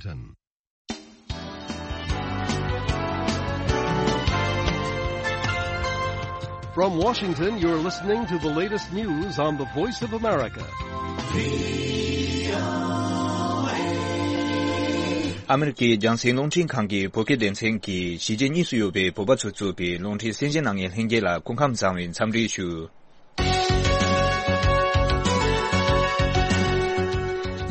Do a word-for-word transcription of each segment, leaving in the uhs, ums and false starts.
Washington. From Washington, you're listening to the latest news on the Voice of America. ཨ་མི་རི་ཀའི་རྒྱང་སྲིང་རླུང་འཕྲིན་ཁང་གི་བོད་སྐད་སྡེ་ཚན་གྱིས་གཞིས་བྱེས་གཉིས་སུ་ཡོད་པའི་བོད་པ་ཚོས་གཙོས་པའི་རླུང་འཕྲིན་གསན་གཟིགས་གནང་མཁན་ལྷན་རྒྱས་ལ་སྐུ་ཁམས་བཟང་བའི་འཚམས་འདྲི་ཞུ།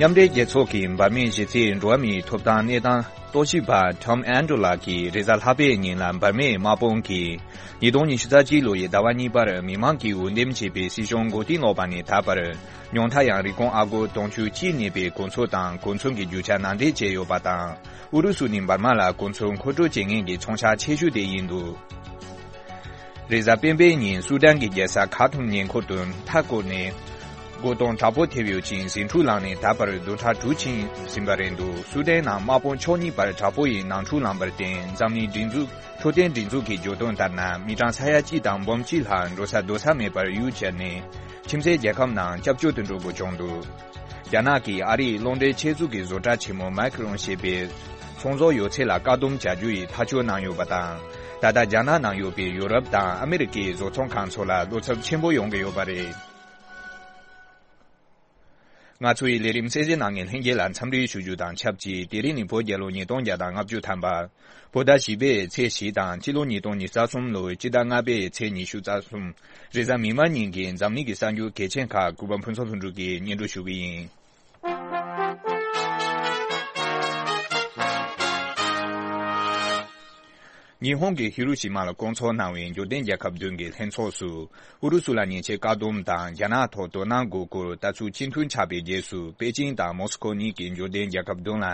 མཉམ་འབྲེལ་རྒྱལ་ཚོགས་ཀྱིས་འབར་མའི་གཞི་རྩའི་འགྲོ་བ་མིའི་ཐོབ་ཐང་གནས་སྟངས་རྟོག་ཞིབ་པ་Tom Andrew ལགས་ཀྱིས་རེས་གཟའ་ལྷག་པའི་ཉིན་ལ་འབར་མའི་དམག་དཔུང་གིས་ཉིས་སྟོང་ཉི་ཤུ་རྩ་གཅིག་ལོ་ཡི་ཟླ་བ་གཉིས་པར་མི་མང་གིས་འོས་འདེམས་བྱས་པའི་སྲིད་གཞུང་མགོ་རྟིང་སློག་པ་ནས་ད་བར་ཉུང་མཐའ་ཡང་རིན་གོང་ཨ་སྒོར་དུང་ཕྱུར་གཅིག་གནས་པའི་གོ་མཚོན་དང་གོ་མཚོན་གྱི་རྒྱུ་ཆ་ནང་འདྲེན་བྱས་ཡོད་པ་དང་། ཨུ་རུ་སུ་ནི་འབར་མ་ལ་གོ་མཚོན་མཁོ་སྤྲོད་བྱེད་མཁན་གྱི་ཚོང་ཤག་ཆེ་ཤོས་དེ་ཡིན་འདུག་རེས་གཟའ་སྤེན་པའི་ཉིན་སུ་དཱན་གྱི་རྒྱལ་ས་ཁ་ཐུམ་ཉེ་འཁོར་དུ་མཐའ་བསྐོར་ནས་སྒོ་དང་དྲག་པོ་ཐེབས་ཡོད་ཅིང་ཟིང་འཁྲུག་ལངས་ནས་ད་བར་བདུན་ཕྲག་དྲུག་ཕྱིན་ཟིན་པ་རེད་འདུག་སུ་དཱན་ནང་དམག་དཔུང་ཕྱོགས་གཉིས་བར་དྲག་པོ་ཡི་ནང་འཁྲུག་ལངས་པར་བརྟེན་འཛམ་གླིང་སྒྲིག་འཛུགས་འཕྲོད་བསྟེན་སྒྲིག་འཛུགས་ཀྱིས་བརྗོད་དོན་ལྟར་ན་མི་གྲངས་ས་ཡ་གཅིག་དང་འབུམ་གཅིག་ལྷག་འགྲོ་ས་སྡོད་ས་མེད་པར་ཡུལ་གྱར་ནས་ཁྱིམ་མཚེས་རྒྱལ་ཁབ་ནང་སྐྱབས་བཅོལ་དུ་འགྲོ་དགོས་བྱུང་འདུག་རྒྱ་ནག་གིས་ཨ་རིའི་རླུང་འཕྲིན་ཆེད་འཛུགས་ཀྱི་བཟོ་གྲྭ་ཆེན་མོ་མཱིག་རོན་ཞེས་པའི་ཚོང་ཟོག་ཡོད་ཚད་ལ་བཀག་སྡོམ་བྱ་རྒྱུ་ཡི་ཐག་གཅོད་གནང་ཡོད་པ་དང་། ད་ལྟ་རྒྱ་ནག་ནང་ཡོད་པའི་ཡོ་རོབ་དང་ཨ་མི་རི་ཀའི་བཟོ་ཚོང་ཁང་ཚོ་ལ་བློ་འཚབ་ཆེན་པོ་ཡོང་གི་ཡོད་པ་རེད། ང་ཚོ་ཡི་ལས་རིམ་གསན་གཟིགས་གནང་མཁན་ལྷན་རྒྱས་ལ་འཚམས་འདྲི་ཞུ་རྒྱུ་དང་ཆབས་ཅིག་དེ་རིང་ནི་བོད་རྒྱལ་ལོ་ཉིས་སྟོང་བརྒྱ་དང་ལྔ་བཅུ་ཐམ་པ། བོད་ཟླ་བཞི་པའི་ཚེས་བཞི་དང་སྤྱི་ལོ་ཉིས་སྟོང་ཉི་ཤུ་རྩ་གསུམ་ལོའི་སྤྱི་ཟླ་ལྔ་པའི་ཚེས་ཉི་ཤུ་རྩ་གསུམ། རེས་གཟའ་མིག་དམར་ཉིན་གྱི་འཛམ་གླིང་གི་གསར་འགྱུར་གལ་ཆེན་ཁག་གུས་པ་ཕུན་ཚོགས་ལྷུན་གྲུབ་ཀྱིས་སྙན་སྒྲོན་ཞུ་གི་ཡིན། ཉི་ཧོང་གི་ཧི་རུ་ཤི་མ་ལ་སྐོང་ཚོགས་གནང་བའི་འབྱོར་ལྡན་རྒྱལ་ཁབ་བདུན་གྱི་ལྷན་ཚོགས་སུ། ཨུ་རུ་སུ་ལ་ཉེས་ཆད་བཀག་སྡོམ་དང་རྒྱ་ནག་ཐོག་དོ་སྣང་དགོས་སྐོར་ལྟ་ཚུལ་གཅིག་མཐུན་ཆགས་པའི་རྗེས་སུ་པེ་ཅིང་དང་མོ་སི་ཁོ་གཉིས་ཀྱིས་འབྱོར་ལྡན་རྒྱལ་ཁབ་བདུན་ལ་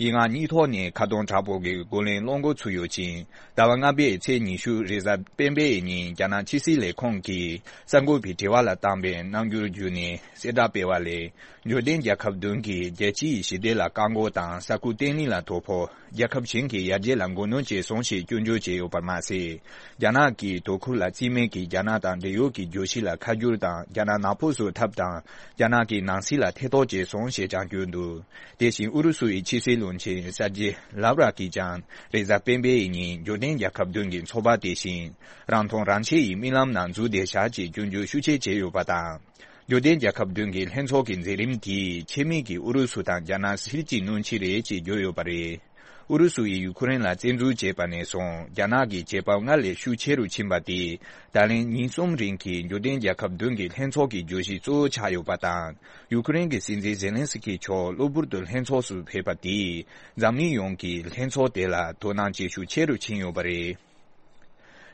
ཡིག་ངག་གཉིས་ཐོག་ནས་ཁ་རྡུང་དྲག་པོ་གི་རྒོལ་ལན་སློང་འགོ་ཚུགས་ཡོད་ཅིང་། ཟླ་བ་ལྔ་པའི་ཚེས་ཉི་ཤུ་རེས་གཟའ་སྤེན་པའི་ཉིན་རྒྱ་ནག་ཕྱི་སྲིད་ལས་ཁུངས་ཀྱིས་གསར་འགོད་པའི་དྲི་བ་ལ་བཏང་པའི་རྣམ་འགྱུར་བརྒྱུད་ནས་གསལ་བསྒྲགས་སྤེལ་བ་ལས། འབྱོར་ལྡན་རྒྱལ་ཁབ་བདུན་གྱིས་རྒྱལ་སྤྱི་ཡི་ཞི་བདེ་ལ་བཀག་འགོག་དང་ས་ཁུལ་བརྟན་ལྷིང་ལ་དོ་ཕོག་རྒྱལ་ཁབ་གཞན་གྱི་ཡར་རྒྱས་ལ་འགོག་གནོན་བྱས་སོང་ཞེས་སྐྱོན་བརྗོད་བྱས་ཡོད་པར་མ་ཟད། རྒྱ་ནག་གིས་དོ་ཁུར་ལ་བརྩི་མེད་ཀྱིས་རྒྱ་ནག་དང་འབྲེལ་ཡོད་ཀྱི་གྱོད་གཞི་ལ་ཁ་བསྒྱུར་དང་རྒྱ་ནག་ནག་པོ་བཟོ་ཐབས་དང་རྒྱ་ནག་གི་ནང་སྲིད་ལ་ཐེ་གཏོགས་བྱས་སོང་ཞེས་ཀྱང་བརྗོད་འདུག་དེ་བཞིན་ཨུ་རུ་སུ་ཡི་ཕྱི་སྲིད་བློན་ཆེན་སར་ཇི་ལབ་ར་གིས་ཀྱང་རེས་གཟའ་སྤེན་པའི་ཉིན་འབྱོར་ལྡན་རྒྱལ་ཁབ་བདུན་གྱི་ཚོགས་པ་དེ་བཞིན་རང་མཐོང་རང་ཆེ་ཡི་རྨི་ལམ་ནང་འཛུལ་བསྡད་བཞག་ཅེས་སྐྱོན་བརྗོད་ཤུགས་ཆེ་བྱས་ཡོད་པ་དང་། འབྱོར་ལྡན་རྒྱལ་ཁབ་བདུན་གྱི་ལྷན་ཚོགས་ཀྱི་མཛད་རིམ་དེས་ཆེད་དམིགས་ཀྱིས་ཨུ་རུ་སུ་དང་རྒྱ་ནག་སྲིད་ཀྱི་སྣུན་ཆེད་རེད་ཅེས་བརྗོད་ཡོད་པ་རེད། ཨུ་རུ་སུ་ཡིས་ཡུ་ཁུ་རེན་ལ་བཙན་འཛུལ་བྱས་པ་ནས་བཟུང་རྒྱ་ནག་གི་བྱེད་པ་སྔར་ལས་ཤུགས་ཆེ་རུ་ཕྱིན་པ་དེས་ད་ལན་ཉིན་གསུམ་རིང་གི་འབྱོར་ལྡན་རྒྱལ་ཁབ་བདུན་གྱི་ལྷན་ཚོགས་ཀྱི་བརྗོད་གཞི་གཙོ་བོ་ཆགས་ཡོད་པ་དང་། ཡུ་ཁུ་རེན་གྱི་སྲིད་འཛིན་ཛེ་ལན་སི་ཀི་མཆོག་གློ་བུར་དུ་ལྷན་ཚོགས་སུ་ཕེབས་པ་དེས་འཛམ་གླིང་ཡོངས་ཀྱིས་ལྷན་ཚོགས་དེ་ལ་དོ་སྣང་བྱེད་ཤུགས་ཆེ་རུ་ཕྱིན་ཡོད་པ་རེད།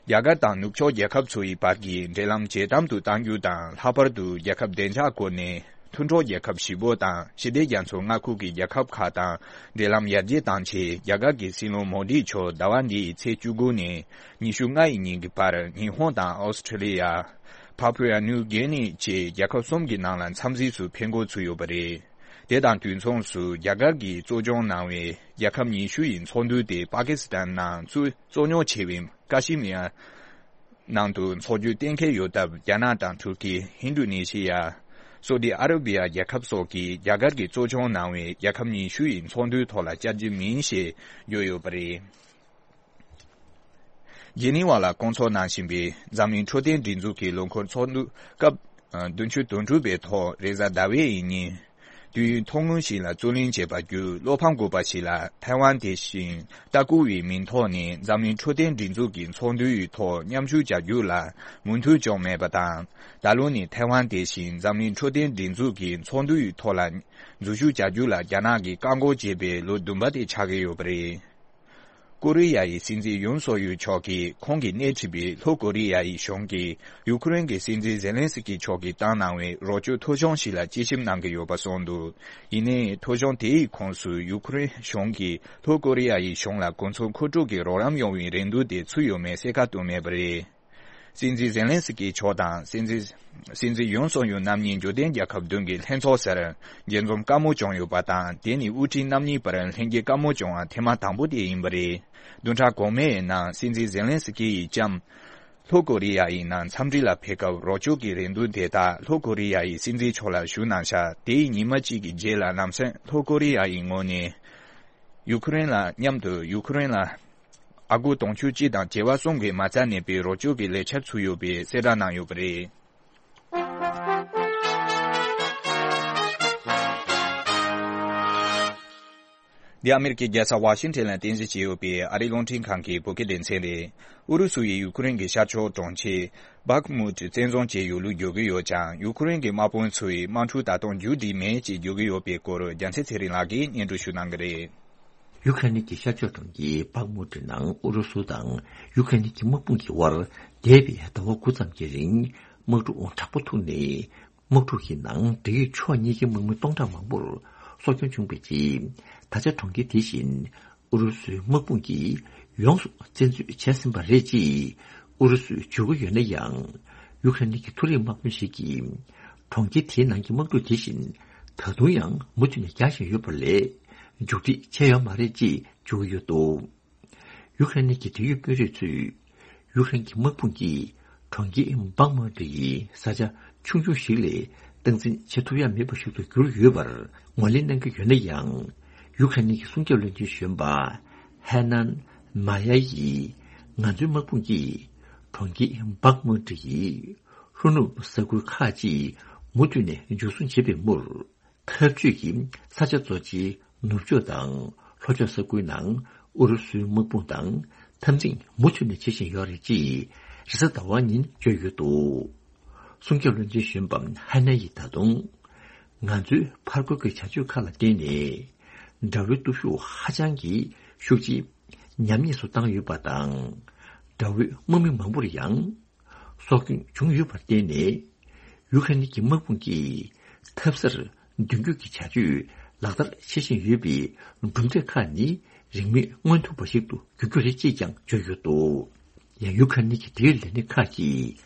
རྒྱ་གར་དང་ནུབ་ཕྱོགས་རྒྱལ་ཁབ་ཚོ་ཡི་བར་གྱི་འབྲེལ་ལམ་ཇེ་དམ་དུ་གཏང་རྒྱུ་དང་། ལྷག་པར་དུ་རྒྱལ་ཁབ་བདེ་འཇགས་སྐོར་ནས་མཐུན་གྲོགས་རྒྱལ་ཁབ་བཞི་པོ་དང་ཞི་བདེ་རྒྱ་མཚོའི་མངའ་ཁུལ་གྱི་རྒྱལ་ཁབ་ཁག་དང་འབྲེལ་ལམ་ཡར་རྒྱས་གཏང་ཆེད། རྒྱ་གར་གྱི་སྲིད་བློན་མོ་དི་མཆོག་ཟླ་བ་འདིའི་ཚེས་བཅུ་དགུ་ནས་ཉི་ཤུ་ལྔ་ཡི་ཉིན་གྱི་བར་ཉི་ཧོང་དང་ཨོ་སི་ཁྲི་ལི་ཡ། ཕ་ཕུ་ཡ་ནིའུ་གྷི་ནི་བཅས་རྒྱལ་ཁབ་གསུམ་གྱི་ནང་ལ་འཚམས་གཟིགས་སུ་ཕེབས་འགོ་ཚུགས་ཡོད་པ་རེད། དེ་དང་དུས་མཚུངས་སུ་རྒྱ་གར་གྱིས་གཙོ་སྐྱོང་གནང་བའི་རྒྱལ་ཁབ་ཉི་ཤུ་ཡི་ཚོགས་འདུ་དེ་པ་ཀི་སི་ཐན་ནང་གཙོ་གཙོ་རྙོག་ཆེ་བའི་ཀ་ཤི་མིར་ནང་དུ་འཚོགས་རྒྱུ་གཏན་འཁེལ་ཡོད་སྟབས། རྒྱ་ནག་དང་ཐུར་ཀི། ཧིན་རྡུ་ནེ་ཤི་ཡ། སོ་ཏི་ཨ་ར་བི་ཡ་རྒྱལ་ཁབ་སོགས་ཀྱིས་རྒྱ་གར་གྱིས་གཙོ་སྐྱོང་གནང་བའི་རྒྱལ་ཁབ་ཉི་ཤུ་ཡི་ཚོགས་འདུའི་ཐོག་ལ་བཅར་རྒྱུ་མིན་ཞེས་བརྗོད་ཡོད་པ་རེད། ཇི་ནི་ཝ་ལ་སྐོང་ཚོགས་གནང་བཞིན་པའི་འཛམ་གླིང་འཕྲོད་བསྟེན་སྒྲིག་འཛུགས་ཀྱི་ལོ་འཁོར་ཚོགས་འདུ་སྐབས་བདུན་ཅུ་དོན་དྲུག་པའི་ཐོག་རེས་གཟའ་ཟླ་བའི་ཉིན། དུས་ཡུན་ཐུང་ངུ་ཞིག་ལ་རྩོད་གླེང་བྱས་པ་བརྒྱུད། བློ་ཕམ་དགོས་པ་ཞིག་ལ་ཐའེ་ཝན་དེ་བཞིན་ཏཱ་ཀུ་ཝེའི་མིང་ཐོག་ནས་འཛམ་གླིང་འཕྲོད་བསྟེན་སྒྲིག་འཛུགས་ཀྱི་ཚོགས་འདུའི་ཐོག་མཉམ་ཞུགས་བྱ་རྒྱུ་ལ་མོས་མཐུན་བྱུང་མེད་པ་དང་། ད་ལོ་ནི་ཐའེ་ཝན་དེ་བཞིན་འཛམ་གླིང་འཕྲོད་བསྟེན་སྒྲིག་འཛུགས་ཀྱི་ཚོགས་འདུའི་ཐོག་ལ་འཛུལ་ཞུགས་བྱ་རྒྱུ་ལ་རྒྱ་ནག་གིས་བཀག་འགོག་བྱས་པའི་ལོ་བདུན་པ་དེ་ཆགས་ཀྱི་ཡོད་པ་རེད། ཀོ་རི་ཡ་ཡི་སྲིད་འཛིན་ཡུན་སོག་ཡུལ་མཆོག་གིས་ཁོང་གིས་སྣེ་ཁྲིད་པའི་ལྷོ་ཀོ་རི་ཡ་ཡི་གཞུང་གིས་ཡུ་ཁུ་རེན་གྱི་སྲིད་འཛིན་ཛེ་ལན་སི་ཀི་མཆོག་གིས་བཏང་གནང་བའི་རོགས་སྐྱོར་ཐོ་གཞུང་ཞིག་ལ་དཔྱད་ཞིབ་གནང་གི་ཡོད་པ་གསུངས་འདུག་ཡིན་ནའི་ཐོ་གཞུང་དེའི་ཁོངས་སུ་ཡུ་ཁུ་རེན་གཞུང་གིས་ལྷོ་ཀོ་རི་ཡ་ཡི་གཞུང་ལ་གོ་མཚོན་མཁོ་སྤྲོད་ཀྱི་རོགས་རམ་ཡོང་བའི་རེ་འདུན་དེ་ཚུད་ཡོད་མེད་གསལ་ཁ་བཏོན་མེད་པ་རེད། སྲིད་འཛིན་ཛེ་ལན་སི་ཀི་མཆོག་དང་སྲིད་འཛིན་སྲིད་འཛིན་ཡུན་སོག་ཡུལ་རྣམ་གཉིས་འབྱོར་ལྡན་རྒྱལ་ཁབ་བདུན་གྱི་ལྷན་ཚོགས་སར་མཇལ་འཛོམས་དཀའ་མོ་བྱུང་ཡོད་པ་དང་། དེ་ནི་དབུ་ཁྲིད་རྣམ་གཉིས་བར་ལྷན་རྒྱས་དཀའ་མོ་བྱུང་བ་ཐེངས་མ་དང་པོ་དེ་ཡིན་པ་རེད། བདུན་ཕྲག་གོང་མའི་ནང་སྲིད་འཛིན་ཛེ་ལན་སི་ཀི་ཡི་ལྕམ་ལྷོ་ཀོ་རི་ཡ་ཡི་ནང་འཚམས་འདྲི་ལ་ཕེབས་སྐབས་རོགས་སྐྱོར་གྱི་རེ་འདུན་དེ་དག་ལྷོ་ཀོ་རི་ཡ་ཡི་སྲིད་འཛིན་མཆོག་ལ་ཞུ་གནང་ཤག་དེའི་ཉི་མ་གཅིག་གི་རྗེས་ལ་ལམ་སེང་ལྷོ་ཀོ་རི་ཡ་ཡི་ངོས་ནས། ཡུ་ཁུ་རེན་ལ་མཉམ་དུ་ཡུ་ཁུ་རེན་ལ་ཨ་སྒོར་དུང་ཕྱུར་གཅིག་དང་བྱེ་བ་གསུམ་གྱི་མ་རྩ་གནས་པའི་རོགས་སྐྱོར་གྱི་ལས་འཆར་ཚུགས་ཡོད་པའི་གསལ་བསྒྲགས་གནང་ཡོད་པ་རེད། འདི་ཨ་མེ་རི་ཀའི་རྒྱལ་ས་ཝ་ཤིང་ཊོན་ལ་རྟེན་གཞི་བྱས་ཡོད་པའི་ཨ་རིའི་རླུང་འཕྲིན་ཁང་གི་བོད་སྐད་སྡེ་ཚན་རེད། ཨུ་རུ་སུ་ཡིས་ཡུ་ཁུ་རེན་གྱི་ཤར་ཕྱོགས་གྲོང་ཁྱེར་བྷག་མུད་བཙན་བཟུང་བྱས་ཡོད་ལུགས་བརྗོད་ཀྱི་ཡོད་ཀྱང་། ཡུ་ཁུ་རེན་གྱི་དམག་དཔོན་ཚོས་དམག་འཁྲུག་ད་དུང་མཇུག་སྒྲིལ་མེད་ཅེས་བརྗོད་ཀྱི་ཡོད་པའི་སྐོར། རྒྱལ་མཚན་ཚེ་རིང་ལགས་ཀྱིས་སྙན་སྒྲོན་ཞུ་གནང་གི་རེད། ཡུ་ཁ་ནི་གྱི་ཤར་ཕྱོགས་གྲོང་ཁྱེར་བྷག་མུད་ནང་ཨུ་རུ་སུ་དང་ཡུ་ཁ་ནི་གྱི་དམག་དཔུང་གི་དབར་འདས་པའི་ཟླ་བ་དགུ་ཙམ་གྱི་རིང་དམག་འཁྲུག་དྲག་པོ་ཐུག་ནས། དམག་འཁྲུག་གི་ནང་འབྲེལ་ཡོད་ཕྱོགས་གཉིས་ཀྱི་དམག་མི་སྟོང་ཕྲག་མང་པོར་སྲོག་སྐྱོན་བྱུང་བའི་རྗེས། ད་ཆ་གྲོང་ཁྱེར་དེ་བཞིན་ཨུ་རུ་སུའི་དམག་དཔུང་གིས་ཡོངས་སུ་བཙན་འཛུལ་བྱས་ཟིན་པ་རེད་ཅེས་ཨུ་རུ་སུས་བརྗོད་ཀྱི་ཡོད་ན་ཡང་། ཡུ་ཁ་རེན་གྱི་མཐོ་རིམ་དམག་དཔོན་ཞིག་གིས་གྲོང་ཁྱེར་དེའི་ནང་གི་དམག་འཁྲུག་དེ་བཞིན་ད་དུང་ཡང་མུ་མཐུད་ནས་རྒྱག་བཞིན་ཡོད་པ་ལས་མཇུག་སྒྲིལ་བྱས་ཡོད་མ་རེད་ཅེས་བརྗོད་ཀྱི་ཡོད་འདུག་ཡུ་ཁ་རེན་གྱི་འབྲེལ་ཡོད་དཔོན་རིགས་ཚོས། ཡུ་ཁ་རེན་གྱི་དམག་དཔུང་གིས་གྲོང་ཁྱེར་བྷག་མུད་ཡི་ས་ཆ་ཆུང་ཆུང་ཞིག་ལས་སྟངས་འཛིན་བྱེད་ཐུབ་ཡ་མེད་པ་ཞིག་ཏུ་གྱུར་ཡོད་པར་ངོས་ལེན་གནང་གི་ཡོད་ན་ཡང་། ཡུ་ཁ་རེན་གྱི་སྲུང་སྐྱོབ་བློན་ཆེན་གཞོན་པ་ཧེ་ནན་མ་ཡ་ཡིས། ང་ཚོའི་དམག་དཔུང་གིས་གྲོང་ཁྱེར་བྷག་མུད་ཡི་ལྷོ་ནུབ་ས་ཁུལ་ཁག་ཅིག་མུ་མཐུད་ནས་འཇུ་བཟུང་བྱེད་པའི་མུར། འཐབ་ཇུས་ཀྱི་ས་ཆ་གཙོ་ཆེའི་ནུབ་ཕྱོགས་དང་ལྷོ་ཕྱོགས་ས་ཁུལ་ནང་ཨུ་རུ་སུའི་དམག་དཔུང་དང་འཐབ་འཛིང་མུ་མཐུད་ནས་བྱེད་བཞིན་ཡོད་རེད་ཅེས་རེས་གཟའ་ཟླ་བ་ཉིན་བརྗོད་ཡོད་འདུག་སྲུང་སྐྱོབ་བློན་ཆེན་གཞོན་པ་ཧ་ན་ཡིས་ད་དུང་། ང་ཚོའི་ཕར་རྒོལ་གྱི་བྱ་སྤྱོད་ཁག་ལ་བརྟེན་ནས། དགྲ་བོའི་སྟོབས་ཤུགས་ཧ་ཅང་གི་ཤུགས་ཆེ། ཉམས་ཉེས་སུ་བཏང་ཡོད་པ་དང་། དགྲ་བོའི་དམག་མི་མང་པོར་ཡང་། སྲོག་སྐྱོན་བྱུང་ཡོད་པར་བརྟེན་ནས། ཡུ་ཁ་ནི་གི་དམག་དཔུང་གིས་འཐབ་སར་མདུན་སྐྱོད་ཀྱི་བྱ་སྤྱོད་ལག་བསྟར་བྱེད་བཞིན་ཡོད་པའི་གྲུབ་འབྲས་ཁག་ནི་རིང་མིན་མངོན་ཐུབ་པ་ཞིག་ཏུ་འགྱུར་རྒྱུ་རེད་ཅེས་ཀྱང་བརྗོད་ཡོད་འདུག་ཡང་ཡུ་ཁ་ནི་གི་འབྲེལ་ཡོད་ལས་སྣེ་ཁག་གིས་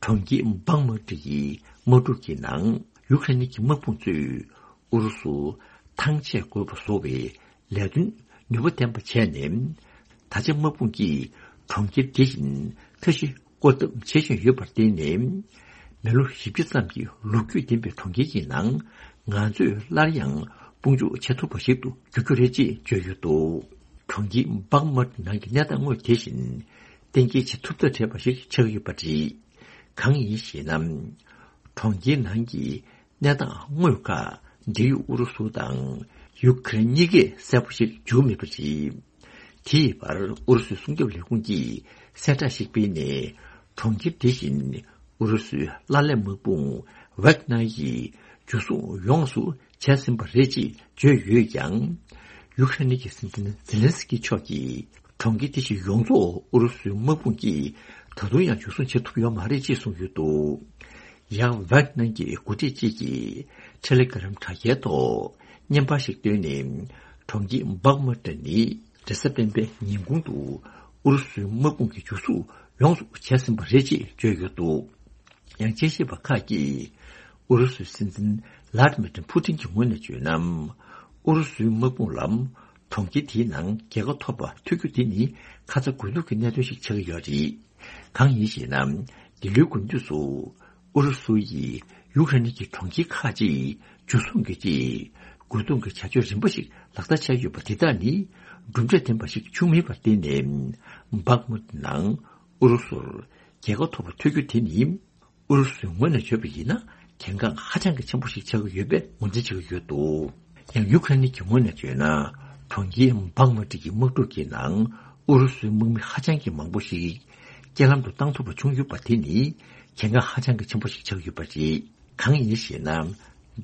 གྲོང་ཁྱེར་བྷག་མུ་ཏི་ཡི་དམག་འཁྲུག་གི་ནང་ཡུ་ཁ་ནི་གི་དམག་དཔུང་ཚོས་ཨུ་རུ་སུ་ཐང་ཆད་དགོས་པ་བཟོ་བའི་ལས་དོན་ནུས་པ་ལྡན་པ་བྱས་ནས། ད་ཆ་དམག་དཔུང་གིས་གྲོང་ཁྱེར་དེ་བཞིན་མཐའ་བཞི་བསྐོར་ཐབས་བྱེད་བཞིན་ཡོད་པར་བརྟེན་ནས། མི་ལོ་བཞི་བཅུ་ཙམ་གྱི་ལོ་རྒྱུས་ལྡན་པའི་གྲོང་ཁྱེར་གྱི་ནང་ང་ཚོས་སླར་ཡང་དཔུང་འཇུག་བྱེད་ཐུབ་པ་ཞིག་ཏུ་འགྱུར་རྒྱུ་རེད་ཅེས་བརྗོད་ཡོད་འདུག་གྲོང་ཁྱེར་བྷག་མུད་ནང་གི་གནས་སྟངས་དངོས་དེ་བཞིན་གཏན་འཁེལ་བྱེད་ཐུབ་ཐབས་བྲལ་བ་ཞིག་ཆགས་ཡོད་པ་རེད། གང་ཡིན་ཞེ་ན། གྲོང་ཁྱེར་ནང་གི་གནས་སྟངས་དངོས་ཁག་འབྲེལ་ཡོད་ཨུ་རུ་སུ་དང་ཡུ་ཁ་རེན་གཉིས་ཀས་གསལ་པོ་ཞིག་བརྗོད་མེད་པ་རེད། དེའི་བར་ཨུ་རུ་སུའི་སྲུང་སྐྱོབ་ལས་ཁུངས་ཀྱིས་གསལ་བསྒྲགས་ཤིག་སྤེལ་ནས། གྲོང་ཁྱེར་དེ་བཞིན་ཨུ་རུ་སུའི་བླ་ལས་དམག་དཔུང་ཝེག་ནར་ཡིས་འཇུ་བཟུང་ཡོངས་སུ་བྱས་ཟིན་པ་རེད་ཅེས་བརྗོད་ཡོད་ཀྱང་། ཡུ་ཁ་རེན་གྱི་སྲིད་འཛིན་ཛེ་ལན་སི་ཀི་མཆོག་གིས། གྲོང་ཁྱེར་དེ་བཞིན་ཡོངས་རྫོགས་ཨུ་རུ་སུའི་དམག་དཔུང་གིས་ད་དུང་ཡང་འཇུ་བཟུང་བྱེད་ཐུབ་ཡོད་མ་རེད་ཅེས་གསུངས་ཡོད་འདུག་ཡང་ཝེག་ནར་གྱི་འགོ་ཁྲིད་ཅིག་གིས་ཊེ་ལེ་གྷི་རམ་དྲ་རྒྱའི་ཐོག་བརྙན་པར་ཞིག་བཏོན་ནས། གྲོང་ཁྱེར་བྷག་མུད་ནི་རེས་གཟའ་སྤེན་པའི་ཉིན་གུང་དུ་ཨུ་རུ་སུའི་དམག་དཔུང་གིས་འཇུ་བཟུང་ཡོངས་སུ་བྱས་ཟིན་པ་རེད་ཅེས་བརྗོད་ཡོད་འདུག་ཡང་དཔྱད་ཞིབ་པ་ཁག་གིས་ཨུ་རུ་སུའི་སྲིད་འཛིན་ལཱ་ཏི་མིར་ཕུ་ཏིན་གྱི་ངོས་ནས་བརྗོད་ན། ཨུ་རུ་སུའི་དམག་དཔུང་ལ་གྲོང་ཁྱེར་དེའི་ནང་རྒྱལ་ཁ་ཐོབ་པ་ཐོས་རྒྱུ་དེ་ནི་ཁ་ཚ་དགོས་གཏུགས་ཀྱི་གནད་དོན་ཞིག་ཆགས་ཀྱི་ཡོད་རེད། གང་ཡིན་ཞེ་ན། འདི་ལོའི་དགུན་དུས་སུ་ཨུ་རུ་སུ་ཡིས་ཡུཀ་རེན་གྱི་གྲོང་ཁྱེར་ཁག་ཅིག་འཇུ་བཟུང་གི་ཆེད་རྒོལ་རྡུང་གི་བྱ་སྤྱོད་རིམ་པ་ཞིག་ལག་བསྟར་བྱས་ཡོད་པ་དེ་དག་ནི་གྲུབ་འབྲས་ལྡན་པ་ཞིག་བྱུང་མེད་པར་བརྟེན་ནས། བྷག་མུད་ནང་ཨུ་རུ་སུར་རྒྱལ་ཁ་ཐོབ་པ་ཐོས་རྒྱུ་དེ་ནི། ཨུ་རུ་སུའི་ངོས་ནས་བརྗོད་པ་ཡིན་ན་གལ་འགངས་ཧ་ཅང་གི་ཆེན་པོ་ཞིག་ཆགས་ཀྱི་ཡོད་པའི་ངོས་འཛིན་བྱེད་ཀྱི་ཡོད་འདུག་ཡང་ཡུ་ཁ་རེན་གྱི་ངོས་ནས་བརྗོད་ན། གྲོང་ཁྱེར་བྷག་མུད་ཀྱི་དམག་འཁྲུག་གི་ནང་ཨུ་རུ་སུའི་དམག་མི་ཧ་ཅང་གི་མང་པོ་ཞིག་རྐྱེན་ལམ་དུ་བཏང་ཐུབ་པ་བྱུང་ཡོད་པ་དེ་ནི་གལ་འགངས་ཧ་ཅང་གི་ཆེན་པོ་ཞིག་ཆགས་ཀྱི་ཡོད་པ་རེད། གང་ཡིན་ཞེ་ན།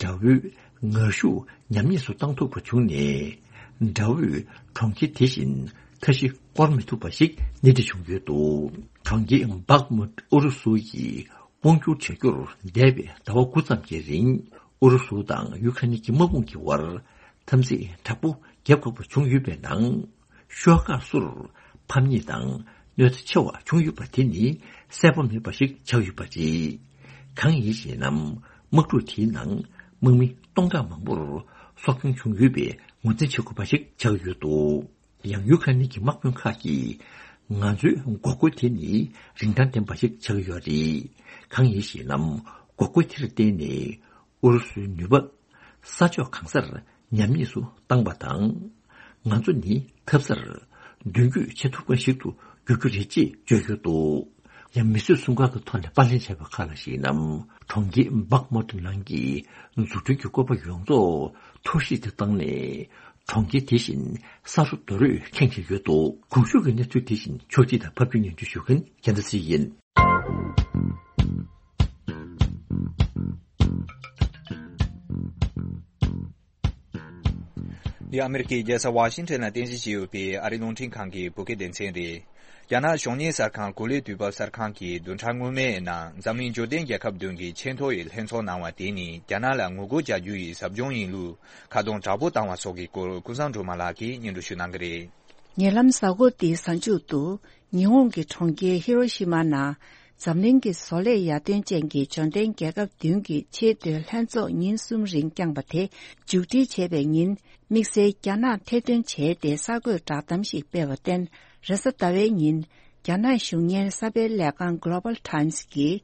དགྲ་བོའི་ངར་ཤུགས་ཉམས་ཉེས་སུ་བཏང་ཐུབ་པ་བྱུང་ནས། དགྲ་བོས་གྲོང་ཁྱེར་དེ་བཞིན་མཐའ་བཞི་བསྐོར་མི་ཐུབ་པ་ཞིག་སྣེ་ཁྲིད་བྱུང་ཡོད་འདུག་གྲོང་ཁྱེར་བྷག་མུད་ཨུ་རུ་སུ་ཡིས་དབང་བསྒྱུར་བྱ་རྒྱུར་འདས་པའི་ཟླ་བ་དགུ་ཙམ་གྱི་རིང་ཨུ་རུ་སུ་དང་ཡུ་ཁ་ནི་གི་དམག་དཔུང་གི་དབར་འཐབ་འཛིང་དྲག་པོ་རྒྱབ་འགོག་པ་བྱུང་ཡོད་པའི་ནང་། ཤོག་ཁག་སོར་ཕམ་ཉེས་དང་གནོད་འཚེ་ཆེ་བ་བྱུང་ཡོད་པ་དེ་ནི་གསལ་པོ་མེད་པ་ཞིག་ཆགས་ཡོད་པ་རེད། གང་ཡིན་ཞེ་ན། དམག་འཁྲུག་དེའི་ནང་དམག་མི་སྟོང་ཕྲག་མང་པོར་སྲོག་སྐྱོན་བྱུང་ཡོད་པའི་ངོས་འཛིན་བྱེད་དགོས་པ་ཞིག་ཆགས་ཡོད་འདུག་ཡང་ཡུ་ཁ་ནི་གི་དམག་དཔོན་ཁག་གིས་ང་ཚོའི་འགོག་རྒོལ་དེ་ནི་རིན་ཐང་ལྡན་པ་ཞིག་ཆགས་ཡོད་རེད། གང་ཡིན་ཞེ་ན། འགོག་རྒོལ་དེར་བརྟེན་ནས་ཨུ་རུ་སུའི་ནུས་པ་ས་ཕྱོགས་གང་སར་ཉམས་ཉེས་སུ་བཏང་པ་དང་། ང་ཚོ་ནི་ཐབས་གསར་མདུན་སྐྱོད་བྱེད་ཐུབ་མཁན་ཞིག་ཏུ་འགྱུར་རྒྱུ་རེད་ཅེས་བརྗོད་ཡོད་འདུག། ཡང་མི་གསོད་སྲུང་སྐར་གྱི་ཐོག་ནས་པར་ལེན་བྱས་པ་ཁག་ལ་གཞིགས་ན། གྲོང་ཁྱེར་སྦག་མོ་ཏོ་ནང་གི་འཛུགས་སྐྲུན་གྱི་བཀོད་པ་ཡོངས་རྫོགས་འཐོར་བཤིག་ཏུ་བཏང་ནས། གྲོང་ཁྱེར་དེ་བཞིན་ས་རུབ་རྡོ་རུས་ཁེངས་བཞིན་ཡོད་འདུག། གོང་ཞུས་ཀྱི་གནས་ཚུལ་དེ་བཞིན་ཕྱོགས་སྒྲིག་དང་ཕབ་སྒྱུར་སྙན་སྒྲོན་ཞུ་མཁན་རྒྱལ་མཚན་ཚེ་རིང་ཡིན། འདི་ཨ་མེ་རི་ཀའི་རྒྱལ་ས་ཝ་ཤིང་ཊོན་ལ་རྟེན་གཞི་བྱས་ཡོད་པའི་ཨ་རིའི་རླུང་འཕྲིན་ཁང་གི་བོད་སྐད་སྡེ་ཚན་རེད། རྒྱ་ནག་གཞུང་གཉེར་གསར་ཁང་གོ་ལའི་དུས་བབ་གསར་ཁང་གིས་བདུན་ཕྲག་སྔོན་མའི་ནང་འཛམ་གླིང་འབྱོར་ལྡན་རྒྱལ་ཁབ་བདུན་གྱི་ཆེས་མཐོ་བའི་ལྷན་ཚོགས་གནང་བ་དེ་ནི་རྒྱ་ནག་ལ་ངོ་རྒོལ་བྱ་རྒྱུ་ཡི་ཟབ་སྦྱོང་ཡིན་ལུགས་ཁ་རྡུང་དྲག་པོ་བཏང་བ་སོགས་ཀྱི་སྐོར་ཀུན་བཟང་སྒྲོལ་མ་ལགས་ཀྱིས་སྙན་སྒྲོན་ཞུ་གནང་གི་རེད། ཉེ་ལམ་གཟའ་འཁོར་འདིའི་གཟའ་མཇུག་ཏུ། ཉི་ཧོང་གི་གྲོང་ཁྱེར་ཧི་རོ་ཤི་མ་ནང་འཛམ་གླིང་གི་བཟོ་ལས་ཡར་ཐོན་ཅན་གྱི་འབྱོར་ལྡན་རྒྱལ་ཁབ་བདུན་གྱི་ཆེས་མཐོའི་ལྷན་ཚོགས་ཉིན་གསུམ་རིང་བསྐྱངས་པ་དེ་མཇུག་སྒྲིལ་བྱས་པའི་ཉིན། དམིགས་བསལ་རྒྱ་ནག་ཐེར་འདོན་བྱས་ཏེ་གསར་འགོད་བསྒྲགས་གཏམ་ཞིག་སྤེལ་བར་བརྟེན། རེས་གཟའ་ཟླ་བའི་ཉིན། རྒྱ་ནག་གཞུང་གཉེར་གསར་སྤེལ་ལས་ཁང་Global Times་གིས།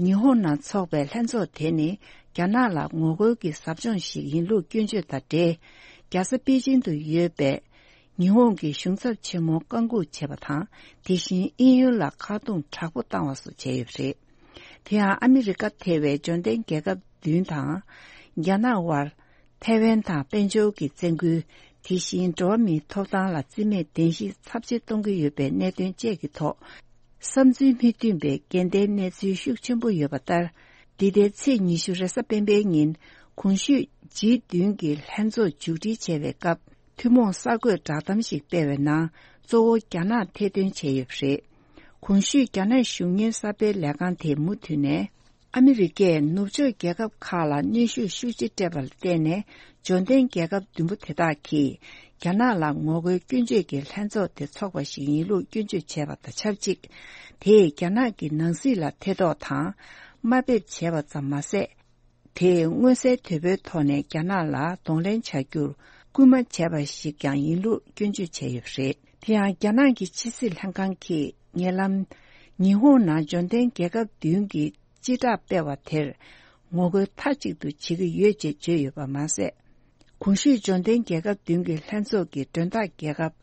ཉི་ཧོང་ནང་འཚོགས་པའི་ལྷན་ཚོགས་དེ་ནི་རྒྱ་ནག་ལ་ངོ་རྒོལ་གྱི་ཟབ་སྦྱོང་ཞིག་ཡིན་ལུགས་སྐྱོན་བརྗོད་དང་འབྲེལ། རྒྱལ་ས་པེ་ཅིང་དུ་ཡོད་པའི་ཉི་ཧོང་གི་གཞུང་ཚབ་ཆེན་མོ་བཀག་འགོག་བྱས་པ་དང་། དེ་བཞིན་དབྱིན་ཡུལ་ལ་ཁ་རྡུང་དྲག་པོ་བཏང་བ་སོགས་བྱས་ཡོད་པ་རེད། དེ་ཡང་ཨ་མི་རི་ཀ་ཐེ་བའི་འབྱོར་ལྡན་རྒྱལ་ཁབ་བདུན་དང་། རྒྱ་ནག་དབར་ཐའེ་ཝན་དང་དཔལ་འབྱོར་གྱི་བཙན་སྐུལ། དེ་བཞིན་འགྲོ་བ་མིའི་ཐོབ་ཐང་ལ་བརྩི་མེད་གདན་ཞིག་ཚབས་ཆེ་གཏོང་གི་ཡོད་པའི་གནད་དོན་བཅས་ཀྱི་ཐོག་བསམ་ཚུལ་མི་མཐུན་པའི་འགལ་ཟླའི་གནས་ཚུལ་ཤུགས་ཆེན་པོ་ཡོད་པ་ལྟར། འདི་ཟླའི་ཚེས་ཉི་ཤུ་རེས་གཟའ་སྤེན་པའི་ཉིན། གོང་ཞུས་ཇི་བདུན་གྱི་ལྷན་ཚོགས་མཇུག་སྒྲིལ་བྱས་པའི་སྐབས། ཐུན་མོང་གསར་འགོད་བསྒྲགས་གཏམ་ཞིག་སྤེལ་བའི་ནང་། གཙོ་བོ་རྒྱ་ནག་ཐེར་འདོན་བྱས་ཡོད་པ་རེད། གོང་ཞུས་རྒྱ་ནག་གཞུང་གཉེར་གསར་སྤེལ་ལས་ཁང་དེས་མུ་མཐུད་ནས། ཨ་མི་རི་ཀས་ནུབ་ཕྱོགས་རྒྱལ་ཁབ་ཁག་ལ་གནོན་ཤུགས་ཤུགས་ཆེ་སྤྲད་པ་ལ་བརྟེན་ནས། འབྱོར་ལྡན་རྒྱལ་ཁབ་བདུན་པོ་དེ་དག་གིས། རྒྱ་ནག་ལ་ངོ་རྒོལ་སྐྱོན་བརྗོད་ཀྱི་ལྷན་ཚོགས་དེ་འཚོགས་པ་ཞིག་ཡིན་ལུགས་སྐྱོན་བརྗོད་བྱས་པ་དང་ཆབས་ཅིག་དེས་རྒྱ་ནག་གི་ནང་སྲིད་ལ་ཐེ་གཏོགས་དང་། དམའ་འབེབས་བྱས་པ་ཙམ་མ་ཟད། དེས་མངོན་གསལ་དོད་པོའི་ཐོག་ནས་རྒྱ་ནག་ལ་གདོང་ལེན་བྱ་རྒྱུར་སྐུལ་མ་བྱས་པ་ཞིག་ཀྱང་ཡིན་ལུགས་སྐྱོན་བརྗོད་བྱས་ཡོད་པ་རེད། དེ་ཡང་རྒྱ་ནག་གི་ཕྱི་སྲིད་ལྷན་ཁང་གིས་ཉེ་ལམ། ཉི་ཧོང་ནང་འབྱོར་ལྡན་རྒྱལ་ཁབ་བདུན་གྱི་སྤྱི་བསྒྲགས་སྤེལ་བ་དེར། ངོ་རྒོལ་མཐའ་གཅིག་ཏུ་བྱེད་ཀྱི་ཡོད་ཅེས་བརྗོད་ཡོད་པ་མ་ཟད། གོང་ཞུས་འབྱོར་ལྡན་རྒྱལ་ཁབ་བདུན་གྱི་ལྷན་ཚོགས་ཀྱི་མགྲོན་བདག་རྒྱལ་ཁབ་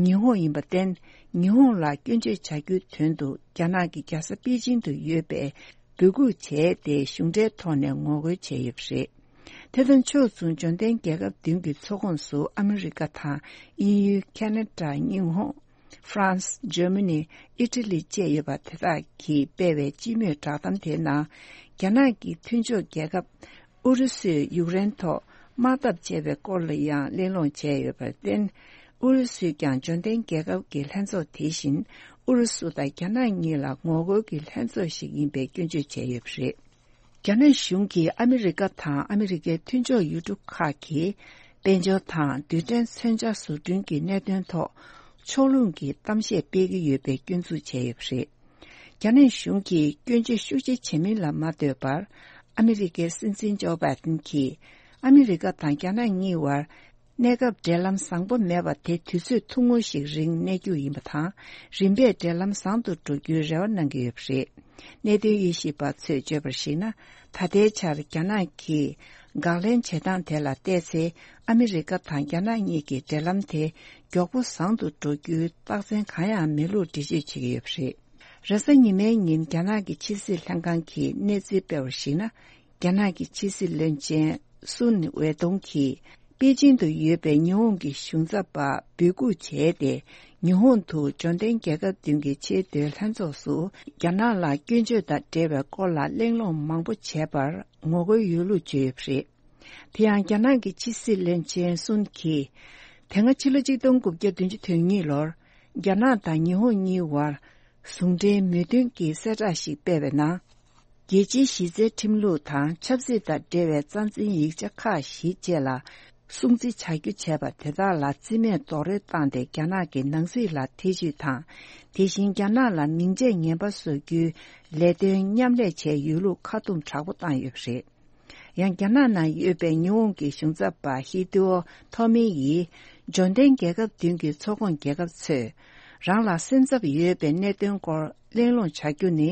ཉི་ཧོང་ཡིན་པར་བརྟེན། ཉི་ཧོང་ལ་སྐྱོན་བརྗོད་བྱ་རྒྱུའི་དོན་དུ་རྒྱ་ནག་གི་རྒྱལ་ས་པེ་ཅིང་དུ་ཡོད་པའི་འབོད་འགུག་བྱས་ཏེ་གཞུང་འབྲེལ་ཐོག་ནས་ངོ་རྒོལ་བྱས་ཡོད་པ་རེད། དེ་དང་ཕྱོགས་མཚུངས་འབྱོར་ལྡན་རྒྱལ་ཁབ་བདུན་གྱི་ཚོགས་ཁོངས་སུ་ཨ་མི་རི་ཀ་དང་དབྱིན་ཡུལ། ཁ་ན་ཌ། ཉི་ཧོང་། ཧྥ་རན་སི། འཇར་མ་ནི། ཨི་ཊ་ལི་བཅས་ཡོད་པ་དེ་དག་གིས་སྤེལ་བའི་སྤྱི་མོས་བསྒྲགས་གཏམ་དེའི་ནང་། རྒྱ་ནག་གི་མཐུན་ཕྱོགས་རྒྱལ་ཁབ་ཨུ་རུ་སུས་ཡུཀ་རེན་ཐོག་དམག་འཐབ་བྱས་པའི་སྐོར་ལ་ཡང་གླེང་སློང་བྱས་ཡོད་པར་བརྟེན། ཨུ་རུ་སུས་ཀྱང་འབྱོར་ལྡན་རྒྱལ་ཁབ་ཀྱི་ལྷན་ཚོགས་དེ་བཞིན་ཨུ་རུ་སུ་དང་རྒྱ་ནག་གཉིས་ལ་ངོ་རྒོལ་གྱི་ལྷན་ཚོགས་ཤིག་ཡིན་པའི་སྐྱོན་བརྗོད་བྱས་ཡོད་པ་རེད། རྒྱ་ནག་གཞུང་གིས་ཨ་མི་རི་ཀ་དང་ཨ་མི་རི་ཀའི་མཐུན་ཕྱོགས་ཡུལ་གྲུ་ཁག་གིས་དཔལ་འབྱོར་དང་རྡུལ་ཕྲན་མཚོན་ཆ་བཟོ་སྐྲུན་གྱི་གནད་དོན་ཐོག་ཕྱོགས་ལྷུང་གི་གཏམ་བཤད་སྤེལ་གྱི་ཡོད་པའི་སྐྱོན་འཛུགས་བྱས་ཡོད་པ་རེད། རྒྱ་ནག་གཞུང་གིས་སྐྱོན་བརྗོད་ཤུགས་ཆེ་བྱེད་མིན་ལ་མ་ལྟོས་པར། ཨ་མི་རི་ཀའི་སྲིད་འཛིན་ཇོ་བྷའི་ཏིན་གྱིས་ཨ་མི་རི་ཀ་དང་རྒྱ་ནག་གཉིས་བར། གནས་སྐབས་འབྲེལ་ལམ་བཟང་པོ་མེད་པ་དེ་དུས་ཚོད་ཐུང་ངུ་ཞིག་རིང་གནས་རྒྱུ་ཡིན་པ་དང་། རིམ་པས་འབྲེལ་ལམ་བཟང་དུ་འགྲོ་རྒྱུའི་རེ་བ་གནང་གི་ཡོད་པ་རེད། གནད་དོན་དབྱེ་ཞིབ་པ་ཚོས་བརྗོད་པར་གཞིགས་ན། ད་ལྟའི་ཆར་རྒྱ་ནག་གིས་དགག་ལན་བྱེད་སྟངས་དེ་ལ་བལྟས་ཚེ། ཨ་མི་རི་ཀ་དང་རྒྱ་ནག་གཉིས་ཀྱི་འབྲེལ་ལམ་དེ་མགྱོགས་པོ་བཟང་དུ་འགྲོ་རྒྱུའི་རྟགས་མཚན་གང་ཡང་མེད་ལུགས་འགྲེལ་བརྗོད་བྱེད་ཀྱི་ཡོད་པ་རེད། རེས་གཟའ་ཉི་མའི་ཉིན་རྒྱ་ནག་གི་ཕྱི་སྲིད་ལྷན་ཁང་གིས་གནས་ཚུལ་སྤེལ་བར་གཞིགས་ན། རྒྱ་ནག་གི་ཕྱི་སྲིད་བློན་ཆེན་སུན་ཝེ་ཏུང་གིས། པེ་ཅིང་དུ་ཡོད་པའི་ཉི་ཧོང་གི་གཞུང་ཚབ་པ་འབོད་འགུག་བྱས་ཏེ། ཉི་ཧོང་དུ་འབྱོར་ལྡན་རྒྱལ་ཁབ་བདུན་གྱི་ཆེས་མཐོའི་ལྷན་ཚོགས་སུ། རྒྱ་ནག་ལ་སྐྱོན་བརྗོད་དང་འབྲེལ་བའི་སྐོར་ལ་གླེང་སློང་མང་པོ་བྱས་པར་ངོ་རྒོལ་ཡོད་ལུགས་བརྗོད་ཡོད་པ་རེད། དེ་ཡང་རྒྱ་ནག་གི་ཕྱི་སྲིད་བློན་ཆེན་སུན་གྱིས། དེ་སྔ་ཕྱི་ལོ་ཆིག་སྟོང་དགུ་བརྒྱ་བདུན་ཅུ་དོན་གཉིས་ལོར། རྒྱ་ནག་དང་ཉི་ཧོང་གཉིས་བར། ཟུང་འབྲེལ་མོས་མཐུན་གྱི་གསལ་བསྒྲགས་ཤིག་སྤེལ་བའི་ནང་། རྒྱལ་སྤྱིའི་གཞི་རྩའི་ཁྲིམས་ལུགས་དང་ཆབ་སྲིད་དང་འབྲེལ་བའི་རྩ་འཛིན་ཡིག་ཆ་ཁག་བཞི་བཅས་ལ་སྲུང་བརྩི་བྱ་རྒྱུ་བྱས་པ་དེ་དག་ལ་རྩིས་མེད་རྡོག་རོལ་བཏང་སྟེ། རྒྱ་ནག་གི་ནང་སྲིད་ལ་ཐེ་བྱུས་དང་། དེ་བཞིན་རྒྱ་ནག་ལ་མིང་ཆད་ངན་པ་བཟོ་རྒྱུའི་ལས་དོན་མཉམ་ལས་བྱས་ཡོད་ལུགས་ཁ་རྡུང་དྲག་པོ་བཏང་ཡོད་པ་རེད། ཡང་རྒྱ་ནག་ནང་ཡོད་པའི་ཉི་ཧོང་གི་གཞུང་ཚབ་པ་ཧི་ཏི་ཨོ་ཐོ་མི་ཡིས། འབྱོར་ལྡན་རྒྱལ་ཁབ་བདུན་གྱི་ཚོགས་ཁོངས་རྒྱལ་ཁབ་ཚོས། རང་ལ་སེམས་འཚབ་ཡོད་པའི་གནད་དོན་སྐོར་གླེང་སློང་བྱ་རྒྱུ་ནི།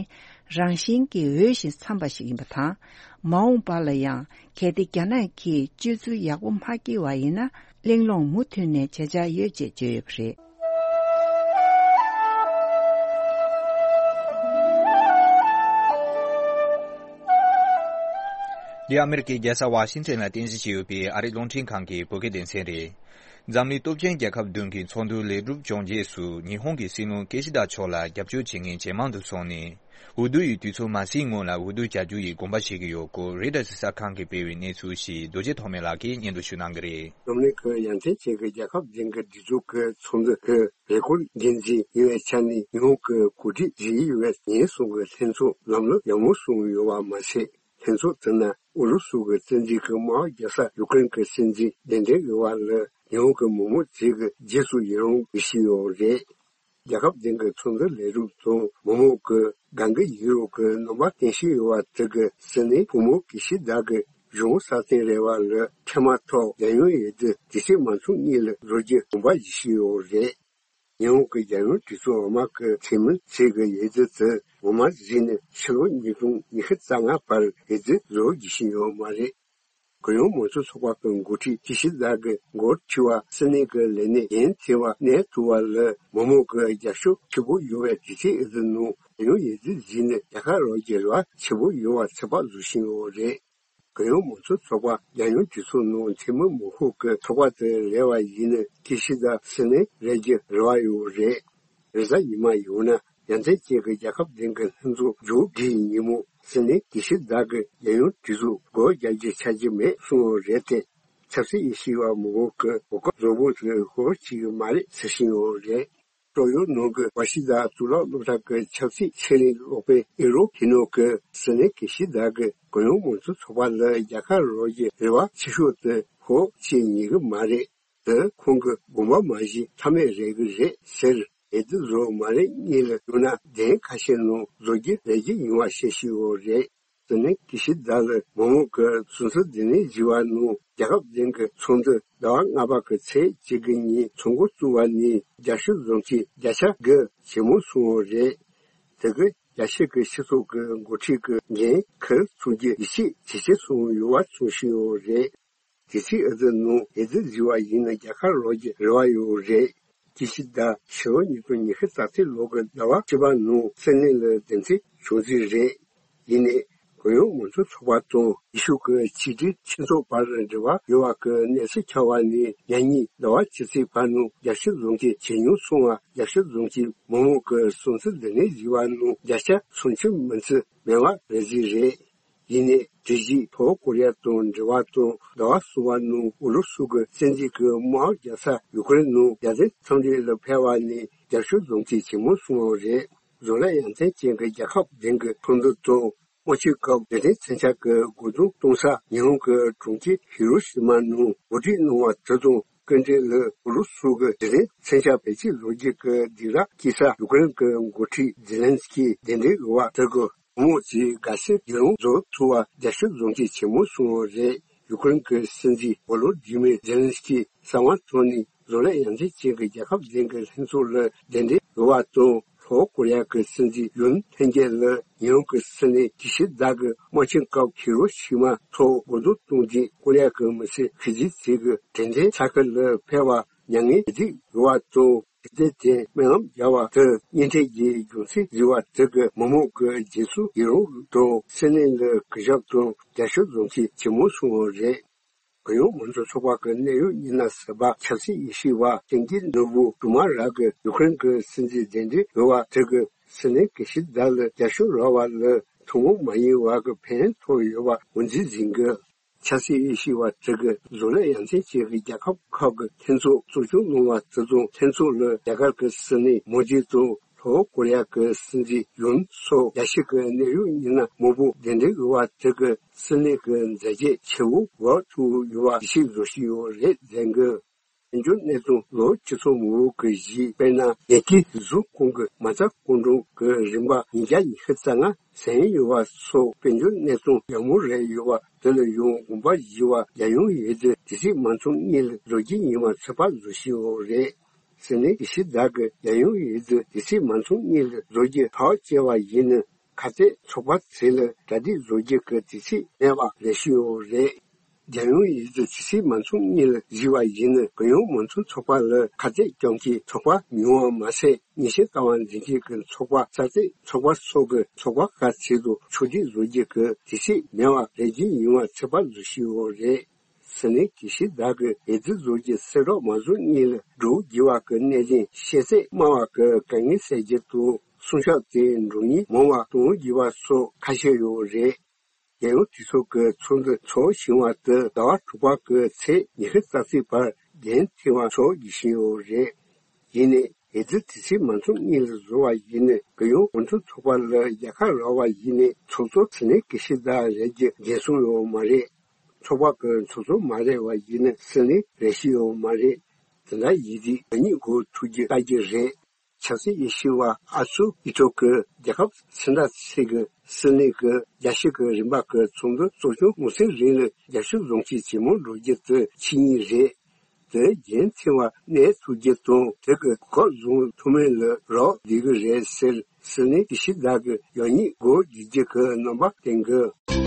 རང་བཞིན་གྱིས་འོས་ཤིང་འཚམས་པ་ཞིག་ཡིན་པ་དང་། མ་འོངས་པ་ལ་ཡང་། གལ་ཏེ་རྒྱ་ནག་གིས་སྤྱོད་ཚུལ་ཡག་པོ་མ་བསྐྱེད་པ་ཡིན་ན། གླེང་སློང་མུ་མཐུད་ནས་བྱེད་འཆར་ཡོད་ཅེས་བརྗོད་ཡོད་པ་རེད། འདི་ཨ་མེ་རི་ཀའི་རྒྱལ་ས་ཝ་ཤིང་ཊོན་ལ་རྟེན་གཞི་བྱས་ཡོད་པའི་ཨ་རིའི་རླུང་འཕྲིན་ཁང་གི་བོད་སྐད་སྡེ་ཚན་རེད། འཛམ་གླིང་སྟོབས་ཆེན་རྒྱལ་ཁབ་བདུན་གྱི་ཚོགས་འདུ་ལེགས་གྲུབ་བྱུང་རྗེས་སུ་ཉི་ཧོང་གི་སྲིད་བློན་ཀེ་ཤི་དཱ་མཆོག་ལ་རྒྱབ་སྐྱོར་བྱེད་མཁན་ཇེ་མང་དུ་སོང་ནས། འོས་བསྡུ་ཡི་དུས་ཚོད་མ་ཟིན་སྔོན་ལ་འོས་བསྡུ་བྱ་རྒྱུ་ཡི་དགོངས་པ་བཞེས་ཀྱི་ཡོད་སྐོར་རོའི་ཊར་གསར་ཁང་གིས་སྤེལ་བའི་གནས་ཚུལ་ཞིག་རྡོ་རྗེ་ཐོགས་མེད་ལགས་ཀྱིས་སྙན་སྒྲོན་ཞུ་གནང་གི་རེད། འཛམ་གླིང་གི་ཡ་མཚན་ཅན་གྱི་རྒྱལ་ཁབ་བདུན་གྱི་སྒྲིག་འཛུགས་ཀྱི་ཚོགས་འདུ་གི་རེས་སྐོར་འགན་འཛིན་ཡིན་པའི་ཆ་ནས་ཉི་ཧོང་གི་འགོ་ཁྲིད་བཞི་ཡིན་པའི་ཉེན་སྲུང་གི་ལྷན་ཚོགས་ལམ་ལུགས་ཡག་མོ་སོང་ཡོད་པ་མ་ཟད། ལྷན་ཚོགས་དེ་ན་ཨུ་རུ་སུ་གི་བཙན་འཛུལ་གྱི་དམག་རྒྱག་ས་ཡུ་ཀེ་རེན་གྱི་སྲིད་འཛིན་གདན་འདྲེན་ཡོད་པ་ལ་ཉི་ཧོང་གི་མི་མང་ཚོས་ཀྱི་རྗེས་སུ་ཡི་རང་བྱས་ཡོད་རེད། རྒྱལ་ཁབ་བདུན་གྱི་ཚོགས་འདུ་ལས་རིམ་དང་མི་མང་གི་གང་གི་ཡིད་རོགས་ཀྱི་རྣམ་པ་བསྟན་བཞིན་ཡོད་པ་དེ་གི་སྲིད་བློན་བུ་མོ་ཀི་ཤི་དཱ་གི་གཞུང་སྲ་བརྟན་རེ་བ་ལ་འཕྲལ་མ་ཐོག་རྒྱལ་ཡོངས་འོས་བསྡུ་དུས་ཚོད་མ་ཚང་གཉིས་ལ་བཟོ་རྒྱུ་དགོངས་པ་བཞེས་བཞིན་ཡོད་རེད། ཉི་ཧོང་གི་རྒྱལ་ཡོངས་གྲོས་ཚོགས་འོག་མ་གི་འཐུས་མི་ཚོས་གི་འོས་བསྡུ་དེ་འོག་མ་ཟིན་ནས་ཕྱི་ལོ་ཉིས་སྟོང་ཉི་ཤུ་རྩ་ལྔ་བར་འོས་བསྡུ་བཟོ་རྒྱུ་ཞིག་ཡོད་མ་རེད། གུ་ཡངས་མང་གཙོ་ཚོགས་པ་གི་འགོ་ཁྲིད་ཀི་ཤི་དཱ་གི་འགོ་ཁྲིད་པ་སྲིད་བློན་གི་ལས་གནས་འགན་འཁྱེར་བ་གནས་ཐུབ་པ་ལ་མི་མང་གི་རྒྱབ་སྐྱོར་ཆེན་པོ་ཡོད་པའི་དུས་ཚོད་འོས་བསྡུ་ནང་རྒྱལ་ཡོངས་འོས་བསྡུ་ཟིན་ནས་རྒྱལ་ཁ་རག་རྒྱུའི་རེ་བ་ཆེན་པོ་ཡོད་པ་ཚོད་དཔག་བཟོ་བཞིན་ཡོད་རེད། གུ་ཡངས་མང་གཙོ་ཚོགས་པ་རྒྱལ་ཡོངས་གྲོས་ཚོགས་ནང་འཐུས་མི་མང་ཤོས་ཀྱི་ཚོགས་པ་དེ་རེད་པ་ཡིན་ན་ཀི་ཤི་དཱ་སྲིད་བློན་རེད་རྒྱུའི་རེ་བ་ཡོད་རེད། རེས་གཟའ་ཉི་མ་ཡང་ན་ཡ་མཚན་ཅན་གྱི་རྒྱལ་ཁབ་བདུན་གྱི་ལྷན་ཚོགས་མཇུག་སྒྲིལ་ཉིན་མོ་སྲིད་བློན་ཀི་ཤི་དཱ་གི་རྒྱལ་ཡོངས་གྲོས་ཚོགས་སྒོ་རྒྱག་རྒྱུ་ཆགས་ཀྱི་མེད་གསུངས་ཡོད་རེད་དེ། ཆབ་སྲིད་དབྱེ་ཞིབ་པ་མང་པོ་གི་གོ་སྐབས་བཟང་པོ་དེ་ཧོལ་གཅིག་མ་རེད་ཟེར་བཞིན་ཡོད་རེད། ཀྲུང་ཡོན་ནང་གི་ཝ་ཤི་དཱ་གཙུག་ལག་སློབ་གྲྭ་གི་ཆབ་སྲིད་ཆེད་ལས་སློབ་དཔོན་ཨི་རོ་ཁི་ནོ་གི་སྲིད་བློན་ཀི་ཤི་དཱ་གི་གུ་ཡངས་མང་གཙོ་ཚོགས་པ་ལ་རྒྱལ་ཁ་རག་རྒྱུའི་རེ་བ་ཆེ་ཤོས་དེ་ཧོལ་གཅིག་ཉན་གི་མ་རེད། དེ་ཁོང་གི་དགོངས་པ་མ་བཞེས་ཐབས་མེད་རེད་གི་རེད་ཟེར། འོས་བསྡུ་བཟོ་མ་རེད་གཉིས་ལ་ཡོང་ན་གདན་ཁ་ཤས་ནང་བཟོ་རྒྱུ་རེ་རྒྱུ་ཡིན་པ་བཤད་བཞིན་ཡོད་རེད། དེ་ནས་ཀི་ཤི་དཱ་ལ་མི་མང་གི་སྲུང་བརྩི་དེ་ནས་བཞེས་པ་ནང་རྒྱལ་ཁབ་བདུན་གྱི་ཚོགས་འདུ་ཟླ་བ་ལྔ་པ་གི་ཚེས་གཅིག་གི་ཉིན་ཚོགས་འགོ་བཙུགས་པ་ནས་རྒྱབ་སྐྱོར་བཟོ་མཁན་བརྒྱ་ཆ་དགུ་ཇེ་མང་སོང་བ་རེད། དེ་གི་རྒྱལ་སྤྱི་གི་སྤྱི་ཚོགས་ཀྱི་འགོ་ཁྲིད་ཀྱི་འགན་འཁུར་ཚུགས་རྒྱུ་ཡིད་ཆེས་ཇེ་ཆེ་སོང་ཡོད་པ་གསུངས་བཞིན་ཡོད་རེད། དེ་ཚེས་འོས་བསྡུ་ནང་འོས་བསྡུ་བཟོས་པ་ཡིན་ན་རྒྱལ་ཁ་རག་རྒྱུ་རེ་བ་ཡོད་རེད། ཀི་ཤི་དཱ་ཕྱི་ལོ་ཉིས་སྟོང་ཉི་ཤུ་རྩ་གཅིག་ལོ་གི་ཟླ་བ་བཅུ་པ་ནང་སྲིད་བློན་ལ་གདན་འདྲེན་བྱུང་རྩིས་རེད། ཡིན་ནའི་གུ་ཡངས་མང་གཙོ་ཚོགས་པ་དང་ཡེ་ཤུ་གི་ཆིག་སྒྲིལ་ཁྱིམ་ཚོགས་བར་འབྲེལ་བ་ཡོད་པ་གི་གནས་ཚུལ་ཁྱབ་པ་ནས་ཉེ་ཉིན་ཟླ་བ་ཕྱི་ཚེས་བར་ནང་རྒྱབ་སྐྱོར་བཟོ་མཁན་ཇེ་ཉུང་སོང་བ། རྒྱབ་སྐྱོར་བཟོ་མཁན་མི་མང་གི་སྲུང་བརྩི་དེ་ནས་བཞེས་པ་ནང་བརྒྱ་ཆ་སུམ་ཅུ་མིན་ཚད་མེད་པ་རེད་རྩིས་རེད། ཡིན་ནའི་དེ་བཞིན་ལྷོ་ཀོ་རི་ཡ་དང་འབྲེལ་བ་དང་ཟླ་བ་གསུམ་པ་ནང་ཨུ་རུ་སུ་གི་བཙན་འཛུལ་གྱི་དམག་རྒྱག་ས་ཡུ་ཀེ་རེན་ནང་རྒྱལ་དོན་འཚམས་འདྲི་ལ་ཕེབས་པ་ནས་རྒྱབ་སྐྱོར་བཟོ་མཁན་ཇེ་མང་སོང་བ་རེད། བཟོ་ལས་ཡ་མཚན་ཅན་གྱི་རྒྱལ་ཁབ་བདུན་གྱི་ཚོགས་འདུ་དང་དམག་སྤྱི་སྐབས་རྡུལ་ཕྲན་མཚོན་ཆ་གི་རྒོལ་རྡུང་གཏོང་ས་ཉི་ཧོང་གི་གྲོང་ཁྱེར་ཧི་རོ་ཤི་མ་ནང་གོ་སྒྲིག་གནང་བ་དེ་དང་སྐུ་མགྲོན་ལ་ཨུ་རུ་སུ་གི་རྡུལ་ཕྲན་མཚོན་ཆ་བེད་སྤྱོད་བཟོ་རྒྱུ་གི་སྡིགས་ར་བསྐུལ་ས་ཡུ་ཀེ་རེན་གྱི་འགོ་ཁྲིད་ཛེ་ལན་སི་ཀི་གདན་འདྲེན་ཡོད་པ་དེ་གི་མི་མང་ཚོས་དགའ་བསུ་ཡི་རང་བཟོ་ཐུབ་པ་རྒྱབ་སྐྱོར་བཟོ་མཁན་ཇེ་མང་སོང་བ་རེད། ཡུ་ཀེ་རེན་གྱི་སྲིད་འཛིན་ཝོ་ལོ་དི་མིར་ཛེ་ལན་སི་ཀི་གསང་བ་ཐོག་ནས་བཟོ་ལས་ཡ་མཚན་ཅན་གྱི་རྒྱལ་ཁབ་གཞན་གྱི་ལྷན་ཚོགས་ལ་གདན་འདྲེན་ཡོད་པ་དང་། ལྷོ་ཀོ་རི་ཡ་གི་སྲིད་འཛིན་ཡུན་ཐེན་གྱིས་ལ་ཉི་ཧོང་གི་སྲིད་བློན་ཀི་ཤི་དཱ་གི་དམག་ཆེན་སྐབས་ཧི་རོ་ཤི་མ་ཐོག་རྒོལ་རྡུང་གཏོང་རྗེས་ཀོ་རི་ཡ་གི་མི་སེར་ཤི་རྗེས་ཚིག་གི་དྲན་རྟེན་ས་ཁུལ་ལ་ཕེབས་པ་མྱ་ངན་གྱིས་རིག་ཡོད་པ་དང་། དེ་དེ་སྨོན་ལམ་རྒྱག་པ་དེ་གཉེན་འཕྲད་ཀྱི་རྒྱུ་མཚན་བརྗོད་པ་དེ་གི་མི་མང་གི་རྗེས་སུ་ཡི་རང་དང་སྲིད་བློན་ལ་གུས་ཞབས་དང་རྒྱབ་སྐྱོར་བཟོ་མཁན་ཇེ་མང་སོང་བ་རེད། གུ་ཡངས་མང་གཙོ་ཚོགས་པ་གི་གནད་ཡོད་མི་སྣ་ཟུར་པ་ཆབ་སྲིད་དབྱེ་ཞིབ་པ་ཐེན་གྱི་ནོར་བུ་དུ་མ་ར་གི་ཡུ་ཀེ་རེན་གྱི་སྲིད་འཛིན་གདན་འདྲེན་ཡོད་པ་དེ་གི་སྲིད་བློན་ཀི་ཤི་དཱ་ལ་རྒྱབ་སྐྱོར་རག་པ་ལ་ཐུན་མོང་མ་ཡིན་པ་གི་ཕན་ཐོགས་ཡོད་པ་ངོས་འཛིན་བྱེད་ཀྱི། ཆབ་སྲིད་དབྱེ་ཞིབ་པ་དེ་གི་བཟོ་ལས་ཡ་མཚན་ཅན་གྱི་རྒྱལ་ཁབ་ཁག་གི་ལྷན་ཚོགས་གཙོ་སྐྱོང་གནང་བ་དེ་དང་ལྷན་ཚོགས་ལ་རྒྱ་གར་གྱི་སྲིད་བློན་མོ་དི་དང་ལྷོ་ཀོ་རི་ཡ་གི་སྲིད་འཛིན་ཡུན་སོགས་རྒྱལ་སྤྱི་གི་གནད་ཡོད་མི་སྣ་མང་པོ་གདན་འདྲེན་ཡོད་པ་དེ་གི་སྲིད་བློན་གྱི་མཛད་རྗེས་ཆེ་བོ་འགོད་ཐུབ་ཡོད་པ་ཡིད་ཆེས་བཟོ་བཞིན་ཡོད་རེད་ཟེར་གི། དཔལ་འབྱོར་གནས་སྟངས་ལོ་སྤྱི་ཚོགས་མང་པོ་གི་གཞི་དཔེར་ན་ཉེ་དུས་གཟུགས་ཁང་གི་མ་རྩ་སྐུ་མགྲོན་གྱི་རིན་པ་ཉིས་བརྒྱ་ཉི་ཤུ་རྩ་ལྔ་ཟིན་ཡོད་པ་སོགས་དཔལ་འབྱོར་གནས་སྟངས་ཡག་མོ་རེད་ཡོད་པ་དེ་ལ་ཡང་དགོངས་པ་བཞེས་པ་རྒྱལ་ཡོངས་འོས་བསྡུ་དུས་ཚོད་མ་ཚང་གཉིས་ལ་བཟོ་རྒྱུ་ཡིན་པ་ཚོད་དཔག་བཟོ་བཞིན་ཡོད་རེད། སྲིད་བློན་ཀི་ཤི་དཱ་གི་རྒྱལ་ཡོངས་འོས་བསྡུ་དུས་ཚོད་མ་ཚང་གཉིས་ལ་བཟོ་རྒྱུ་ཐག་བཅད་པ་ཡིན་ན་ཁ་གཏད་ཚོགས་པ་ཚོ་ལ་གྲ་སྒྲིག་བཟོ་རྒྱུ་གི་དུས་ཚོད་མེད་པ་རེད་ཞུས་ཡོད་རེད། རྒྱལ་ཡོངས་ཡུལ་གྱི་དུས་ཚིགས་མ་འཛོམས་གཉིས་ལ་གཟིགས་པ་ཡིན་ན། རྒྱལ་ཡོངས་མང་གཙོ་ཚོགས་པ་ལ་ཁ་གཏད་གཅོག་མཁན་ཚོགས་པ་ཉུང་བ་མ་ཟད། ཉེས་ཆད་བཀལ་བ་འཛིན་སྐྱོང་གི་ཚོགས་པ། རྩ་གཏད་ཚོགས་པ་སོགས་ཀྱི་ཚོགས་པ་ཁག་ཚད་དུ་ཕྱོགས་སྒྲིག་བཟོ་རྒྱུ་གི་དུས་ཚིགས་མེད་པར་ལས་རྒྱུ་ཡིན་པ་ཚོད་དཔག་བཟོ་བཞིན་ཡོད་རེད། སྲིད་བློན་ཀི་ཤི་དཱ་གིས་འོས་བསྡུ་བཟོ་རྒྱུ་གསལ་བསྒྲགས་མ་བཟོ་སྔོན་ལ་འགྲོ་དགོས་པ་གི་གནད་དོན་ཤེས་ཚད་དམའ་བ་གི་དཀའ་ངལ་སེལ་རྒྱུ་དང་། གསུང་བཤད་དེ་འགྲོ་སྙིང་མང་བ་གཏོང་དགོས་པ་སོགས་ཁ་ཤས་ཡོད་རེད། རྒྱལ་ཡོངས་གྲོས་ཚོགས་ཀྱི་ཚོགས་འདུ་འཚོགས་བཞིན་པ་དེ་ཟླ་བ་དྲུག་པ་གི་ཚེས་ཉི་ཤུ་རྩ་གཅིག་བར་རྒྱུན་མཐུད་པ་འཚོགས་བཞིན་ཡོད་རེད། ཡིན་ནའི་འོས་བསྡུ་དུས་ཚིགས་མ་འཛོམས་སྔོན་ལ་བཟོ་བ་ཡིན་ན། རྒྱལ་ཡོངས་མང་གཙོ་ཚོགས་པ་ལ་རྒྱལ་ཁ་རག་པ་ཡིན་ནའི་ཚོགས་གཙོ་སྲིད་བློན་ཀི་ཤི་དཱ་རེག་རྒྱུ་རྒྱུན་སྲུང་ཡོད་མ་རེད། ཚོགས་པ་གི་ཚོགས་གཙོ་མ་རེག་པ་ཡིན་ན་སྲིད་བློན་རེག་ཤེས་ཡོད་མ་རེད། དེ་འདྲ་ཡིན་དུས་ང་གཉིས་སྒོ་ཐུག་རྒྱུ་ལྟ་རྒྱུ་རེད། ཆབ་སྲིད་དབྱེ་ཞིབ་པ་ཨ་སུ་ཨི་ཐོ་གིས་རྒྱལ་ཁབ་ཕྱི་ཟླ་ཚེས་ཀྱི་སྲིད་གནས་ཀྱི་རྒྱལ་སྤྱི་གི་རིམ་པ་གི་ཚོགས་འདུ་གཙོ་སྐྱོང་འོང་སའི་རིང་ལ་རྒྱབ་སྐྱོར་བཟང་ཤོས་ཇེ་མང་འགྲོ་རྒྱུ་དེ་ཆེད་དམིགས་རེད། དེ་རྒྱུན་མཐུད་པ་གནས་ཐུབ་རྒྱུ་དང་། དེ་གི་གོ་སྐབས་བཟུང་ཐུབ་མིན་ལ་རག་བསྡད་ཀྱི་རེད་ཟེར། སྲིད་བློན་ཀི་ཤི་དཱ་གིས་ཡང་སྙིང་སྒོ་འབྱེད་རྒྱུ་གི་རྣམ་པ་བསྟན་གྱི།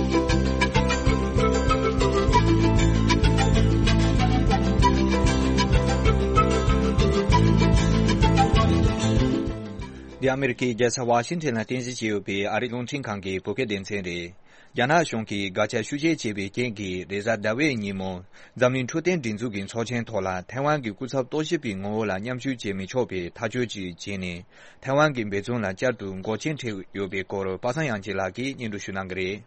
འདི་ཨ་མེ་རི་ཁའི་རྒྱལ་ས་ཝ་ཤིང་ཊོན་ལ་རྟེན་གཞི་བྱས་ཡོད་པའི་ཨ་རིའི་རླུང་འཕྲིན་ཁང་གི་བོད་སྐད་སྡེ་ཚན་རེད། རྒྱ་ནག་གཞུང་གིས་བརྒལ་ཆ་ཤུགས་ཆེ་བྱས་པའི་རྐྱེན་གྱིས། རེས་གཟའ་ཟླ་བའི་ཉིན་མོ། འཛམ་གླིང་འཕྲོད་བསྟེན་སྒྲིག་འཛུགས་ཀྱི་ཚོགས་ཆེན་ཐོག་ལ་ཐའེ་ཝན་གྱི་སྐུ་ཚབ་རྟོག་ཞིབ་པའི་ངོ་བོ་ལ་མཉམ་ཞུགས་བྱེད་མི་ཆོག་པའི་ཐག་གཅོད་ཅིག་བྱས་ནས། ཐའེ་ཝན་གྱི་འབད་བརྩོན་ལ་བསྐྱར་དུ་འགོག་རྐྱེན་འཕྲད་ཡོད་པའི་སྐོར། པ་སངས་དབྱངས་སྐྱིད་ལགས་ཀྱིས་སྙན་སྒྲོན་ཞུ་གནང་གི་རེད།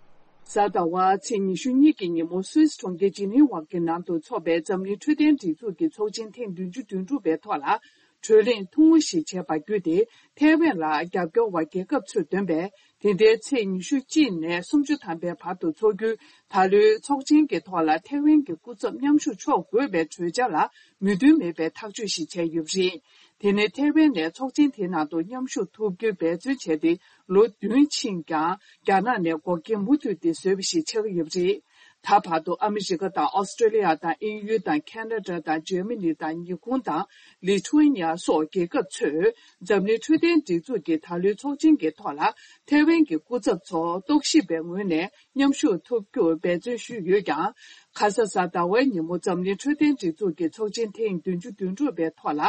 གཟའ་ཟླ་བ་ཚེས་ཉི་ཤུ་གཉིས་ཀྱི་ཉིན་མོ། སུད་སི་གྲོང་ཁྱེར་ཇི་ནི་ཝ་གི་ནང་དུ་འཚོགས་པའི་འཛམ་གླིང་འཕྲོད་བསྟེན་སྒྲིག་འཛུགས་ཀྱི་ཚོགས་ཆེན་ཐེངས་བདུན་ཅུ་དོན་དྲུག་པའི་ཐོག་ལ། གྲོས་གླེང་ཐུང་ངུ་ཞིག་བྱས་པ་བརྒྱུད་དེ། ཐའེ་ཝན་ལ་རྒྱབ་སྐྱོར་བ་རྒྱལ་ཁབ་ཚོས་འདོན་པའི། དེ་ཟླའི་ཚེས་ཉི་ཤུ་གཅིག་ནས་སུམ་ཅུ་ཐམ་པའི་བར་དུ་འཚོགས་རྒྱུའི་ད་ལོའི་ཚོགས་ཆེན་གྱི་ཐོག་ལ་ཐའེ་ཝན་གྱི་སྐུ་ཚབ་མཉམ་ཞུགས་ཆོག་དགོས་པའི་གྲོས་འཆར་ལ་མོས་མཐུན་མེད་པའི་ཐག་གཅོད་ཞིག་བྱས་ཡོད་པ་རེད། དེ་ནི་ཐའེ་ཝན་ནས་ཚོགས་ཆེན་དེའི་ནང་དུ་མཉམ་ཞུགས་ཐུབ་རྒྱུའི་འབད་བརྩོན་བྱས་ཏེ་ལོ་བདུན་ཕྱིན་ཀྱང་། རྒྱ་ནག་ནས་འགོག་རྐྱེན་མུ་མཐུད་དེ་བཟོས་པ་ཞིག་ཆགས་ཀྱི་ཡོད་པ་རེད། ད་བར་དུ་ཨ་མི་རི་ཀ་དང་། ཨོ་སི་ཀྲོ་ལི་ཡ་དང་། དབྱིན་ཡུལ་དང་། ཁེ་ན་ཌ་དང་། འཇར་མ་ནི་དང་། ཉི་ཧོང་དང་། ལི་ཐུ་ཝེ་ནི་ཡ་སོགས་རྒྱལ་ཁབ་ཚོས་འཛམ་གླིང་འཕྲོད་བསྟེན་སྒྲིག་འཛུགས་ཀྱི་ད་ལོའི་ཚོགས་ཆེན་གྱི་ཐོག་ལ་ཐའེ་ཝན་གྱི་སྐུ་ཚབ་ཚོ་རྟོག་ཞིབ་པའི་ངོས་ནས་མཉམ་ཞུགས་ཐུབ་རྒྱུར་འབད་བརྩོན་ཞུས་ཡོད་ཀྱང་། ཁ་ས་གཟའ་ཟླ་བའི་ཉིན་མོ་འཛམ་གླིང་འཕྲོད་བསྟེན་སྒྲིག་འཛུགས་ཀྱི་ཚོགས་ཆེན་ཐེངས་བདུན་ཅུ་དོན་དྲུག་པའི་ཐོག་ལ།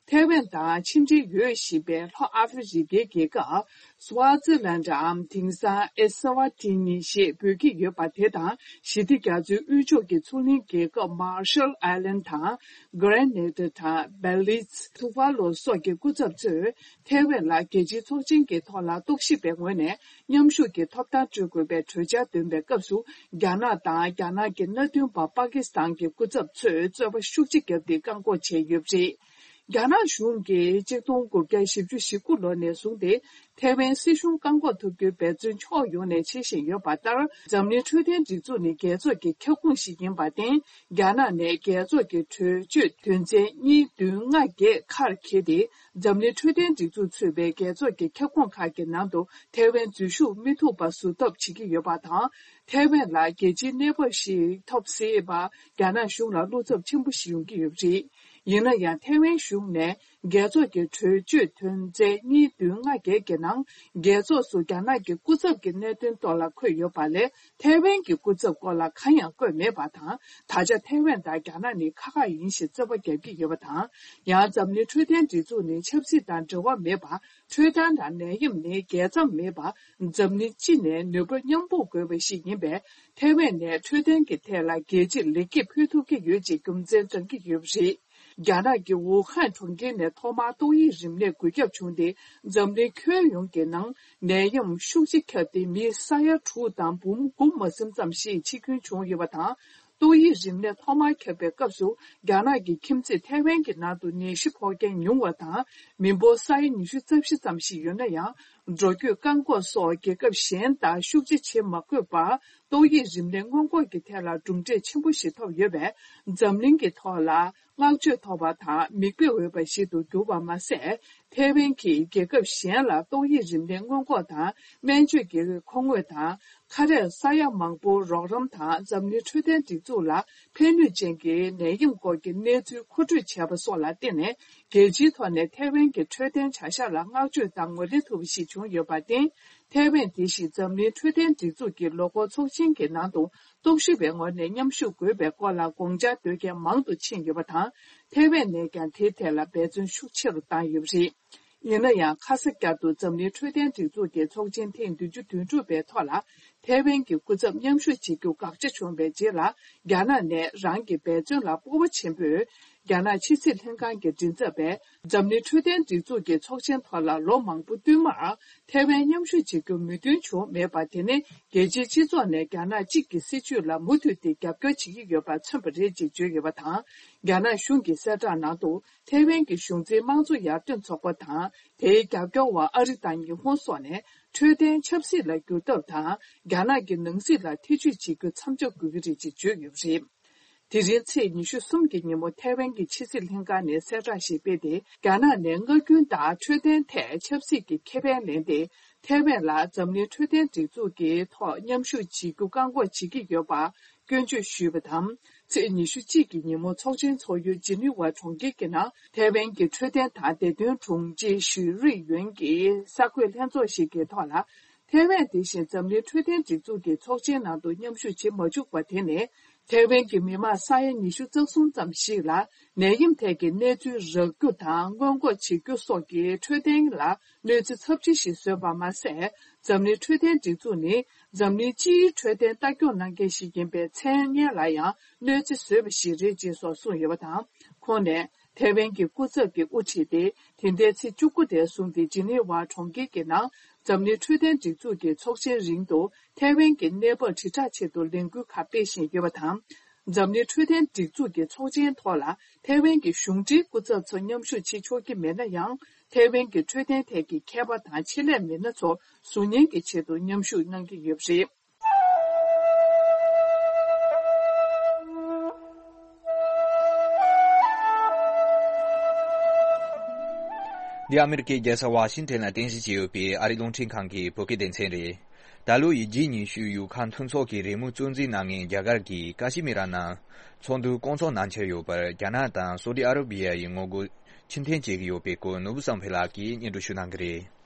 ཐའེ་ཝན་དང་ཕྱི་འབྲེལ་ཡོད་བཞིན་པའི་ལྷོ་ཨ་ཧྥེ་རི་ཁའི་རྒྱལ་ཁབ་སུའ་ཙི་ལན་ཌའམ་དེང་སང་ཨེ་སི་ཝ་ཏི་ནི་ཞེས་འབོད་ཀྱི་ཡོད་པ་དེ་དང་། ཞི་བདེ་རྒྱ་མཚོའི་དབུས་ཕྱོགས་ཀྱི་མཚོ་གླིང་རྒྱལ་ཁབ་མར་ཤལ་ཨའི་ལན་དང་། གྷ་རེ་ནེ་ཌ་དང་། བེ་ལི་ཛི། ཐུ་ཝཱ་ལུ་སོགས་ཀྱི་སྐུ་ཚབ་ཚོས་ཐའེ་ཝན་ལ་རྒྱལ་སྤྱིའི་ཚོགས་ཆེན་གྱི་ཐོག་ལ་རྟོག་ཞིབ་པའི་ངོས་ནས་མཉམ་ཞུགས་ཀྱི་ཐོབ་ཐང་སྤྲོད་དགོས་པའི་གྲོས་འཆར་འདོན་པའི་སྐབས་སུ། རྒྱ་ནག་དང་རྒྱ་ནག་གི་མནའ་མཐུན་པ་པ་ཀི་སི་ཐན་གྱི་སྐུ་ཚབ་ཚོས་རྩོད་པ་ཤུགས་ཆེ་བརྒྱབ་སྟེ་བཀག་འགོག་བྱས་ཡོད་པ་རེད། རྒྱ་ནག་གཞུང་གིས་ཆིག་སྟོང་དགུ་བརྒྱ་བཞི་བཅུ་ཞེ་དགུ་ལོ་ནས་བཟུང་སྟེ་ཐའེ་ཝན་སྲིད་གཞུང་བཀག་འགོག་ཐུབ་རྒྱུའི་འབད་བརྩོན་ཕྱོགས་ཡོངས་ནས་བྱེད་བཞིན་ཡོད་པ་ལྟར། འཛམ་གླིང་འཕྲོད་བསྟེན་སྒྲིག་འཛུགས་ནི་རྒྱལ་ཚོགས་ཀྱི་ཁྱབ་ཁོངས་ཤིག་ཡིན་པར་བརྟེན། རྒྱ་ནག་ནས་རྒྱལ་ཚོགས་ཀྱི་གྲོས་ཆོད་དོན་ཚན་གཉིས་བདུན་ལྔ་བརྒྱད་ཁར་འཁྱེར་ཏེ། འཛམ་གླིང་འཕྲོད་བསྟེན་སྒྲིག་འཛུགས་ཚུད་པའི་རྒྱལ་ཚོགས་ཀྱི་ཁྱབ་ཁོངས་ཁག་གི་ནང་དུ་ཐའེ་ཝན་འཛུལ་ཞུགས་མི་ཐུབ་པ་བཟོ་ཐབས་བྱེད་ཀྱི་ཡོད་པ་དང་། ཐའེ་ཝན་ལ་རྒྱལ་སྤྱིའི་གནས་བབ་ཞིག་ཐོབ་སྲིད་པ་རྒྱ་ནག་གཞུང་ལ་བློ་འཚབ་ཆེན་པོ་ཞིག་ཡོང་གི་ཡོད་པ་རེད། ཡིན་ན་ཡང་། ཐའེ་ཝན་གཞུང་ནས་རྒྱལ་ཚོགས་ཀྱི་གྲོས་ཆོད་དོན་ཚན་གཉིས་བདུན་ལྔ་བརྒྱད་ཀྱི་ནང་། རྒྱལ་ཚོགས་སུ་རྒྱ་ནག་གི་སྐུ་ཚབ་ཀྱི་གནད་དོན་ཐོག་ལ་འཁོད་ཡོད་པ་ལས། ཐའེ་ཝན་གྱི་སྐུ་ཚབ་སྐོར་ལ་གང་ཡང་བཀོད་མེད་པ་དང་། ད་ཆ་ཐའེ་ཝན་དང་རྒྱ་ནག་ནི་ཁག་ཁག་ཡིན་ཞེས་རྩོད་པ་བརྒྱབ་ཀྱི་ཡོད་པ་དང་། ཡང་། འཛམ་གླིང་འཕྲོད་བསྟེན་སྒྲིག་འཛུགས་ནི་ཆབ་སྲིད་དང་འབྲེལ་བ་མེད་པ། འཕྲོད་བསྟེན་དང་ནད་ཡམས་ནི་རྒྱལ་མཚམས་མེད་པ། འཛམ་གླིང་སྤྱི་ནས་ནུས་པ་མཉམ་སྤུངས་དགོས་པ་ཞིག་ཡིན་པས། ཐའེ་ཝན་ནས་འཕྲོད་བསྟེན་གྱི་ཐད་ལ་རྒྱལ་སྤྱིར་ལེགས་སྐྱེས་ཕུལ་ཐུབ་ཀྱི་ཡོད་ཅེས་རྒྱུ་མཚན་བགྲང་གི་ཡོད་པ་རེད། རྒྱ་ནག་གི་ཝུ་ཧན་གྲོང་ཁྱེར་ནས་ཐོག་མར་ཏོག་དབྱིབས་རིམས་ནད་འགོས་ཁྱབ་བྱུང་སྟེ། འཛམ་གླིང་ཁྱོན་ཡོངས་ཀྱི་ནང་ནད་ཡམས་ཤུགས་ཆེ་ཁྱབ་སྟེ། མི་ས་ཡ་དྲུག་དང་འབུམ་དགུ་མ་ཟིན་ཙམ་ཞིག་འཆི་སྐྱོན་བྱུང་ཡོད་པ་དང་། ཏོག་དབྱིབས་རིམས་ནད་ཐོག་མར་ཁྱབ་པའི་སྐབས་སུ། རྒྱ་ནག་གི་ཁྱིམ་མཚེས་ཐའེ་ཝན་གྱི་ནང་དུ་ནད་གཞི་ཕོག་མཁན་ཉུང་བ་དང་། མི་འབོར་ས་ཡ་ཉི་ཤུ་རྩ་བཞི་ཙམ་ཞིག་ཡོད་ན་ཡང་། འགྲོ་སྐྱོད་བཀག་འགོག་སོགས་རྒྱལ་ཁབ་གཞན་དང་ཤུགས་ཆེ་བྱེད་མ་དགོས་པར། ཏོག་དབྱིབས་རིམས་ནད་སྔོན་འགོག་གི་ཐད་ལ་གྲུབ་འབྲས་ཆེན་པོ་ཞིག་ཐོབ་ཡོད་པས། འཛམ་གླིང་གི་ཐོག་ལ་བསྔགས་བརྗོད་ཐོབ་པ་དང་མིག་དཔེ་འོས་པ་ཞིག་ཏུ་གྱུར་པ་མ་ཟད། ཐའེ་ཝན་གྱིས་རྒྱལ་ཁབ་གཞན་ལ་ཏོག་དབྱིབས་རིམས་ནད་སྔོན་འགོག་དང་སྨན་བཅོས་ཀྱི་མཁོ་དངོས་དང་། ཁ་རས་ས་ཡ་མང་པོར་རོགས་རམ་དང་། འཛམ་གླིང་འཕྲོད་བསྟེན་སྒྲིག་འཛུགས་ལ་ཕན་ནུས་ཅན་གྱི་ནད་ཡམས་སྐོར་གྱི་གནས་ཚུལ་མཁོ་སྤྲོད་བྱས་པ་སོགས་ལ་བརྟེན་ནས། རྒྱལ་སྤྱིའི་ཐོག་ནས་ཐའེ་ཝན་གྱི་འཕྲོད་བསྟེན་བྱ་གཞག་ལ་བསྔགས་བརྗོད་དང་ངོས་ལེན་ཐུབ་པ་ཞིག་བྱུང་ཡོད་པར་བརྟེན། ཐའེ་ཝན་དེ་བཞིན་འཛམ་གླིང་འཕྲོད་བསྟེན་སྒྲིག་འཛུགས་ཀྱི་ལོ་འཁོར་ཚོགས་ཆེན་གྱི་ནང་དུ་སྟོབས་ཤུགས་པའི་ངོས་ནས་མཉམ་ཞུགས་དགོས་པའི་སྐོར་ལ་དགོངས་འཆར་འདོན་མཁན་མང་དུ་ཕྱིན་ཡོད་པ་དང་། ཐའེ་ཝན་ནས་ཀྱང་དེའི་ཐད་ལ་འབད་བརྩོན་ཤུགས་ཆེ་རུ་བཏང་ཡོད་པ་རེད། ཡིན་ན་ཡང་ཁ་ས་བསྐྱར་དུ་འཛམ་གླིང་འཕྲོད་བསྟེན་སྒྲིག་འཛུགས་ཀྱི་ཚོགས་ཆེན་ཐེངས་བདུན་ཅུ་དོན་དྲུག་པའི་ཐོག་ལ་ཐའེ་ཝན་གྱི་སྐུ་ཚབ་མཉམ་ཞུགས་བྱེད་རྒྱུ་དགག་བྱ་བྱུང་བའི་རྗེས་ལ། རྒྱ་ནག་ནས་རང་གི་འབད་བརྩོན་ལ་སྤོབས་པ་ཆེན་པོས། རྒྱ་ནག་ཕྱི་སྲིད་ལྷན་ཁང་གི་མགྲིན་ཚབ་པས་འཛམ་གླིང་འཕྲོད་བསྟེན་སྒྲིག་འཛུགས་ཀྱི་ཚོགས་ཆེན་ཐོག་ལ་ལོ་མང་པོ་བསྟུད་མར་ཐའེ་ཝན་མཉམ་ཞུགས་བྱེད་རྒྱུར་མོས་མཐུན་བྱུང་མེད་པ་དེ་ནི་རྒྱལ་སྤྱིའི་སྤྱི་ཚོགས་ནས་རྒྱ་ནག་གཅིག་གི་སྲིད་བྱུས་ལ་མུ་མཐུད་དེ་རྒྱབ་སྐྱོར་བྱེད་ཀྱི་ཡོད་པ་མཚོན་པ་རེད་ཅེས་བརྗོད་ཡོད་པ་དང་། རྒྱ་ནག་གཞུང་གི་གསལ་བསྒྲགས་ནང་དུ། ཐའེ་ཝན་གྱི་གཞུང་འཛིན་དམངས་གཙོ་ཡར་ཐོན་ཚོགས་པ་དང་། དེའི་རྒྱབ་སྐྱོར་བ་ཨ་རི་དང་ཉི་ཧོང་སོགས་ནས་འཕྲོད་བསྟེན་ཆབ་སྲིད་ལ་བསྒྱུར་ཐབས་དང་། རྒྱ་ནག་གི་ནང་སྲིད་ལ་ཐེ་བྱུས་བྱེད་རྒྱུ་མཚམས་འཇོག་དགོས་ཀྱི་རེད་ཅེས་བརྗོད་ཡོད་པ་རེད། དེ་རིང་ཚེས་ཉི་ཤུ་གསུམ་གྱི་ཉིན་མོ་ཐའེ་ཝན་གྱི་ཕྱི་སྲིད་ལྷན་ཁང་ནས་གསལ་བསྒྲགས་ཤིག་སྤེལ་ཏེ། རྒྱ་ནག་ནས་མངའ་རྒྱུན་དང་འཕྲོད་བསྟེན་ཐད་ཆབ་སྲིད་ཀྱི་ཁེ་ཕན་ལེན་ཏེ། ཐའེ་ཝན་ལ་འཛམ་གླིང་འཕྲོད་བསྟེན་སྒྲིག་འཛུགས་ཀྱི་ཐོག་མཉམ་ཞུགས་བྱེད་རྒྱུ་བཀག་འགོག་བྱེད་ཀྱི་ཡོད་པ། སྐྱོན་བརྗོད་ཞུས་པ་དང་། ཚེས་ཉི་ཤུ་གཅིག་གི་ཉིན་མོ་ཚོགས་ཆེན་ཚོགས་ཡུལ་ཇི་ནི་ཝ་གྲོང་ཁྱེར་གྱི་ནང་ཐའེ་ཝན་གྱི་འཕྲོད་བསྟེན་དང་བདེ་དོན་དྲུང་ཆེ་ཞུས་རུས་ཡོན་གྱིས་གསར་འགོད་ལྷན་ཚོགས་ཤིག་གི་ཐོག་ལ། ཐའེ་ཝན་དེ་བཞིན་འཛམ་གླིང་འཕྲོད་བསྟེན་སྒྲིག་འཛུགས་ཀྱི་ཚོགས་ཆེན་ནང་དུ་མཉམ་ཞུགས་བྱེད་མ་བཅུག་པ་དེ་ནི། ཐའེ་ཝན་གྱི་མི་མང་ས་ཡ་ཉི་ཤུ་རྩ་གསུམ་ཙམ་ཞིག་ལ་ནད་ཡམས་ཐད་ཀྱི་གནས་ཚུལ་རག་རྒྱུ་དང་སྔོན་འགོག་བྱེད་རྒྱུ་སོགས་ཀྱི་འཕྲོད་བསྟེན་ལ། གནོད་འཚེ་ཚབས་ཆེ་ཞིག་བཟོས་པ་མ་ཟད། འཛམ་གླིང་འཕྲོད་བསྟེན་སྒྲིག་འཛུགས་ནི་འཛམ་གླིང་སྤྱིའི་འཕྲོད་བསྟེན་ལྟ་སྐྱོང་གནང་མཁན་ཞིག་ཡིན་པའི་མཚན་སྙན་ལ་ཡང་གནོད་འཚེ་བཟོས་པ་ཞིག་རེད་ཅེས་སོགས་གསུངས་ཡོད་པ་དང་། ཁོང་ནས་ཐའེ་ཝན་གྱི་སྐུ་ཚབ་ཀྱིས་དབུ་ཁྲིད་དེ། དེ་ཟླའི་ཚེས་བཅུ་དགུ་དེར་བཟུང་སྟེ་ཇི་ནི་ཝ་གྲོང་ཁྱེར་གྱི་ནང་འཛམ་གླིང་འཕྲོད་བསྟེན་སྒྲིག་འཛུགས་ཀྱི་ཚོགས་ཆེན་རིང་དུ་ཐའེ་ཝན་གྱི་གནས་བབ་དྲིལ་བསྒྲགས་ཆེད་དུ་ལས་འགུལ་ཁག་སྤེལ་བཞིན་ཡོད་པ་དང་། འཛམ་གླིང་འཕྲོད་བསྟེན་སྒྲིག་འཛུགས་ཀྱི་ཚོགས་ཆེན་ཐོག་ལ་ཐའེ་ཝན་གྱི་གཞུང་འབྲེལ་སྐུ་ཚབ་ཚོ་མཉམ་ཞུགས་བྱེད་ཆོག་གི་མེད་ན་ཡང་། ཐའེ་ཝན་གྱི་འཕྲོད་བསྟེན་ཐད་ཀྱི་མཁས་པ་དང་ཆེད་ལས་མི་སྣ་ཚོ་གཟུགས་བརྙན་གྱི་ཆེད་དུ་མཉམ་ཞུགས་གནང་གི་ཡོད་པ་རེད། འདི་ཨ་མེ་རི་ཀའི་རྒྱལ་ས་ཝ་ཤིང་ཊོན་ལ་རྟེན་གཞི་བྱས་ཡོད་པའི་ཨ་རིའི་རླུང་འཕྲིན་ཁང་གི་བོད་སྐད་སྡེ་ཚན་རེད། ད་ལོ་ཡི་ཇི་ཉི་ཤུ་ཡུལ་ཁག་མཐུན་ཚོགས་ཀྱི་རེས་མོས་གཙོ་འཛིན་གནང་མཁན་རྒྱ་གར་གྱིས་ཀ་ཤི་མིར་ནང་ཚོགས་འདུ་བསྐོང་ཚོགས་གནང་འཆར་ཡོད་པར་རྒྱ་ནག་དང་སོ་ཏི་ཨ་ར་བི་ཡ་ཡི་ངོ་རྒོལ་ཕྱིར་འཐེན་བྱེད་ཀྱི་ཡོད་པའི་སྐོར་ནོར་བུ་བསམ་འཕེལ་ལགས་ཀྱིས་སྙན་སྒྲོན་ཞུ་གནང་གི་རེད།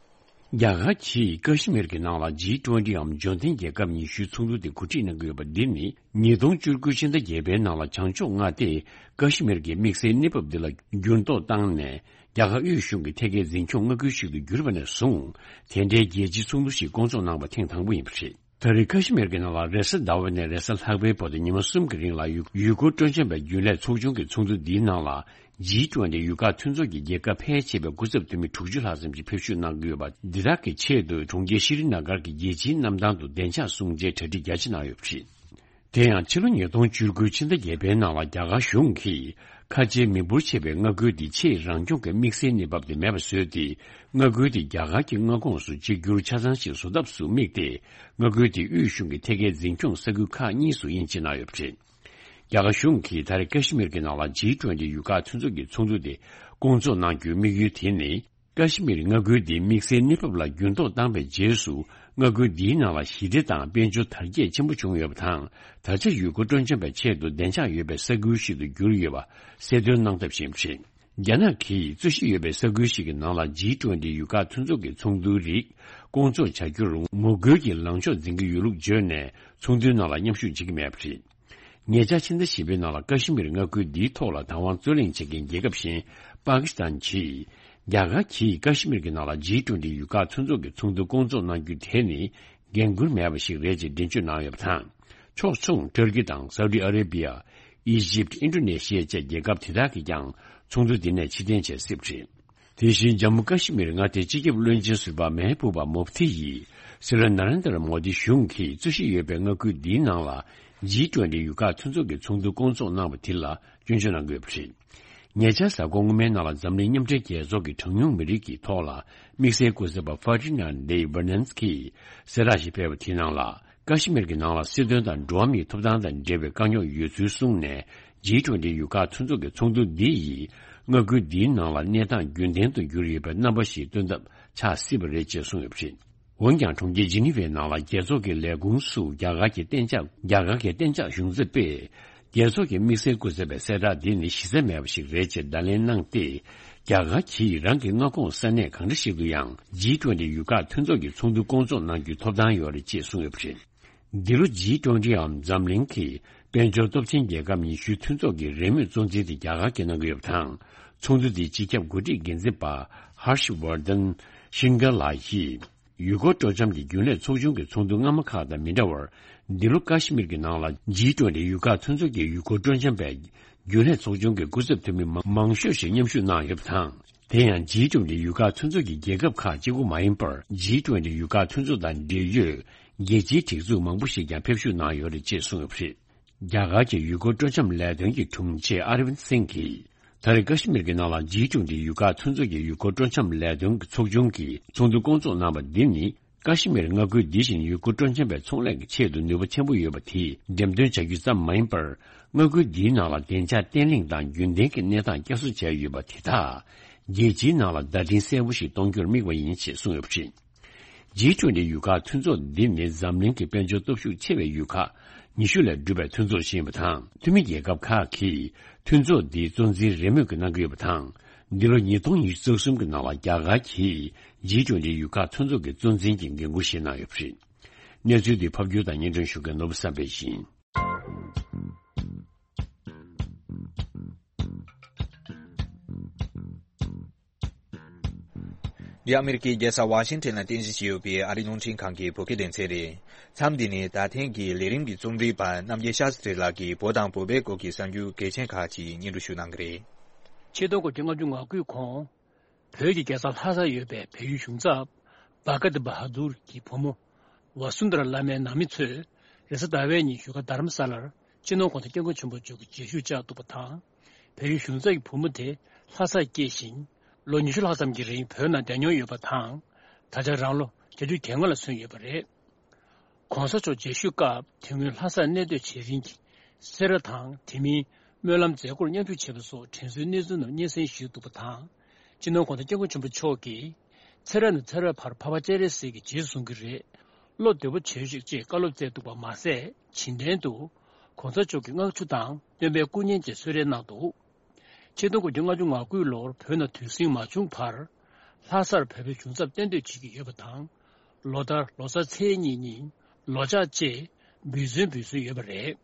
རྒྱ་གར་གྱིས་ཀ་ཤི་མིར་གྱི་ནང་ལ་ཇི་ཊུ་ཝེན་ཊི་འམ་འབྱོར་ལྡན་རྒྱལ་ཁབ་ཉི་ཤུའི་ཚོགས་འདུ་དེ་གོ་སྒྲིག་གནང་གི་ཡོད་པ་འདི་ནི་ཉིས་སྟོང་བཅུ་དགུ་ཕྱི་ཟླ་བརྒྱད་པའི་ནང་ལ་བྱང་ཕྱོགས་མངའ་སྡེ་ཀ་ཤི་མིར་གྱི་དམིགས་བསལ་གནས་བབ་འདི་ལ་འགྱུར་ལྡོག་བཏང་ནས། རྒྱ་གར་དབུས་གཞུང་གི་ཐད་ཀའི་འཛིན་སྐྱོང་མངའ་ཁུལ་ཞིག་ཏུ་གྱུར་པ་ནས་བཟུང་། དེ་འདྲའི་རྒྱལ་སྤྱིའི་ཚོགས་འདུ་ཞིག་བསྐོང་ཚོགས་གནང་བ་ཐེངས་དང་པོ་ཡིན་པ་རེད། ད་རེས་ཀ་ཤི་མིར་གྱི་ནང་ལ་རེས་གཟའ་ཟླ་བ་ནས་རེས་གཟའ་ལྷག་པའི་བར་དུ་ཉི་མ་གསུམ་གྱི་རིང་ལ་ཡུ་ཡུལ་སྐོར་སྤྲོ་འཆམ་པའི་རྒྱུན་ལས་ཚོགས་ཆུང་གི་ཚོགས་འདུ་འདིའི་ནང་ལ་ཇི་ཊུ་ཝེན་ཊི་ཡུལ་ཁག་མཐུན་ཚོགས་ཀྱི་རྒྱལ་ཁབ་ཕལ་ཆེ་བའི་སྐུ་ཚབ་འཐུས་མི་དྲུག་ཅུ་ལྷག་ཙམ་གྱིས་ཕེབས་ཞུགས་གནང་གི་ཡོད་པ། འདི་དག་གི་ཆེད་དུ་གྲོང་ཁྱེར་ཤྲི་ནཱ་གར་གྱི་རྒྱལ་སྤྱིའི་གནམ་ཐང་དུ་བདེ་འཇགས་སྲུང་བྱའི་གྲ་སྒྲིག་རྒྱ་ཆེ་གནང་ཡོད་པ་རེད། དེ་ཡང་ཕྱི་ལོ་ཉིས་སྟོང་བཅུ་དགུ་ཕྱི་ཟླ་བརྒྱད་པའི་ནང་ལ་རྒྱ་གར་གཞུང་གིས་ཁ་ཆེའི་མི་འབོར་ཆེ་བའི་མངའ་ཁུལ་འདི་ཆེས་རང་སྐྱོང་གི་དམིགས་བསལ་གནས་བབ་དེ་མེད་པ་བཟོས་ཏེ། མངའ་ཁུལ་དེ་རྒྱ་གར་གྱི་མངའ་ཁོངས་སུ་གཅིག་གྱུར་ཆ་ཚང་ཞིག་བཟོ་ཐབས་སུ་དམིགས་ཏེ། མངའ་ཁུལ་དེ་དབུས་གཞུང་གི་ཐད་ཀའི་འཛིན་སྐྱོང་ས་ཁུལ་ཁག་གཉིས་སུ་དབྱེ་འབྱེད་གནང་ཡོད་པ་རེད། རྒྱ་གར་གཞུང་གིས་ད་རེས་ཀ་ཤི་མིར་གྱི་ནང་ལ་ཇི་ཊུ་ཝེན་ཊི་ཡུལ་ཁག་མཐུན་ཚོགས་ཀྱི་ཚོགས་འདུ་དེ་བསྐོང་ཚོགས་གནང་རྒྱུའི་དམིགས་ཡུལ་དེ་ནི། ཀ་ཤི་མིར་མངའ་ཁུལ་འདིའི་དམིགས་བསལ་གནས་བབ་ལ་འགྱུར་ལྡོག་བཏང་པའི་རྗེས་སུ། མངའ་ཁུལ་འདིའི་ནང་ལ་ཞི་བདེ་དང་དཔལ་འབྱོར་དར་རྒྱས་ཆེན་པོ་བྱུང་ཡོད་པ་དང་། ད་ཆ་ཡུལ་སྐོར་སྤྲོ་འཆམ་པའི་ཆེད་དུ་བདེ་འཇགས་ཡོད་པའི་ས་ཁུལ་ཞིག་ཏུ་གྱུར་ཡོད་པ་གསལ་སྟོན་གནང་ཐབས་བྱས་པ་རེད། རྒྱ་ནག་གིས་རྩོད་གཞི་ཡོད་པའི་ས་ཁུལ་ཞིག་གི་ནང་ལ་ཇི་ཊུ་ཝེན་ཊི་ཡུལ་ཁག་མཐུན་ཚོགས་ཀྱི་ཚོགས་འདུའི་རིགས་བསྐོང་ཚོགས་བྱ་རྒྱུར་ངོ་རྒོལ་གྱི་ལངས་ཕྱོགས་འཛིན་གྱི་ཡོད་ལུགས་བརྗོད་ནས། ཚོགས་འདུའི་ནང་ལ་མཉམ་ཞུགས་བྱེད་ཀྱི་མེད་པ་རེད། ཉེ་ཆར་ཕྱི་ཟླ་བཞི་པའི་ནང་ལ་ཀ་ཤི་མིར་མངའ་ཁུལ་འདིའི་ཐོག་ལ་བདག་དབང་རྩོད་གླེང་བྱེད་མཁན་རྒྱལ་ཁབ་གཞན་པ་ཀི་སི་ཐན་གྱིས། རྒྱ་གར་གྱིས་ཀ་ཤི་མིར་གྱི་ནང་ལ་ཇི་ཊུ་ཝེན་ཊི་ཡུལ་ཁག་མཐུན་ཚོགས་ཀྱི་ཚོགས་འདུ་བསྐོང་ཚོགས་གནང་རྒྱུ་དེ་ནི་འགན་འཁུར་མེད་པ་ཞིག་རེད་ཅེས་འགྲེལ་བརྗོད་གནང་ཡོད་པ་དང་། ཕྱོགས་མཚུངས་ཏུར་ཀི་དང་སའུ་ཏི་ཨ་རེ་བི་ཡ། ཨི་ཇིབ། ཨིན་ཌོ་ནེ་ཤི་ཡ་བཅས་རྒྱལ་ཁབ་དེ་དག་གིས་ཀྱང་ཚོགས་འདུ་འདི་ནས་ཕྱིར་འཐེན་བྱེད་སྲིད་པ་རེད། དེ་བཞིན་ཇམ་མུ་ཀ་ཤི་མིར་མངའ་སྡེའི་སྤྱི་ཁྱབ་བློན་ཆེན་ཟུར་པ་མེ་ཧ་བུ་བ་མུ་ཕ་ཐི་ཡིས་སྲིད་བློན་ན་རེན་དྲ་མོ་དི་གཞུང་གིས་རྩོད་གཞི་ཡོད་པའི་མངའ་ཁུལ་འདིའི་ནང་ལ་ཇི་ཊུ་ཝེན་ཊི་ཡུལ་ཁག་མཐུན་ཚོགས་ཀྱི་ཚོགས་འདུ་བསྐོང་ཚོགས་གནང་བ་དེ་ལ་སྐྱོན་བརྗོད་གནང་གི་ཡོད་པ་རེད། ཉེ་ཆར་གཟའ་འཁོར་སྔོན་མའི་ནང་ལ་འཛམ་གླིང་མཉམ་འབྲེལ་རྒྱལ་ཚོགས་ཀྱི་གྲངས་ཉུང་མི་རིགས་ཀྱི་ཐོག་ལ་དམིགས་བསལ་སྐུ་ཚབ་པ་ཧྥ་ཏི་ན་ཌེ་ཝེ་ནན་སི་ཀིས་གསལ་བསྒྲགས་ཤིག་སྤེལ་བ་དེའི་ནང་ལ། ཀ་ཤི་མིར་གྱི་ནང་ལ་སྲིད་དོན་དང་འགྲོ་བ་མིའི་ཐོབ་ཐང་དང་འབྲེལ་བའི་དཀའ་རྙོག་ཡོད་ཚུལ་གསུངས་ནས། ཇི་ཊུ་ཝེན་ཊི་ཡུལ་ཁག་མཐུན་ཚོགས་ཀྱི་ཚོགས་འདུ་འདི་ཡིས་མངའ་ཁུལ་འདིའི་ནང་ལ་གནས་སྟངས་རྒྱུན་ལྡན་དུ་གྱུར་ཡོད་པའི་རྣམ་པ་ཞིག་སྟོན་ཐབས་ཆགས་སྲིད་པ་རེད་ཅེས་གསུངས་ཡོད་པ་རེད། འོན་ཀྱང་། གྲོང་ཁྱེར་ཇི་ནི་ཝའི་ནང་ལ་རྒྱལ་ཚོགས་ཀྱི་ལས་ཁུངས་སུ་རྒྱ་གར་གྱི་གཏན་འཇགས་རྒྱ་གར་གྱི་གཏན་འཇགས་གཞུང་ཚབ་པས། རྒྱལ་ཚོགས་ཀྱི་དམིགས་བསལ་སྐུ་ཚབ་པའི་གསལ་བསྒྲགས་འདི་ནི་གཞི་རྩ་མེད་པ་ཞིག་རེད་ཅེས་བརྡ་ལན་གནང་སྟེ། རྒྱ་གར་གྱིས་རང་གི་མངའ་ཁོངས་ས་གནས་གང་འདྲ་ཞིག་ཏུ་ཡང་ཇི་ཊུ་ཝེན་ཊི་ཡུལ་ཁག་མཐུན་ཚོགས་ཀྱི་ཚོགས་འདུ་སྐོང་ཚོགས་གནང་རྒྱུའི་ཐོབ་ཐང་ཡོད་རེད་ཅེས་གསུངས་ཡོད་པ་རེད། འདི་ལོ་ཇི་ཊུ་ཝེན་ཊི་འམ་འཛམ་གླིང་གི་དཔལ་འབྱོར་སྟོབས་ཆེན་རྒྱལ་ཁབ་ཉི་ཤུའི་མཐུན་ཚོགས་ཀྱི་རེས་མོས་གཙོ་འཛིན་དེ་རྒྱ་གར་གྱིས་གནང་གི་ཡོད་པ་དང་། ཚོགས་འདུ་དེའི་སྤྱི་ཁྱབ་འགོ་ཁྲིད་འགན་འཛིན་པ་ཧར་ཤི་ཝར་དན་ཤིན་གྷ་ལགས་ཀྱིས། ཡུལ་སྐོར་སྤྲོ་འཆམ་གྱི་རྒྱུན་ལས་ཚོགས་ཆུང་གི་ཚོགས་འདུ་སྔ་མ་ཁག་དང་མི་འདྲ་བར། འདི་ལོ་ཀ་ཤི་མིར་གྱི་ནང་ལ་ཇི་ཊུ་ཝེན་ཊི་ཡུལ་ཁག་མཐུན་ཚོགས་ཀྱི་ཡུལ་སྐོར་སྤྲོ་འཆམ་པའི་རྒྱུན་ལས་ཚོགས་ཆུང་གི་སྐུ་ཚབ་འཐུས་མི་མང་ཤོས་ཤིག་མཉམ་ཞུགས་གནང་ཡོད་པ་དང་། དེ་ཡང་ཇི་ཊུ་ཝེན་ཊི་ཡུལ་ཁག་མཐུན་ཚོགས་ཀྱི་རྒྱལ་ཁབ་ཁག་གཅིག་པུ་མ་ཡིན་པར། ཇི་ཊུ་ཝེན་ཊི་ཡུལ་ཁག་མཐུན་ཚོགས་དང་འབྲེལ་ཡོད་རྒྱལ་སྤྱིའི་སྒྲིག་འཛུགས་མང་པོ་ཞིག་ཀྱང་ཕེབས་ཞུགས་གནང་ཡོད་རེད་ཅེས་གསུངས་ཡོད་པ་རེད། རྒྱ་གར་གྱི་ཡུལ་སྐོར་སྤྲོ་འཆམ་ལས་དོན་གྱི་དྲུང་ཆེ་ཨ་ར་ཝིན་སིང་གིས། ད་རེས་ཀ་ཤི་མིར་གྱི་ནང་ལ་ཇི་ཊུ་ཝེན་ཊི་ཡུལ་ཁག་མཐུན་ཚོགས་ཀྱི་ཡུལ་སྐོར་སྤྲོ་འཆམ་ལས་དོན་གྱི་ཚོགས་ཆུང་གིས་ཚོགས་འདུ་སྐོང་ཚོགས་གནང་བ་འདི་ནི། ཀ་ཤི་མིར་མངའ་ཁུལ་འདི་བཞིན་ཡུལ་སྐོར་སྤྲོ་འཆམ་པའི་ཚོང་ལས་ཀྱི་ཆེད་དུ་ནུས་པ་ཆེན་པོ་ཡོད་པ་དེ་འགྲེམས་སྟོན་བྱ་རྒྱུ་ཙམ་མ་ཡིན་པར། མངའ་ཁུལ་འདིའི་ནང་ལ་བདེ་འཇགས་བརྟན་ལྷིང་དང་རྒྱུན་ལྡན་གྱི་གནས་སྟངས་བསྐྱར་གསོ་བྱས་ཡོད་པ་དེ་དག་རྒྱལ་སྤྱིའི་ནང་ལ་བརྡ་འཕྲིན་གསལ་པོ་ཞིག་གཏོང་རྒྱུར་དམིགས་པ་ཡིན་ཞེས་གསུངས་ཡོད་པ་རེད། ཇི་ཊུ་ཝེན་ཊི་ཡུལ་ཁག་མཐུན་ཚོགས་འདི་ནི་འཛམ་གླིང་གི་དཔལ་འབྱོར་སྟོབས་ཤུགས་ཆེ་བའི་ཡུལ་ཁག་ཉི་ཤུ་ལས་གྲུབ་པའི་མཐུན་ཚོགས་ཤིག་ཡིན་པ་དང་། འཐུས་མི་རྒྱལ་ཁབ་ཁག་གིས་མཐུན་ཚོགས་འདིའི་གཙོ་འཛིན་རེས་མོས་ཀྱིས་གནང་གི་ཡོད་པ་དང་། འདི་ལོ་ཉིས་སྟོང་ཉི་ཤུ་རྩ་གསུམ་གྱི་ནང་ལ་རྒྱ་གར་གྱིས་ཇི་ཊུ་ཝེན་ཊི་ཡུལ་ཁག་མཐུན་ཚོགས་ཀྱི་གཙོ་འཛིན་གྱི་འགན་འཁུར་བཞེས་གནང་ཡོད་པ་རེད། གནས་ཚུལ་འདི་ཕབ་སྒྱུར་དང་སྙན་སྒྲོན་ཞུ་མཁན་ནོར་བུ་བསམ་འཕེལ་ཡིན། འདི་ཨ་མེ་རི་ཀའི་རྒྱལ་ས་ཝ་ཤིང་ཊོན་ལ་རྟེན་གཞི་བྱས་ཡོད་པའི་ཨ་རིའི་རླུང་འཕྲིན་ཁང་གི་བོད་སྐད་སྡེ་ཚན་རེད། མཚམས་འདི་ནི་ད་ཐེངས་ཀྱི་ལས་རིམ་གྱི་རྩོམ་སྒྲིག་པ་རྣམ་རྒྱལ་ཤཱ་སྟྲི་ལགས་ཀྱིས་བོད་དང་བོད་པའི་སྐོར་གྱི་གསར་འགྱུར་གལ་ཆེན་ཁག་ཅིག་སྙན་སྒྲོན་ཞུ་གནང་གི་རེད། ཆིག་སྟོང་དགུ་བརྒྱ་ལྔ་བཅུ་ང་དགུའི་གོང་། བོད་ཀྱི་རྒྱལ་ས་ལྷ་སར་ཡོད་པའི་བལ་ཡུལ་གཞུང་ཚབ་བྷ་ག་ཏི་བྷ་དུར་གྱི་བུ་མོ་ཝ་སུན་དར་བླ་མའི་ནང་མི་ཚོས་རེས་གཟའ་ཟླ་བའི་ཉིན་བཞུགས་སྒར་དྷ་རམ་ས་ལར་སྤྱི་ནོར་༸གོང་ས་༸སྐྱབས་མགོན་ཆེན་པོ་མཆོག་གི་མཇལ་ཞུ་བཅར་འདུག་པ་དང་། བལ་ཡུལ་གཞུང་ཚབ་ཀྱི་བུ་མོ་དེ་ལྷ་སར་སྐྱེས་ཤིང་། ལོ་ཉི་ཤུ་ལྷག་ཙམ་གྱི་རིང་བོད་ནང་བསྡད་མྱོང་ཡོད་པ་དང་། ད་ཆ་རང་ལོ་བརྒྱད་ཅུ་གྱ་ལྔ་ལ་སོན་ཡོད་པ་རེད། ༸གོང་ས་མཆོག་མཇལ་ཞུ་སྐབས་དེ་སྔོན་ལྷ་སར་གནས་སྡོད་བྱེད་རིང་གི་སེ་ར་དང་དེ་མིན་སྨོན་ལམ་མཛད་སྒོར་མཉམ་ཞུགས་བྱས་པ་སོགས་དྲན་གསོའི་གནས་ཚུལ་རྣམས་སྙན་སེང་ཞུས་འདུག་པ་དང་། སྤྱི་ནོར་༸གོང་ས་༸སྐྱབས་མགོན་ཆེན་པོ་མཆོག་གིས། ཚེ་རབས་ནས་ཚེ་རབས་བར་འཕགས་པ་སྤྱན་རས་གཟིགས་ཀྱི་རྗེས་སུ་བཟུང་གི་རེད། བློ་བདེ་པོ་བྱོས་ཤིག་ཅེས་བཀའ་སློབ་སྩལ་འདུག་པ་མ་ཟད། བྱིན་རྟེན་དུ་༸གོང་ས་མཆོག་གི་མངགས་ཆུ་དང་སྟོན་པའི་སྐུ་བརྙན་བཅས་གསོལ་རས་གནང་འདུག་ཆིག་སྟོང་དགུ་བརྒྱ་ལྔ་བཅུ་ང་དགུ་ལོར་བོད་ནང་དུས་ཟིང་མ་བྱུང་བར། ལྷ་སར་བོད་པའི་གཞུང་ཚབ་གཏན་སྡོད་བྱེད་ཀྱི་ཡོད་པ་དང་། ལོ་ལྟར་ལོ་གསར་ཚེས་གཉིས་ཉིན་ལོ་ལྕགས་བཅས་འབུལ་ཚོད་འབུལ་སྲོལ་ཡོད་པ་རེད།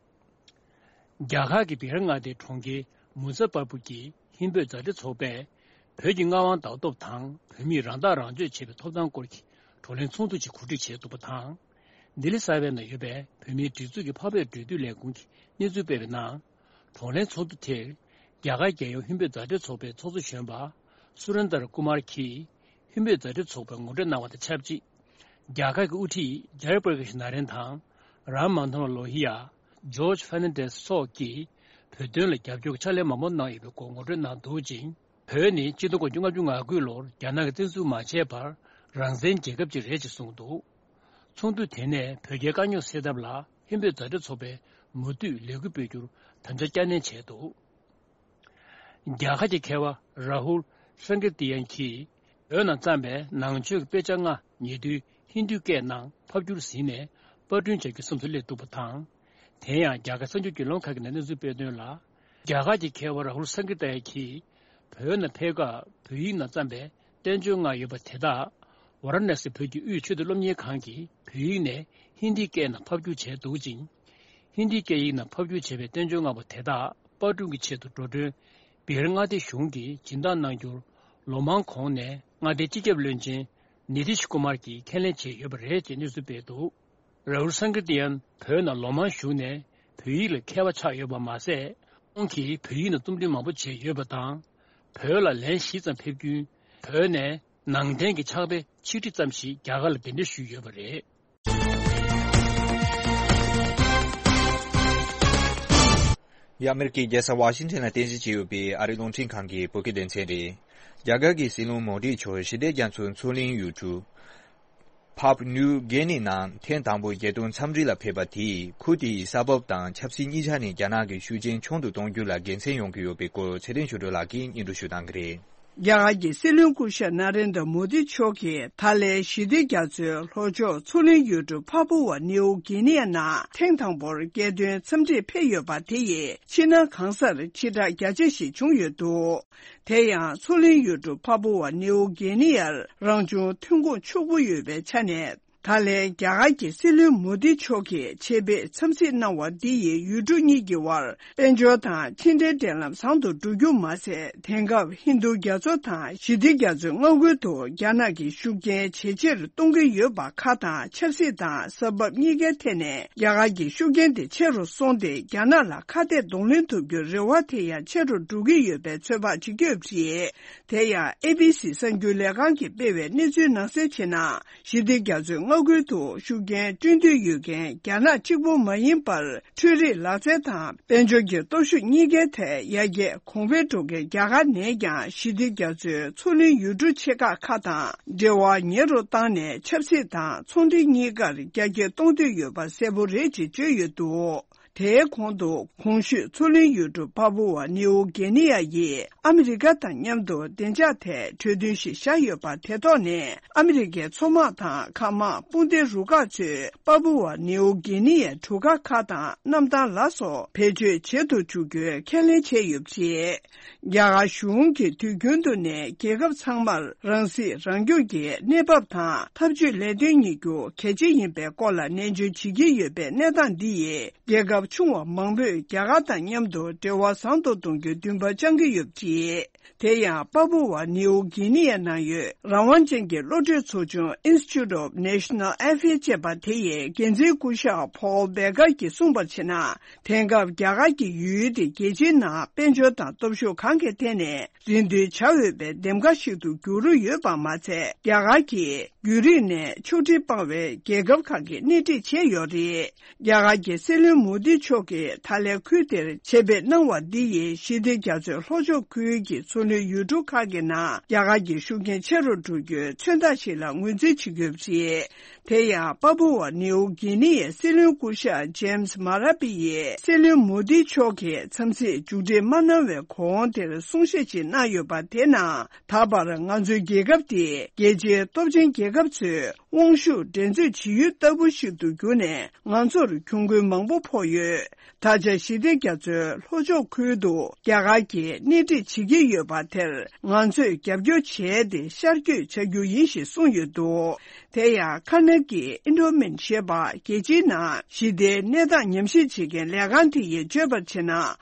རྒྱ་གར་གྱི་བི་ཧར་མངའ་སྡེའི་གྲོང་ཁྱེར་མུ་ཛ་ཕར་པུར་གྱི་ཧིན་བོད་མཛའ་འབྲེལ་ཚོགས་པས། བོད་ཀྱི་མངའ་དབང་ལྡན་སྟོབས་དང་བོད་མིས་རང་ཐག་རང་གཅོད་བྱེད་པའི་ཐོབ་ཐང་སྐོར་གྱི་བགྲོ་གླེང་ཚོགས་འདུ་ཞིག་གོ་སྒྲིག་བྱས་འདུག་པ་དང་། ལྡི་ལི་གསར་པའི་ནང་ཡོད་པའི་བོད་མིའི་སྒྲིག་འཛུགས་ཀྱི་འཕགས་བོད་འབྲེལ་མཐུད་ལས་ཁུངས་ཀྱིས་གནས་ཚུལ་སྤེལ་བའི་ནང་། བགྲོ་གླེང་ཚོགས་འདུ་དེར། རྒྱ་གར་རྒྱལ་ཡོངས་ཧིན་བོད་མཛའ་འབྲེལ་ཚོགས་པའི་ཚོགས་གཙོ་གཞོན་པ་སུ་རན་དར་ཀུ་མར་གྱིས་ཧིན་བོད་མཛའ་འབྲེལ་ཚོགས་པར་ངོ་སྤྲོད་གནང་བ་དང་ཆབས་ཅིག་རྒྱ་གར་གྱི་དབུ་ཁྲིད་ཇཱ་ཡ་པྲ་ཀཱཤ་ན་རེན་དང་། རཱམ་མན་ཐ་ན་ལོ་ཧི་ཡ། ཇོརྗ་ཧྥེར་ནན་ཌེ་སི་སོགས་ཀྱིས་བོད་དོན་ལ་རྒྱབ་སྐྱོར་གྱི་ཕྱག་ལས་མང་པོ་གནང་ཡོད་པའི་སྐོར་ངོ་སྤྲོད་གནང་འདུག་ཅིང་། བོད་ནི་ཆིག་སྟོང་དགུ་བརྒྱ་ལྔ་བཅུ་ང་དགུ་ལོར་རྒྱ་ནག་གིས་བཙན་འཛུལ་མ་བྱས་བར་རང་བཙན་རྒྱལ་ཁབ་ཅིག་རེད་ཅེས་གསུངས་འདུག་ཚོགས་འདུ་དེ་ནས་བོད་རྒྱའི་དཀའ་རྙོག་སེལ་ཐབས་ལ་ཧིན་བོད་མཛའ་འབྲེལ་ཚོགས་པས་མུ་མཐུད་ལས་འགུལ་སྤེལ་རྒྱུར་དམ་བཅའ་བསྐྱར་ནན་བྱས་འདུག་རྒྱ་གར་གྱི་མཁས་པ་རཱ་ཧུལ་སང་ཀིར་ཏི་ཡན་གྱིས་བོད་ནང་བརྩམས་པའི་ནང་ཆོས་ཀྱི་དཔེ་ཆ་ལྔ་ཉེ་དུས་ཧིན་དུའི་སྐད་ནང་ཕབ་བསྒྱུར་ཟིན་ནས་པར་སྐྲུན་བྱ་རྒྱུའི་བསམ་ཚུལ་སླེབས་འདུག་པ་དང་། དེ་ཡང་རྒྱ་གར་གསར་འགྱུར་བརྒྱུད་ལམ་ཁག་གི་ནང་གནས་ཚུལ་སྤེལ་དོན་ལ། རྒྱ་གར་གྱི་མཁས་པ་རཱ་ཧུལ་སང་ཀིར་ཏི་ཡན་གྱིས་བོད་ནང་ཕེབས་སྐབས་བོད་ཡིག་ནང་བརྩམས་པའི་བསྟན་བཅོས་ལྔ་ཡོད་པ་དེ་དག་ཝཱ་ར་ཎ་སི་བོད་ཀྱི་དབུས་ཆེས་མཐོའི་སློབ་གཉེར་ཁང་གིས་བོད་ཡིག་ནས་ཧིན་དིའི་སྐད་ནང་ཕབ་བསྒྱུར་བྱས་འདུག་ཅིང་། ཧིན་དིའི་སྐད་ཡིག་ནང་ཕབ་བསྒྱུར་བྱས་པའི་བསྟན་བཅོས་ལྔ་པོ་དེ་དག་པར་སྐྲུན་གྱི་ཆེད་དུ་འགྲོ་གྲོན་བི་ཧར་མངའ་སྡེའི་གཞུང་གིས་སྦྱིན་བདག་གནང་རྒྱུར་ལོ་མང་གོང་ནས་མངའ་སྡེའི་སྤྱི་ཁྱབ་བློན་ཆེན་ནི་ཏིཤ་ཀུ་མར་གྱིས་ཁས་ལེན་བྱས་ཡོད་པ་རེད་ཅེས་གནས་ཚུལ་སྤེལ་འདུག་རཱ་ཧུལ་སང་ཀིར་ཏི་ཡན་བོད་ནང་ལོ་མང་བཞུགས་ནས་བོད་ཡིག་ལ་མཁས་པ་ཆགས་ཡོད་པ་མ་ཟད། ཁོང་གིས་བོད་ཡིག་ནང་རྩོམ་འབྲི་མང་པོ་བྱས་ཡོད་པ་དང་། བོད་ལ་ལན་བཞི་ཙམ་ཕེབས་རྒྱུན། བོད་ནས་ནང་བསྟན་གྱི་ཕྱག་དཔེ་ཆིག་ཁྲི་ཙམ་ཞིག་རྒྱ་གར་ལ་གདན་འདྲེན་ཞུས་ཡོད་པ་རེད། འདི་ཨ་མེ་རི་ཀའི་རྒྱལ་ས་ཝ་ཤིང་ཊོན་ལ་རྟེན་གཞི་བྱས་ཡོད་པའི་ཨ་རིའི་རླུང་འཕྲིན་ཁང་གི་བོད་སྐད་སྡེ་ཚན་རེད། རྒྱ་གར་གྱི་སྲིད་བློན་མོ་དི་མཆོག་ཞི་བདེ་རྒྱ་མཚོའི་མཚོ་གླིང་ཡུལ་གྲུ། ཕཱབ་ནིའུ་གྷི་ནི་ནང་ཐེངས་དང་པོ་རྒྱལ་དོན་འཚམས་འདྲི་ལ་ཕེབས་པ་དེས་ཁུལ་དེའི་ས་བབ་དང་ཆབ་སྲིད་གཉིས་ཆ་ནས་རྒྱ་ནག་གི་ཤུགས་རྐྱེན་ཆུང་དུ་གཏོང་རྒྱུ་ལ་དགེ་མཚན་ཡོང་གི་ཡོད་པའི་སྐོར་ཚེ་བརྟན་ཆོས་སྒྲོན་ལགས་ཀྱིས་སྙན་སྒྲོན་ཞུ་གནང་གི་རེད། རྒྱ་གར་གྱི་སྲིད་བློན་སྐུ་ཞབས་ན་རེན་དྲ་མོ་དི་མཆོག་གིས་ད་ལན་ཞི་བདེ་རྒྱ་མཚོའི་ལྷོ་ཕྱོགས་མཚོ་གླིང་ཡུལ་གྲུ་ཕ་པུ་ཝ་ནིའུ་གྷི་ནི་ཡ་ནང་ཐེངས་དང་པོར་རྒྱལ་དོན་འཚམས་འདྲིར་ཕེབས་ཡོད་པ་དེ་ཡིས་ཕྱི་ནང་གང་སར་ཕྱི་བསྒྲགས་རྒྱ་ཆེ་ཞིག་བྱུང་ཡོད་འདུག་དེ་ཡང་མཚོ་གླིང་ཡུལ་གྲུ་ཕ་པུ་ཝ་ནིའུ་གྷི་ནི་ཡར་རང་བྱུང་ཐོན་ཁུངས་ཕྱུག་པོ་ཡོད་པའི་ཆ་ནས། ད་ལན་རྒྱ་གར་གྱི་སྲིད་བློན་མོ་དི་མཆོག་གིས་ཆེད་ཕེབས་འཚམས་གཟིགས་གནང་བ་འདི་ཡིས་ཡུལ་གྲུ་གཉིས་ཀྱི་དབར་དཔལ་འབྱོར་དང་ཕྱི་འབྲེལ་འབྲེལ་ལམ་བཟང་དུ་འགྲོ་རྒྱུ་མ་ཟད། དེང་སྐབས་ཧིན་རྡུ་རྒྱ་མཚོ་དང་ཞི་བདེ་རྒྱ་མཚོའི་མངའ་ཁུལ་དུ་རྒྱ་ནག་གི་ཤུགས་རྐྱེན་ཇེ་ཆེར་གཏོང་གི་ཡོད་པ་ཁག་དང་ཆབ་སྲིད་དང་ས་བབ་གཉིས་ཀའི་ཐད་ནས་རྒྱ་གར་གྱི་ཤུགས་རྐྱེན་དེ་ཆེ་རུ་སོང་སྟེ། རྒྱ་ནག་ལ་ཁ་གཏད་གདོང་ལེན་ཐུབ་རྒྱུའི་རེ་བ་དེ་ཡང་ཆེ་རུ་འགྲོ་གི་ཡོད་པའི་ཚོད་དཔག་བྱེད་ཀྱི་ཡོད་པ་རེད། དེ་ཡང་ཨེ་བི་སི་གསར་འགྱུར་ལས་ཁང་གིས་སྤེལ་བའི་གནས་ཚུལ་ནང་གསལ་བྱས་ན། ཞི་བདེ་རྒྱ་མཚོའི་མངའ་ཁུལ་དུ་ཤུགས་རྐྱེན་སྤྲོད་འདོད་ཡོད་མཁན་རྒྱ་ནག་གཅིག་པུ་མ་ཡིན་པར། འཕྲུལ་རིག་ལག་རྩལ་དང་དཔལ་འབྱོར་གྱི་སྟོབས་ཤུགས་གཉིས་ཀའི་ཐད་ཡར་རྒྱས་གོང་འཕེལ་འགྲོ་མཁན་རྒྱ་གར་ནས་ཀྱང་ཞི་བདེ་རྒྱ་མཚོའི་མཚོ་གླིང་ཡུལ་གྲུ་ཆེ་ཁག་ཁག་དང་འབྲེལ་བ་ཉེ་རུ་བཏང་ནས། ཆབ་སྲིད་དང་ཚོང་འབྲེལ་གཉིས་ཀར་རྒྱ་སྐྱེད་གཏོང་འདོད་ཡོད་པ་གསལ་པོ་རེད་ཅེས་བརྗོད་ཡོད་འདུག་དེའི་གོང་དུ། གོང་ཞུས་མཚོ་གླིང་ཡུལ་གྲུ་པ་པུ་ཝ་ནིའུ་གྷི་ནི་ཡ་ཡིས་ཨ་མི་རི་ཀ་དང་མཉམ་དུ་བདེ་འཇགས་ཐད་གྲོས་མཐུན་ཞིག་བཞག་ཡོད་པ་དེ་ཐོག་ནས། ཨ་མི་རི་ཀའི་མཚོ་དམག་དང་མཁའ་དམག་དཔུང་སྡེ་རུ་ཁག་ཚོས་པ་པུ་ཝ་ནིའུ་གྷི་ནི་ཡའི་གྲུ་ཁ་ཁག་དང་གནམ་ཐང་ལ་སོགས་བེད་སྤྱོད་བྱེད་དུ་འཇུག་རྒྱུའི་ཁས་ལེན་བྱས་ཡོད་པ་རེད། རྒྱ་གར་གཞུང་གིས་དུས་རྒྱུན་དུ་ནས་རྒྱལ་ཁབ་ཚང་མར་རང་སྲིད་རང་སྐྱོང་གི་གནས་བབ་དང་འཐབ་ཇུས་ལས་དོན་གཉིས་རྒྱུ་གལ་ཆེ་ཡིན་པའི་སྐོར་ལ་ནན་བརྗོད་བྱེད་ཀྱི་ཡོད་པའི་གནས་སྟངས་འདི་ཡིས། རྒྱལ་ཁབ་ཆུང་བ་མང་པོས་རྒྱ་གར་དང་མཉམ་དུ་འབྲེལ་བ་བཟང་དུ་གཏོང་རྒྱུའི་འདུན་པ་བཅངས་ཀྱི་ཡོད་པ་རེད། དེ་ཡང་པ་པུ་ཝ་ནིའུ་གྷི་ནི་ཡའི་ནང་ཡོད་རང་དབང་ཅན་གྱི་བློ་གྲོས་ཚོགས་ཆུང་Institute of National Affairs ཅེས་པ་དེ་ཡི་འགན་འཛིན་སྐུ་ཞབས་Paul Becker གྱིས་གསུངས་པར་བྱས་ན། དེང་སྐབས་རྒྱ་གར་གྱི་ཡུལ་དེ་རྒྱལ་སྤྱིའི་ནང་དཔལ་འབྱོར་དང་སྟོབས་ཤུགས་གང་གི་ཐད་ནས་རིན་བསྡུར་བྱ་འོས་པའི་འདེམས་ཀ་ཞིག་ཏུ་གྱུར་ཡོད་པ་མ་ཚད། རྒྱ་གར་གྱིས་བརྒྱུད་རིམ་ནས་ཕྱོགས་སྒྲིག་སྤང་བའི་རྒྱལ་ཁབ་ཁག་གི་སྣེ་ཁྲིད་བྱས་ཡོད་རེད། རྒྱ་གར་གྱི་སྲིད་བློན་མོ་དི་མཆོག་གིས་ད་ལན་ཁུལ་དེར་ཆེད་ཕེབས་གནང་བ་འདི་ཡིས་ཞི་བདེ་རྒྱ་མཚོའི་ལྷོ་ཕྱོགས་ཁུལ་གྱི་མཚོ་གླིང་ཡུལ་གྲུ་ཁག་གི་ནང་རྒྱ་གར་གྱི་ཤུགས་རྐྱེན་ཆེ་རུ་འགྲོ་རྒྱུའི་མཚོན་རྟགས་ཤིག་ལ་ངོས་འཛིན་བྱེད་ཀྱི་ཡོད་པ་རེད། དེ་ཡང་པ་པུ་ཝ་ནིའུ་གྷི་ནི་ཡའི་སྲིད་བློན་སྐུ་ཞབས་ཇེམ་སི་མ་ར་པི་ཡིས་སྲིད་བློན་མོ་དི་མཆོག་གིས་འཚམས་གཟིགས་མཇུག་སྒྲིལ་མ་གནང་བའི་གོང་དེར་གསུང་བཤད་ཅིག་གནང་ཡོད་པ་དེ་ནང་། ད་བར་ང་ཚོའི་རྒྱལ་ཁབ་དེ་རྒྱལ་སྤྱིའི་སྟོབས་ཆེན་རྒྱལ་ཁབ་ཚོའི་དབང་ཤུགས་འགྲན་རྩོད་བྱེད་ཡུལ་ལྟ་བུ་ཞིག་ཏུ་གྱུར་ནས་ང་ཚོར་གྱོང་གུན་མང་པོ་ཕོག་ཡོད། ད་ཆ་ཞི་བདེ་རྒྱ་མཚོའི་ལྷོ་ཕྱོགས་ཁུལ་དུ་རྒྱ་གར་གྱིས་སྣེ་ཁྲིད་བྱེད་ཀྱི་ཡོད་པ་དེར་ང་ཚོས་རྒྱབ་སྐྱོར་བྱས་ཏེ་ཤར་བསྐྱོད་བྱ་རྒྱུ་ཡིན་ཞེས་གསུངས་ཡོད་འདུག་དེ་ཡང་ཁ་ན་གི་ཨིན་ཌོ་མིན་ཞེས་པ་རྒྱལ་སྤྱིའི་ནང་ཞི་བདེའི་གནས་སྟངས་ཉམས་ཞིབ་བྱེད་མཁན་ལས་ཁང་དེ་ཡིས་བརྗོད་པར་བྱས་ན།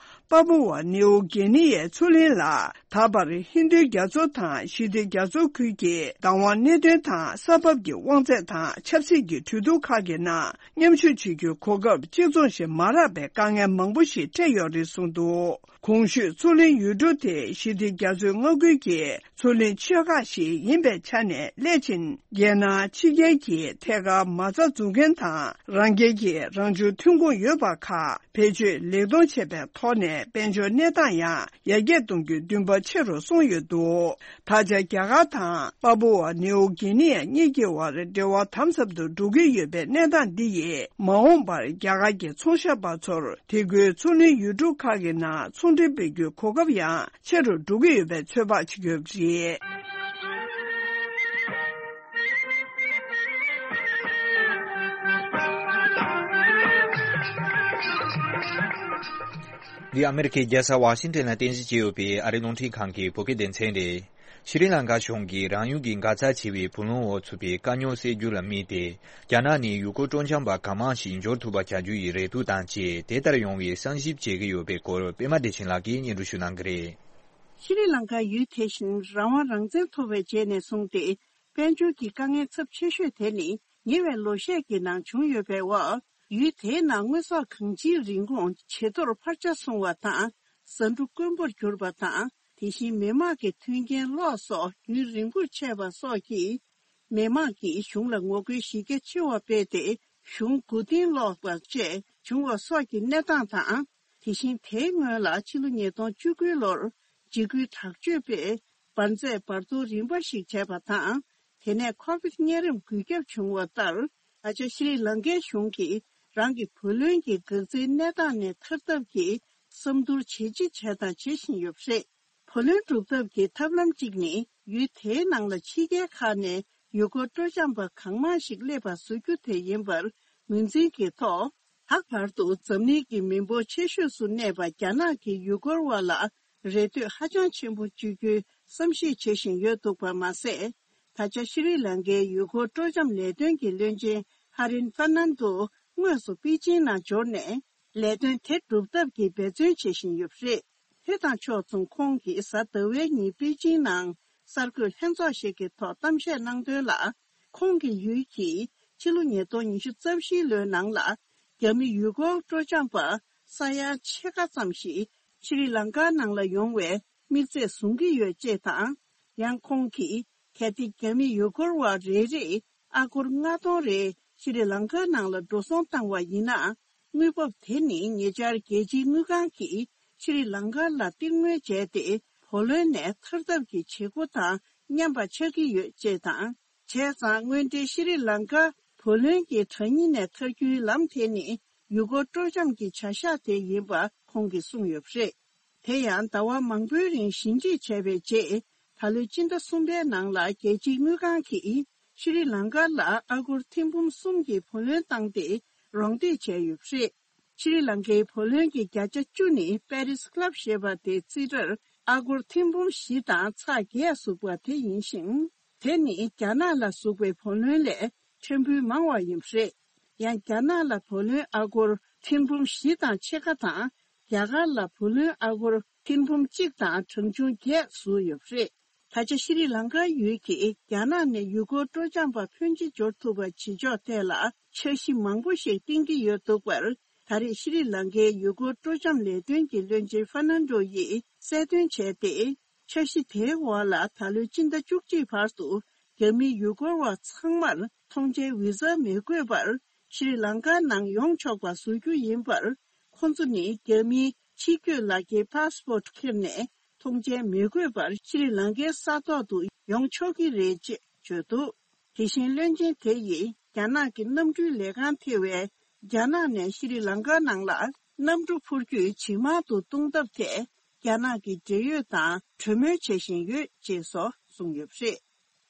པ་པུ་ཝ་ནིའུ་གྷི་ནི་ཡའི་མཚོ་གླིང་ལ་ད་བར་ཧིན་རྡུ་རྒྱ་མཚོ་དང་ཞི་བདེ་རྒྱ་མཚོ་ཁུལ་གྱི་བདག་དབང་གནད་དོན་དང་ས་བབ་ཀྱི་དབང་ཚད་དང་ཆབ་སྲིད་ཀྱི་གྲོས་བསྡུར་ཁག་གི་ནང་མཉམ་ཞུགས་བྱེད་རྒྱུའི་གོ་སྐབས་གཅིག་མཚུངས་ཤིག་མ་རག་པའི་དཀའ་ངལ་མང་པོ་ཞིག་འཕྲད་ཡོད་རེད་གསུངས་འདུག་གོང་ཞུས་མཚོ་གླིང་ཡུལ་གྲུ་དེ་ཞི་བདེ་རྒྱ་མཚོའི་མངའ་ཁུལ་གྱི་མཚོ་གླིང་ཆེ་ཁག་ཞིག་ཡིན་པའི་ཆ་ནས་སླད་ཕྱིན་རྒྱལ་ནང་ཕྱི་རྒྱལ་གྱི་ཐད་ཀར་མ་རྩ་འཛུགས་མཁན་དང་རང་རྒྱལ་གྱི་རང་བྱུང་ཐོན་ཁུངས་ཡོད་པ་ཁག་བེད་སྤྱོད་ལེགས་གཏོང་བྱས་པའི་ཐོག་ནས་དཔལ་འབྱོར་གནས་སྟངས་ཡང་ཡར་རྒྱས་གཏོང་རྒྱུའི་འདུན་པ་ཆེ་རུ་སོང་ཡོད་འདུག་ད་ཆ་རྒྱ་གར་དང་པ་པུ་ཝ་ནིའུ་གྷི་ནི་ཡ་གཉིས་ཀྱི་བར་འབྲེལ་བ་དམ་ཟབ་ཏུ་འགྲོ་གི་ཡོད་པའི་གནས་སྟངས་འདི་ཡིས་མ་འོངས་པར་རྒྱ་གར་གྱི་ཚོང་ཞབས་པ་ཚོར་དེ་ཁུལ་མཚོ་གླིང་ཡུལ་གྲུ་ཁག་གི་ནང་ཚོང་འབྲེལ་སྤེལ་རྒྱུའི་གོ་སྐབས་ཡང་ཆེ་རུ་འགྲོ་གི་ཡོད་པའི་ཚོད་དཔག་བྱེད་ཀྱི་ཡོད་པ་རེད། འདི་ཨ་མེ་རི་ཁའི་རྒྱལ་ས་ཝ་ཤིང་ཏན་ལ་རྟེན་གཞི་བྱས་ཡོད་པའི་ཨ་རིའི་རླུང་འཕྲིན་ཁང་གི་བོད་སྐད་སྡེ་ཚན་རེད། ཤྲི་ལང་ཀ་གཞུང་གིས་རང་ཡུལ་གྱི་འགག་རྩ་ཆེ་བའི་བུ་ལོན་འོག་ཚུད་པའི་དཀའ་རྙོག་སེལ་རྒྱུ་ལ་དམིགས་ཏེ། རྒྱ་ནག་ནས་ཡུལ་སྐོར་སྤྲོ་འཆམ་པ་གང་མང་ཞིག་འབྱོར་ཐུབ་པ་བྱ་རྒྱུ་ཡི་རེ་འདུན་དང་བཅས་དེ་ལྟར་ཡོང་བའི་བསམ་ཞིབ་བྱེད་ཀྱི་ཡོད་པའི་སྐོར་པད་མ་བདེ་ཆེན་ལགས་ཀྱིས་སྙན་སྒྲོན་ཞུ་གནང་གི་རེད། ཤྲི་ལང་ཀ་ཡུལ་དེ་བཞིན་རང་དབང་རང་བཙན་ཐོབ་པའི་རྗེས་ནས་བཟུང་སྟེ། དཔལ་འབྱོར་གྱི་དཀའ་ངལ་ཚབས་ཆེ་ཤོས་དེ་ནི་ཉེ་བའི་ལོ་ཤས་ཀྱི་ནང་བྱུང་ཡོད་པའི་འོག་ཡུལ་དེའི་ནང་དངོས་ཟོག་གང་ཅིའི་རིན་གོང་ཇེ་མཐོར་འཕར་ཆ་སོང་བ་དང་། ཟ་འབྲུ་དཀོན་པོར་གྱུར་པ་དང་། དེ་བཞིན་མི་དམངས་ཀྱི་མཐུན་རྐྱེན་ལོག་སོགས་རྒྱུན་རིང་པོར་ཆད་པ་སོགས་ཀྱིས། མི་དམངས་ཀྱིས་གཞུང་ལ་ངོ་རྒོལ་གཞི་རྒྱ་ཆེ་བ་སྤེལ་ཏེ། གཞུང་མགོ་རྟིང་སློག་པ་བཅས་བྱུང་བ་སོགས་ཀྱི་གནས་སྟངས་དང་། དེ་བཞིན་དེའི་སྔོན་ལ་ཕྱི་ལོ་ཉིས་སྟོང་བཅུ་དགུ་ལོར་འཇིགས་སྐུལ་དྲག་སྤྱོད་པས་འབར་རྫས་འབར་གཏོར་རིམ་པ་ཞིག་བྱས་པ་དང་། དེ་ནས་ཁོ་བིད་གཉན་རིམས་འགོས་ཁྱབ་བྱུང་བ་ལྟར། ད་ཆ་ཤྲི་ལང་ཀའི་གཞུང་གིས་རང་གི་བུ་ལོན་གྱི་འགག་རྩའི་གནས་སྟངས་ནས་ཐར་ཐབས་ཀྱི་བསམ་བསྡུར་ཇེ་ཆེ་བྱས་དང་བྱེད་བཞིན་ཡོད་པ་རེད། བུ་ལོན་སྒྲུབ་ཐབས་ཀྱི་ཐབས་ལམ་གཅིག་ནི། ཡུལ་དེའི་ནང་ལ་ཕྱི་རྒྱལ་ཁག་ནས་ཡུལ་སྐོར་སྤྲོ་འཆམ་པ་གང་མང་ཞིག་སླེབས་པ་བཟོ་རྒྱུ་དེ་ཡིན་པར་ངོས་འཛིན་གྱི་ཐོག་ད་བར་དུ་འཛམ་གླིང་གི་མི་འབོར་ཆེ་ཤོས་སུ་གནས་པ་རྒྱ་ནག་གི་ཡུལ་སྐོར་བ་ལ་རེ་ལྟོས་ཧ་ཅང་ཆེན་པོ་བཅོལ་རྒྱུའི་བསམ་གཞིག་བྱེད་བཞིན་ཡོད་འདུག་པ་མ་ཟད། ད་ཆ་ཤྲི་ལང་ཀའི་ཡུལ་སྐོར་སྤྲོ་འཆམ་ལས་དོན་གྱི་བློན་ཆེན་ཧ་རིན་ཧྥ་ནན་ཏོ་དངོས་སུ་པེ་ཅིང་ནང་འབྱོར་ནས་ལས་དོན་དེ་སྒྲུབ་ཐབས་ཀྱི་འབད་བརྩོན་བྱེད་བཞིན་ཡོད་པ་རེད། དེ་དང་ཕྱོགས་མཚུངས་ཁོང་གིས་གཟའ་ཟླ་བའི་ཉིན་པེ་ཅིང་ནང་གསར་འགོད་ལྷན་ཚོགས་ཤིག་གི་ཐོག་གཏམ་བཤད་གནང་དོན་ལ། ཁོང་གི་ཡུལ་གྱིས་ཕྱི་ལོ་ཉིས་སྟོང་ཉི་ཤུ་རྩ་བཞིའི་ལོའི་ནང་ལ་རྒྱ་མི་ཡུལ་སྐོར་སྤྲོ་འཆམ་པ་ས་ཡ་ཕྱེད་ཀ་ཙམ་ཞིག་ཤྲི་ལང་ཀ་ནང་ལ་ཡོང་བའི་དམིགས་ཚད་བཟུང་གི་ཡོད་ཅེས་དང་། ཡང་ཁོང་གིས་གལ་ཏེ་རྒྱ་མི་ཡུལ་སྐོར་བ་རེ་རེས་ཨ་སྒོར་ལྔ་སྟོང་རེ་ཤྲི་ལང་ཀ་ནང་ལ་འགྲོ་སོང་བཏང་བ་ཡིན་ན། དངུལ་འབབ་དེ་ནི་ཉེ་ཆར་རྒྱལ་སྤྱིའི་དངུལ་ཁང་གིས་ཤྲི་ལང་ཀ་ལ་གཏེར་སྔོན་བྱས་ཏེ་བུ་ལོན་ནས་ཐར་ཐབས་ཀྱི་བྱེད་སྒོ་དང་མཉམ་པ་ཆགས་ཀྱི་ཡོད་ཅེས་དང་། བྱས་ཙང་། དངོས་འབྲེལ་ཤྲི་ལང་ཀ་བུ་ལོན་གྱི་དྲ་སྙིང་ནས་ཐར་རྒྱུའི་ལམ་དེ་ནི་ཡུལ་སྐོར་སྤྲོ་འཆམ་གྱི་བྱ་གཞག་དེ་ཡིན་པ་ཁོང་གིས་གསུངས་ཡོད་པ་རེད། དེ་ཡང་ཟླ་བ་མང་པོའི་རིང་ཞིབ་འཇུག་བྱས་པའི་རྗེས། ད་ལོའི་སྤྱི་ཟླ་གསུམ་པའི་ནང་ལ་རྒྱལ་སྤྱིའི་དངུལ་ཁང་གིས་ཤྲི་ལང་ཀ་ལ་ཨ་སྒོར་ཐེར་འབུམ་གསུམ་གྱི་བུ་ལོན་བཏང་སྟེ་རོགས་འདེགས་བྱས་ཡོད་པ་རེད། ཤྲི་ལང་ཀའི་བུ་ལོན་གྱི་བརྒྱ་ཆ་བཅུ་ནི་པེ་རིས་ཀླབ་ཞེས་པ་དེའི་རྩིས་ཁྲར་ཨ་སྒོར་ཐེར་འབུམ་བཞི་དང་ཚེག་བརྒྱད་ཟུག་པ་དེ་ཡིན་ཞིང་། དེ་ནི་རྒྱ་ནག་ལ་ཟུག་པའི་བུ་ལོན་ལས་ཕྲན་བུ་མང་བ་ཡིན་པ་རེད། ཡང་རྒྱ་ནག་ལ་བུ་ལོན་ཨ་སྒོར་ཐེར་འབུམ་བཞི་དང་ཕྱེད་ཀ་དང་། རྒྱ་གར་ལ་བུ་ལོན་ཨ་སྒོར་ཐེར་འབུམ་གཅིག་དང་གྲངས་ཆུང་བརྒྱད་ཟུག་ཡོད་པ་རེད། ད་ཆ་ཤྲི་ལང་ཀ་ཡུལ་གྱིས་རྒྱ་ནག་ནས་ཡུལ་སྐོར་སྤྲོ་འཆམ་པ་ཕོན་ཆེ་འབྱོར་ཐུབ་པ་བྱེད་ཕྱོགས་ཐད་ལ་འཆར་གཞི་མང་པོ་ཞིག་བཏིང་གི་ཡོད་འདུག་པར། ད་རེས་ཤྲི་ལང་ཀའི་ཡུལ་སྐོར་སྤྲོ་འཆམ་ལས་དོན་གྱི་བློན་ཆེན་ཧྥ་ནན་ཏོ་ཡིས་གསལ་སྟོན་བྱས་ཏེ། འཆར་གཞི་དེའི་འོག་ལ་ད་ལོའི་སྤྱི་ཟླ་བཅུ་གཅིག་བར་དུ་རྒྱ་མིའི་ཡུལ་སྐོར་བ་ཚང་མར་ཐོངས་མཆན་བི་ཟ་མི་དགོས་པར་ཤྲི་ལང་ཀ་ནང་ཡོང་ཆོག་པ་བཟོ་རྒྱུ་ཡིན་པར། ཁོ་ཚོ་ནི་རྒྱ་མིའི་ཕྱི་སྐྱོད་ལག་འཁྱེར་པཱ་སི་པོར་ཊི་འཁྱེར་ནས་ཐོངས་མཆན་མི་དགོས་པར་ཤྲི་ལང་ཀའི་ས་ཐོག་ཏུ་ཡོང་ཆོག་གི་རེད་ཅེས་བརྗོད་འདུག་དེ་བཞིན་བློན་ཆེན་དེ་ཡིས་རྒྱ་ནག་གི་གནམ་གྲུའི་ལས་ཁང་ཐེ་བའི་རྒྱ་ནག་ནས་ཤྲི་ལང་ཀ་ནང་ལ་གནམ་གྲུ་འཕུར་སྐྱོད་ཇེ་མང་དུ་གཏོང་ཐབས་ཐད་རྒྱ་ནག་གི་འབྲེལ་ཡོད་དང་གྲོས་མོལ་བྱེད་བཞིན་ཡོད་ཅེས་སོགས་གསུངས་ཡོད་པ་རེད།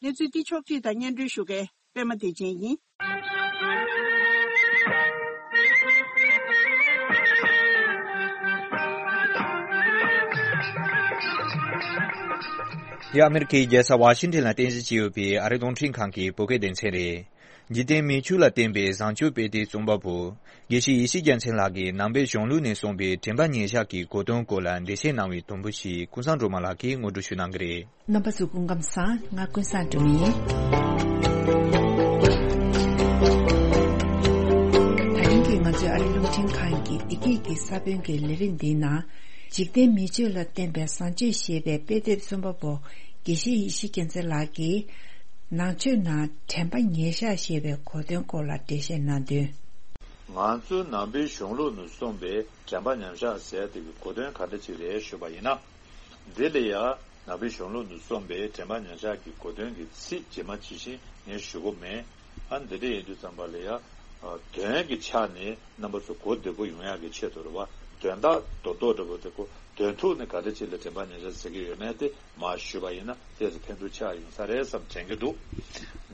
གནས་ཚུལ་འདི་ཕྱོགས་བསྒྲིགས་དང་སྙན་སྒྲོན་ཞུ་མཁན་པད་མ་བདེ་ཆེན་ཡིན། འདི་ཨ་མེ་རི་ཁའི་རྒྱལ་ས་ཝ་ཤིང་ཊོན་ལ་རྟེན་གཞི་བྱས་ཡོད་པའི་ཨ་རིའི་རླུང་འཕྲིན་ཁང་གི་བོད་སྐད་སྡེ་ཚན་རེད། འཇིག་རྟེན་མིག་ཆུ་ལ་བརྟེན་པའི་བཟང་སྤྱོད་དཔེ་དེབ་རྩོམ་པ་པོ། དགེ་བཤེས་ཡེ་ཤེས་རྒྱལ་མཚན་ལགས་ཀྱིས་ནང་པའི་གཞུང་ལུགས་ནས་གསུངས་པའི་དྲན་པ་ཉེར་བཞག་གི་གོ་དོན་སྐོར་ལ་འགྲེལ་བཤད་གནང་བའི་དུམ་བུ་ཞིག་ཀུན་བཟང་སྒྲོལ་མ་ལགས་ཀྱིས་ངོ་སྤྲོད་ཞུ་གནང་གི་རེད། རྣམ་པ་ཚོ་སྐུ་ཁམས་བཟང་། ང་ཀུན་བཟང་སྒྲོལ་མ་ཡིན། ད་རིང་གི་ང་ཚོའི་ཨ་རིའི་རླུང་འཕྲིན་ཁང་གི་བདེ་སྐྱིད་ཀྱི་ས་བོན་གྱི་ལས་རིམ་འདིའི་ནང་། འཇིག་རྟེན་མིག་ཆུ་ལ་བརྟེན་པའི་བཟང་སྤྱོད་ཞེས་པའི་དཔེ་དེབ་རྩོམ་པ་པོ་དགེ་བཤེས་ཡེ་ཤེས་རྒྱལ་མཚན་ལགས་ཀྱིས། ནང་ཆོས་ནང་དྲན་པ་ཉེར་བཞག་ཞེས་པའི་གོ་དོན་སྐོར་ལ་འགྲེལ་བཤད་གནང་དོན། ང་ཚོའི་ནང་པའི་གཞུང་ལུགས་ནས་གསུངས་པའི་དྲན་པ་ཉེར་བཞག་ཟེར་དེ་གི་གོ་དོན་ག་འདྲ་ཅིག་རེད་ཞུས་པ་ཡིན་ན། འདི་ལ་ཡང་ནང་པའི་གཞུང་ལུགས་ནས་གསུངས་པའི་དྲན་པ་ཉེར་བཞག་གི་གོ་དོན་གྱི་ཚིག་ཇི་མ་ཇི་བཞིན་ངས་ཞུ་གི་མེད། ཨ་འདི་འདྲ་ཡིན་དུས་ཙམ་པ་ལ་ཡང་དོན་གྱི་ཆ་ནས་རྣམ་པ་ཚོ་གོ་བདེ་པོ་ཡོང་ཡག་གི་ཆེད་དུ་རེད་བ། དོན་དག་རྡོག་རྡོག་འདྲ་པོ་དེ་གོ་དོན་ཐོག་ནས་ག་འདྲ་ཅིག་ལ་དྲན་པ་ཉེར་བཞག་ཟེར་གྱི་ཡོད་མེད་དེ་མར་ཞུས་པ་ཡིན་ན་ཏོག་ཙམ་ཕན་ཐོགས་ཆགས་ཡོང་ས་རེད་བསམ་དྲན་གྱི་འདུག་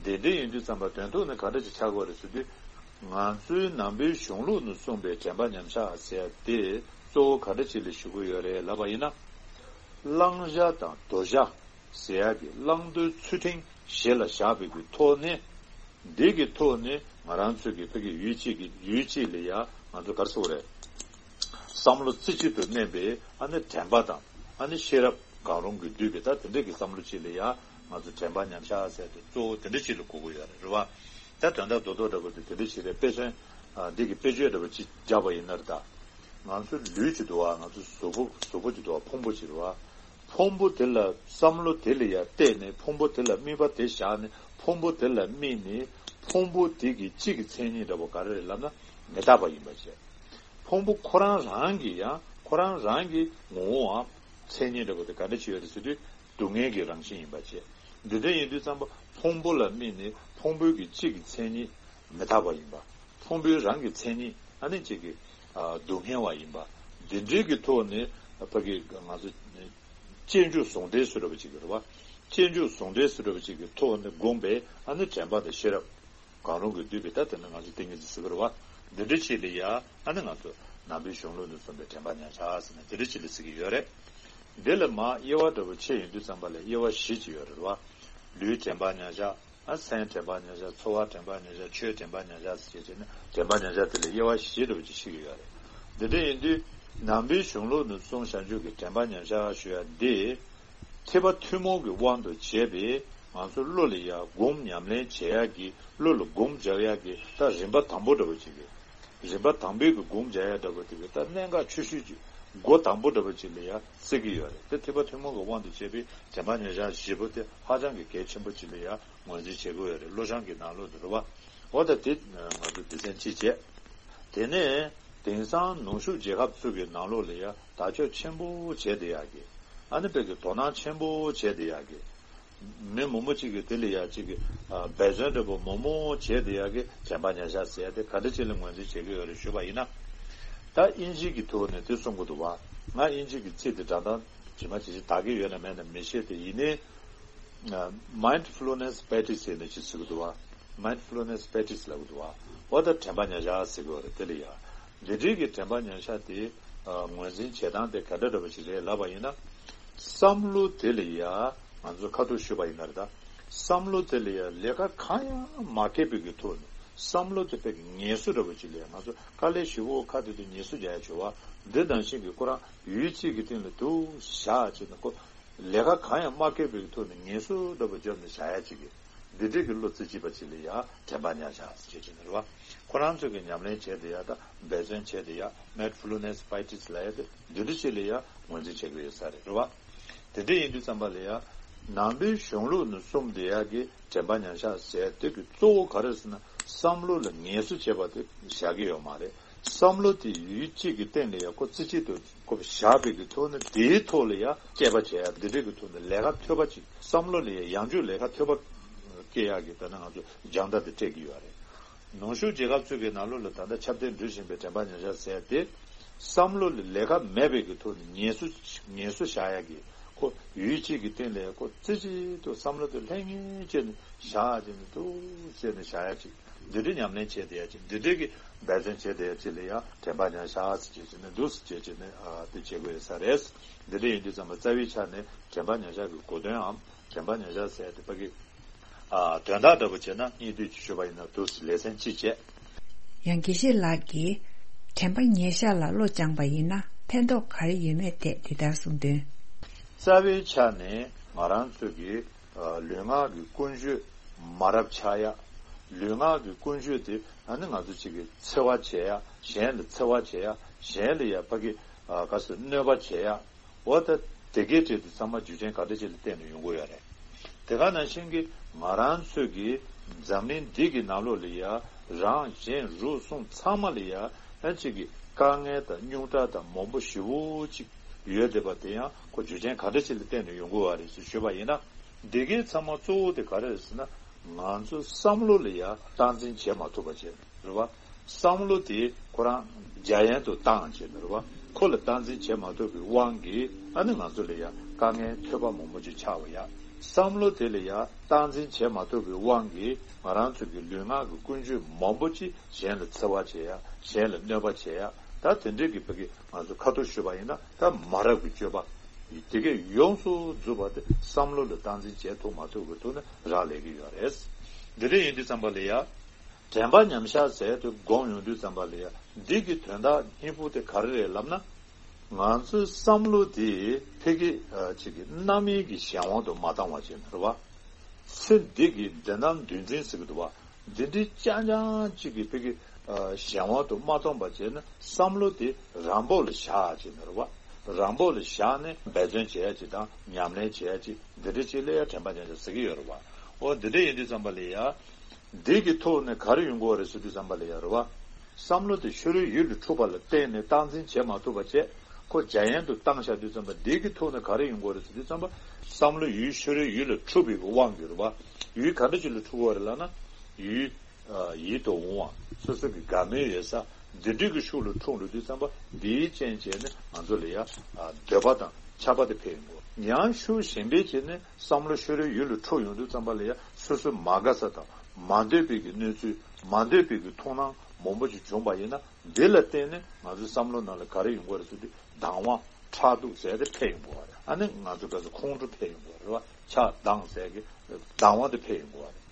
འདི་འདྲ་ཡིན་དུས་ཙམ་པ་དོན་ཐོག་ནས་ག་འདྲ་ཅིག་ཆགས་དགོས་རེད་ཟེར་དུས། ང་ཚོའི་ནང་པའི་གཞུང་ལུགས་ནས་གསུངས་པའི་དྲན་པ་ཉེར་བཞག་ཟེར་ཡ་དེ་གཙོ་བོ་ག་འདྲ་ཅིག་ལ་ཞུ་གི་ཡོད་རེད་ལབ་པ་ཡིན་ན། བླང་བྱ་དང་དོར་བྱ་ཟེར་ཡ་གི་བླང་དོར་ཚུལ་ཁྲིམས་གཞི་ལ་བཞག་པའི་གི་ཐོག་ནས། འདི་གི་ཐོག་ནས་ང་རང་ཚོའི་གི་ཕ་གི་ཡུལ་གཅིག་གི་ཡུལ་གཅིག་ལ་ཡ་ང་ཚོ་ག་རེ་ཟེར་དགོས་རེད། བསམ་བློ་རྩེ་གཅིག་ཏུ་གནས་པའི་ཨ་ནི་དྲན་པ་དང་ཨ་ནི་ཤེས་རབ་གང་རུང་གིས་བསྡུས་པའི་ད་དེ་འདྲ་གི་བསམ་བློ་གཅིག་ལ་ཡ་ང་ཚོ་དྲན་པ་ཉམས་ཆག་ཟེར་ཏེ་གཙོ་བོ་དེ་འདྲ་གཅིག་ལ་གོ་གི་ཡོད་རེད་རེད་བ། ད་དོན་དག་རྡོག་རྡོག་འདྲ་པོ་དེ་དེ་འདྲ་ཞིག་རེད། དཔེ་མཚོན་འདི་གི་དཔེ་བརྗོད་འདྲ་པོ་གཅིག་བརྒྱབ་པ་ཡིན་ན་རེད་ད། ང་ཚོ་ལུས་གཅིག་འདུག་བ། ང་ཚོ་གཟུགས་པོ་གཟུགས་པོ་གཅིག་འདུག་བ། ཕུང་པོ་གཅིག་རེད་བ། ཕུང་པོ་དེ་ལ་བསམ་བློ་དེ་ལ་ཡ་བལྟས་ནས་ཕུང་པོ་དེ་ལ་དམིགས་པ་དེ་བཞག་ནས་ཕུང་པོ་དེ་ལ་དམིགས་ནས་ཕུང་པོ་དེ་གི་གཅིག་གི་མཚན་ཉིད་འདྲ་པོ་ག་རེ་རེད་ལབ་ན་མི་རྟག་པ་ཡིན་པ་བྱས། ཕུང་པོ་ཁོ་རང་རང་གི་ཡང་ཁོ་རང་རང་གི་ངོ་བོའམ་མཚན་ཉིད་འདྲ་པོ་དེ་ག་འདྲ་ཅིག་ཡོད་རེད་ཟེར་དུས་སྡུག་བསྔལ་གྱི་རང་བཞིན་ཡིན་པ་བྱས། འདི་འདྲ་ཡིན་དུས་ཙམ་པ་ཕུང་པོ་ལ་དམིགས་ནས་ཕུང་པོའི་གི་གཅིག་གི་མཚན་ཉིད་མི་རྟག་པ་ཡིན་པ། ཕུང་པོའི་རང་གི་མཚན་ཉིད་ཨ་ནི་གཅིག་གི་སྡུག་བསྔལ་བ་ཡིན་པ། འདི་འདྲའི་གི་ཐོག་ནས་ཕ་གི་ང་ཚོ་ སྤྱོད་འཇུག་ཟུང་འབྲེལ་ཟེར་བ་ཅིག་ཡོད་རེད་བ། སྤྱོད་འཇུག་ཟུང་འབྲེལ་ཟེར་བ་ཅིག་གི་ཐོག་ནས་བསྒོམས་པའི་ཨ་ནི་དྲན་པ་དང་ཤེས་རབ། གང་རུང་གིས་བསྡུས་པའི་ད་དེ་ནི་ང་ཚོ་ཏིང་ངེ་འཛིན་ཟེར་གི་རེད་བ། འདི་འདྲ་ཅིག་ལ་ཡ་ཨ་ནི་ང་ཚོ་ནང་པའི་གཞུང་ལུགས་ནས་གསུངས་པའི་དྲན་པ་མཉམ་བཞག་ཟེར་ནས་འདི་འདྲ་ཅིག་ལ་ཟེར་གི་ཡོད་རེད། འདི་ལ་མར་དབྱེ་བ་འདྲ་པོ་ཕྱེ་ཡོང་དུས་ཙམ་པ་ལ་དབྱེ་བ་བཞི་ཅིག་ཡོད་རེད་བ། ལུས་དྲན་པ་མཉམ་བཞག་ཨ་སེམས་དྲན་པ་མཉམ་བཞག་ཚོར་བ་དྲན་པ་མཉམ་བཞག་ཆོས་དྲན་པ་མཉམ་བཞག་ཟེར་བྱས་ནས་དྲན་པ་མཉམ་བཞག་དེ་ལ་དབྱེ་བ་བཞི་འདྲ་པོ་ཅིག་ཕྱེ་གི་ཡོད་རེད། འདི་འདྲ་ཡིན་དུས་ནང་པའི་གཞུང་ལུགས་ནས་གསུངས་བཞག་རྒྱུ་གི་དྲན་པ་མཉམ་བཞག་ཞུ་ཡ་འདི། ཐེག་པ་ཐུན་མོང་གི་དབང་དུ་བྱས་པའི་ང་ཚོ་བློ་ལ་ཡ་སྒོམ་ཉམས་ལེན་བྱེད་ཡག་གི་བློ་ལ་སྒོམ་རྒྱག་ཡག་གི་ད་རིམ་པ་དང་པོ་འདྲ་པོ་ཅིག་གི། རིམ་པ་དང་པོའི་གི་སྒོམ་རྒྱག་ཡག་འདྲ་པོ་དེ་གི་ད་གནད་འགག་ཆེ་ཤོས་ཀྱི་སྒོ་དང་པོ་འདྲ་པོ་ཅིག་ལ་ཡ་བརྩི་གི་ཡོད་རེད། དེ་ཐེག་པ་ཐུན་མོང་གི་དབང་དུ་བྱས་པའི་དྲན་པ་མཉམ་བཞག་བཞི་པོ་དེ་ཧ་ཅང་གི་གལ་ཆེན་པོ་ཅིག་ལ་ཡ་ངོས་འཛིན་བྱེད་ཀྱི་ཡོད་རེད། བློ་བཟང་གི་ནང་ལོགས་དུ་རེད་བ། འོ་ད་དེ་ང་ཚོ་སྡེ་ཚན་གཅིག་བྱས། དེ་ནས་དེང་སང་ནུབ་ཕྱོགས་རྒྱལ་ཁབ་ཚོ་གི་ནང་ལོགས་ལ་ཡ་དར་ཁྱབ་ཆེན་པོ་བྱས་བསྡད་ཡག་གི། ཨ་ནི་དཔེ་གི་དོ་སྣང་ཆེན་པོ་བྱས་བསྡད་ཡག་གི། མི་མང་པོ་གཅིག་གིས་དེ་ལ་ཡ་གཅིག་གི་ཨ་འབད་བརྩོན་འདྲ་པོ་མང་པོ་བྱས་བསྡད་ཡག་གི་དྲན་པ་མཉམ་བཞག་ཟེར་ཡ་དེ་ག་འདྲ་ཅིག་ལ་ངོས་འཛིན་བྱེད་ཀྱི་ཡོད་རེད་ཞུས་པ་ཡིན་ན། ད་དབྱིན་ཇི་གི་ཐོག་ནས་དེ་གསུང་གི་འདུག་བ། ང་དབྱིན་ཇི་གི་ཚིག་དེ་སྒྲ་གདངས་ཇི་མ་ཇི་བཞིན་དག་གི་ཡོད་ན་མེད་ན་མི་ཤེས་ཏེ། ཡིན་ནའི་mindfulness practice ཟེར་ནས་ཅིག་ཟེར་གི་འདུག་བ། mindfulness practice ལབ་གི་འདུག་བ། འོ་ད་དྲན་པ་མཉམ་བཞག་ཟེར་གི་ཡོད་རེད། དེ་ལ་ཡ་འདི་འདྲའི་གི་དྲན་པ་མཉམ་བཞག་དེ་ངོས་འཛིན་བྱེད་སྟངས་དེ་ག་འདྲ་འདྲ་པོ་ཞིག་རེད་ལབ་པ་ཡིན་ན། བསམ་བློ་དེ་ལ་ཡ་ང་ཚོ་ཁ་ཐུག་ཞུས་པ་ཡིན་ན་རེད་ད། བསམ་བློ་དེ་ལ་ཡ་ལས་ཀ་གང་ཡང་མ་བསྐྱལ་བའི་གི་ཐོག་ནས་བསམ་བློ་དེ་དཔེ་གི་ངལ་གསོ་འདྲ་པོ་ཅིག་ལ་ཡ་ང་ཚོ་དཀའ་ལས་ཞེ་པོ་ཁག་དེ་དུས་ངལ་གསོ་རྒྱག་ཡ་བྱེད་པ། འདི་ནང་བཞིན་གི་ཁོ་རང་ཡུལ་གཅིག་གི་སྟེང་ལ་དུ་བཞག་བྱས་ནས་ཁོ་ལས་ཀ་གང་ཡང་མ་བསྐྱལ་བའི་གི་ཐོག་ནས་ངལ་གསོ་འདྲ་པོ་བརྒྱབ་ནས་བཞག་ཡ་ཅིག་གི། འདི་འདྲའི་གི་བློ་རྩེ་གཅིག་པ་ཅིག་ལ་ཡ་དྲན་པ་མཉམ་བཞག་ཅེས་བྱས་ནས་རེད་བ། ཁོ་རང་ཚོས་ཀྱི་ཉམས་ལེན་བྱས་ཏེ་ཡ་ད་འབད་བརྩོན་བྱས་ཏེ་ཡ་mindfulness practice ལབ་ཡ་དེ་འདི་འདྲ་ཅིག་ལ་ཡ་ངོས་འཛིན་བྱེད་ཀྱི་ཡོད་ས་རེད། རེད་བ། དེ་འདྲ་ཡིན་དུས་ཙམ་པ་ལ་ཡ་ནང་པའི་གཞུང་ལུགས་ནས་གསུངས་བསྡད་ཡ་གི་དྲན་པ་མཉམ་བཞག་ཟེར་དེ་གི་གཙོ་བོ་ག་རེ་ཟེར་ན་བསམ་བློ་ལ་ངལ་གསོ་བྱེད་པ་དེ་བཞག་གི་ཡོད་མ་རེད། བསམ་བློ་དེ་ཡུལ་གཅིག་གི་སྟེང་ལ་ཡ་ཁོ་རྩེ་གཅིག་ཏུ་ཁོ་བཞག་པའི་གི་ཐོག་ནས་དེའི་ཐོག་ལ་ཡ་དཔྱད་པ་བྱེད་ཡ་འདི་འདྲའི་གི་ཐོག་ནས་ལས་ཀ་ཐོད་པ་ཅིག་བསམ་བློ་ལ་ཡ་ཡང་བསྐྱར་ལས་ཀ་ཐོད་པ་སྐྱེ་ཡག་གི་ད་ནི་ང་ཚོ་སྦྱང་བརྡར་དེ་སྤྲད་ཀྱི་ཡོད་རེད། ནུབ་ཕྱོགས་རྒྱལ་ཁབ་ཚོའི་གི་ནང་ལོགས་ལ་ད་ལྟ་ཁྱབ་གདལ་འགྲོ་བཞིན་པའི་དྲན་པ་ཉམས་ཆག་ཟེར་ཏེ། བསམ་བློ་ལ་ལས་ཀ་མེད་པའི་གི་ཐོག་ནས་ངལ་གསོ་ངལ་གསོ་བཞག་ཡ་གི་ཁོ་ཡུལ་གཅིག་གི་སྟེང་ལ་ཁོ་རྩེ་གཅིག་ཏུ་བསམ་བློ་དེ་ལྷང་ངེར་བྱས་ནས་བཞག་བྱས་ནས་འདུག་བྱས་ནས་བཞག་ཡ་ཅིག་འདི་འདྲའི་ཉམས་ལེན་བྱས་བསྡད་ཡ་ཅིག་འདི་འདྲའི་གི་འབད་བརྩོན་བྱས་བསྡད་ཡ་ཅིག་ལ་ཡ་དྲན་པ་ཉམས་ཆག་ཟེར་བྱས་ནས་འདུག་ཟེར་བྱས་ནས་ཨ་དེ་བྱེད་དགོས་ཡོད་ས་རེད། འདི་འདྲ་ཡིན་དུས་ཙམ་པ་རྩ་བའི་ཆ་ནས་དྲན་པ་ཉམས་ཆག་གི་གོ་དོན་འམ་དྲན་པ་ཉམས་ཆག་ཟེར་ཡ་དེ་ཕ་གི་ཨ་དོན་དག་འདྲ་པོ་བྱས་ན་སྙིང་བསྡུས་ཀྱིས་ཞུས་པ་ཡིན་ན་འདུག་ལེ་ཚན་གཅིག་བྱས། ཡང་དགེ་བཤེས་ལགས་ཀྱིས་དྲན་པ་ཉེར་བཞག་ལ་བློ་སྦྱངས་པ་ཡིན་ན་ཕན་ཐོགས་ག་རེ་ཡོད་མེད་ཐད་འདི་ལྟར་གསུངས་དོན། རྩ་བའི་ཆ་ནས་ང་རང་ཚོ་གི་ཨ་ལུས་ངག་གི་ཀུན་སྤྱོད་མ་རབས་ཆགས་ཡ། ལུས་ངག་གི་ཀུན་སྤྱོད་དེ་ཨ་ནི་ང་ཚོ་གཅིག་གི་འཚེ་བ་བྱེད་ཡ་གཞན་ལ་འཚེ་བ་བྱེད་ཡ་གཞན་ལ་ཡ་ཕ་གི་ཨ་ག་ཚོད་གནོད་པ་བྱེད་ཡ། འོ་ད་དེ་གའི་གྲས་དེ་ཚང་མ་རྒྱུ་རྐྱེན་ག་འདྲ་ཅིག་ལ་བརྟེན་ནས་ཡོང་གི་ཡོད་རེད། དེ་ག་ནང་བཞིན་གྱི་ང་རང་ཚོས་ཀྱི་འཛམ་གླིང་འདི་གི་ནང་ལོགས་ལ་ཡ་རང་གཞན་རུས་གསུམ་ཚང་མ་ལ་ཡ་ཨ་གཅིག་གི་དཀའ་ངལ་དང་རྙོག་དྲ་དང་མང་པོ་ཞེ་པོ་ཅིག་ཡོད་བསྡད་པ་དེ་ཡང་ཁོ་རྒྱུ་རྐྱེན་ག་འདྲ་ཅིག་ལ་བརྟེན་ནས་ཡོང་གི་ཡོད་རེད་ཅེས་ཞུས་པ་ཡིན་ན། དེ་གའི་ཚང་མ་གཙོ་བོ་དེ་ག་རེ་རེད་ཟེར་ན་ང་ཚོ་བསམ་བློ་ལ་ཡ་སྟངས་འཛིན་བྱེད་མ་ཐུབ་པ་བྱས། རེད་བ། བསམ་བློ་དེ་ཁོ་རང་རྒྱ་ཡན་དུ་བཏང་བྱས་ནས་རེད་བ། ཁོ་ལ་སྟངས་འཛིན་བྱེད་མ་ཐུབ་པའི་དབང་གིས་ཨ་ནི་ང་ཚོ་ལ་ཡ་དཀའ་ངལ་ཐོད་པ་མང་པོ་ཅིག་ཆགས་པ་ཡ། བསམ་བློ་དེ་ལ་ཡ་སྟངས་འཛིན་བྱེད་མ་ཐུབ་པའི་དབང་གིས་ང་རང་ཚོ་གི་ལུས་ངག་གི་ཀུན་སྤྱོད་མང་པོ་ཅིག་གཞན་ལ་འཚེ་བ་བྱེད་ཡ་གཞན་ལ་གནོད་པ་བྱེད་ཡ། ད་དེ་འདྲའི་གི་ཕ་གི་ང་ཚོ་ཁ་ཐུག་ཞུས་པ་ཡིན་ན་ད་མ་རབས་ཀྱི་སྤྱོད་པ་དེ་གས་ཡོངས་སུ་རྫོགས་པ་དེ་བསམ་བློ་ལ་སྟངས་འཛིན་བྱེད་ཐུབ་མ་ཐུབ་ཀྱི་ཐོག་ནས་རག་ལས་ཀྱི་ཡོད་རེད། འདི་འདྲ་ཡིན་དུས་ཙམ་པ་ལ་ཡ། དྲན་པ་ཉམས་བཞག་ཟེར་དུ་སྒོམ་ཡོང་དུས་ཙམ་པ་ལ་ཡ་འདི་གི་དོན་དག་སྙིང་པོ་དེ་ག་རེ་རེད་ལབ་ན། ང་ཚོའི་བསམ་བློ་དེ་ཕ་གི་ཅིག་གི་རྣམ་གཡེང་གི་གཞན་དབང་དུ་མ་བཏང་བ་བྱས་ནས་རེད་བ། ཚེ་འདི་གི་འདི་ནང་འདུལ་འཛིན་ཟེར་གི་འདུག་བ། འདི་འདྲའི་རྐྱང་རྐྱང་ཅིག་གི་ཕ་གི་གཞན་དབང་དུ་མ་བཏང་བ་བྱས་ན་བསམ་བློ་དེ་རང་བབས་ལ་བཞག་བྱས་ནས་རེད་བ། རང་བབས་ལ་བཞག་ནས་འབད་བརྩོན་བྱེད་ཡ་ཅིག་དང་ཉམས་ལེན་བྱེད་ཡ་ཅིག་འདི་འདྲ་ཅིག་ལ་ཡ་དྲན་པ་ཉམས་ཆག་ཟེར་གི་ཡོད་རེད་བ། འོ་འདི་འདྲ་ཡིན་དུས་ཙམ་པ་ལ་ཡ། འདི་གི་ཐོག་ནས་ག་རེ་ཡོང་གི་ཡོད་རེད་ཟེར་དུས་ཙམ་པ་ལ་ཡ་རེད་བ། བསམ་བློ་དེ་ཕྱི་རོལ་ཡུལ་ལ་འཁྲུག་པ་ལ་བརྟེན་ནས་སྟངས་འཛིན་བྱེད་མ་ཐུབ་པ་བྱས། ཁོ་རྒྱ་ཡན་དུ་བཏང་བཞག་དུས་ཙམ་པ་འདི་གི་ཐོག་ནས་ག་རེ་ཡོང་གི་ཡོད་རེད་ཟེར་དུས་ཙམ་པ། བསམ་བློ་ཡུལ་ཕྱི་རོལ་ཡུལ་ལ་འཁྲུག་པའི་དབང་གིས་རེད་བ། ཡུལ་ག་འདྲ་ཅིག་ལ་འཁྲུག་གི་ཡོད་རེད་ལབ་ན། ཡུལ། ཡིད་དུ་འོང་བ། སོ་སོ་གི་དགའ་མོས་ཡོད་ས། འདི་འདྲའི་གི་ཕྱོགས་ལ་འཁྲུག་འགྲོ་དུས་ཙམ་པ་འདིའི་རྐྱེན་བྱས་ནས་ང་ཚོ་ལ་ཡ། འདོད་པ་དང་ཆགས་པ་དེ་འཕེལ་ཡོང་གི། ཡང་ཤུགས་ཞན་པའི་ཆེད་ནས་བསམ་བློ་ཤོར་བའི་ཡུལ་ལ་འཁྲུག་ཡོང་དུས་ཙམ་པ་ལ་ཡང་སོ་སོའི་མ་དགའ་ས་དང་མ་འདོད་པའི་གི་གནས་ཚུལ། མ་འདོད་པའི་གི་མཐོང་སྣང་མང་པོ་ཅིག་བྱུང་པ་ཡིན་ན། འདི་ལ་བརྟེན་ནས་ང་ཚོའི་བསམ་བློ་ནང་ལ་ག་རེ་ཡོང་གི་རེད་ཟེར་དུས། སྡང་བ། ཕྲག་དོག་ཟེར་དེ་འཕེལ་ཡོང་གི་རེད། ཨ་ནི་ང་ཚོ་ག་ཚོད་ཁོང་ཁྲོ་འཕེལ་ཡོང་གི་རེད་བ། ཆགས་སྡང་ཟེར་གི་སྡང་བ་དེ་འཕེལ་ཡོང་གི་རེད།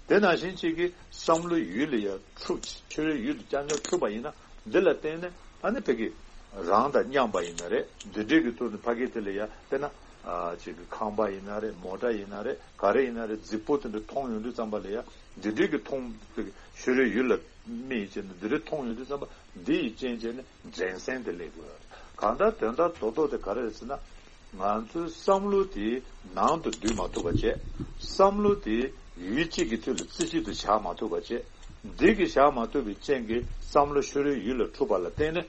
དེ་ནང་བཞིན་གཅིག་གི་བསམ་བློ་ཡུལ་ལ་ཡང་འཁྲུག་ཤོར་བའི་ཡུལ་ལ་རྐྱང་རྐྱང་འཁྲུག་པ་ཡིན་ན། འདི་ལ་བརྟེན་ནས་ཨ་ནི་ཕ་གི་རང་དང་མཉམ་པ་ཡིན་ན་རེད། འདི་འདྲའི་གི་ཐོག་ནས་ཕ་གི་དེ་ལ་ཡང་དཔེར་ན་ཨ་གཅིག་གི་ཁང་པ་ཡིན་ན་རེད། མོ་ཊ་ཡིན་ན་རེད། ག་རེ་ཡིན་ན་རེད། རྫིག་པོ་དེ་འདྲ་མཐོང་ཡོང་དུས་ཙམ་པ་ལ་ཡང་འདི་འདྲའི་གི་མཐོང་ཕ་གི་ཤོར་བའི་ཡུལ་ལ་མིག་བྱས་ནས་འདི་འདྲའི་མཐོང་ཡོང་དུས་ཙམ་པ། འདི་ཡི་རྐྱེན་བྱས་ནས་འགྲན་སེམས་དེ་སླེབས་དགོས། གང་ལྟར་དོན་དག་རྡོག་རྡོག་དེ་ག་རེ་རེད་ཟེར་ན། ང་ཚོའི་བསམ་བློ་དེ་ནང་དུ་འདུས་མ་ཐུབ་པ་བྱས། བསམ་བློ་དེ་ཡུལ་གཅིག་གི་ཐོག་ལ་རྩེ་གཅིག་ཏུ་བཞག་མ་ཐུབ་པ་བྱས། འདི་གི་བཞག་མ་ཐུབ་པའི་རྐྱེན་གྱིས་བསམ་བློ་ཤོར་བའི་ཡུལ་ལ་འཁྲུག་པ་ལ་བརྟེན་ནས་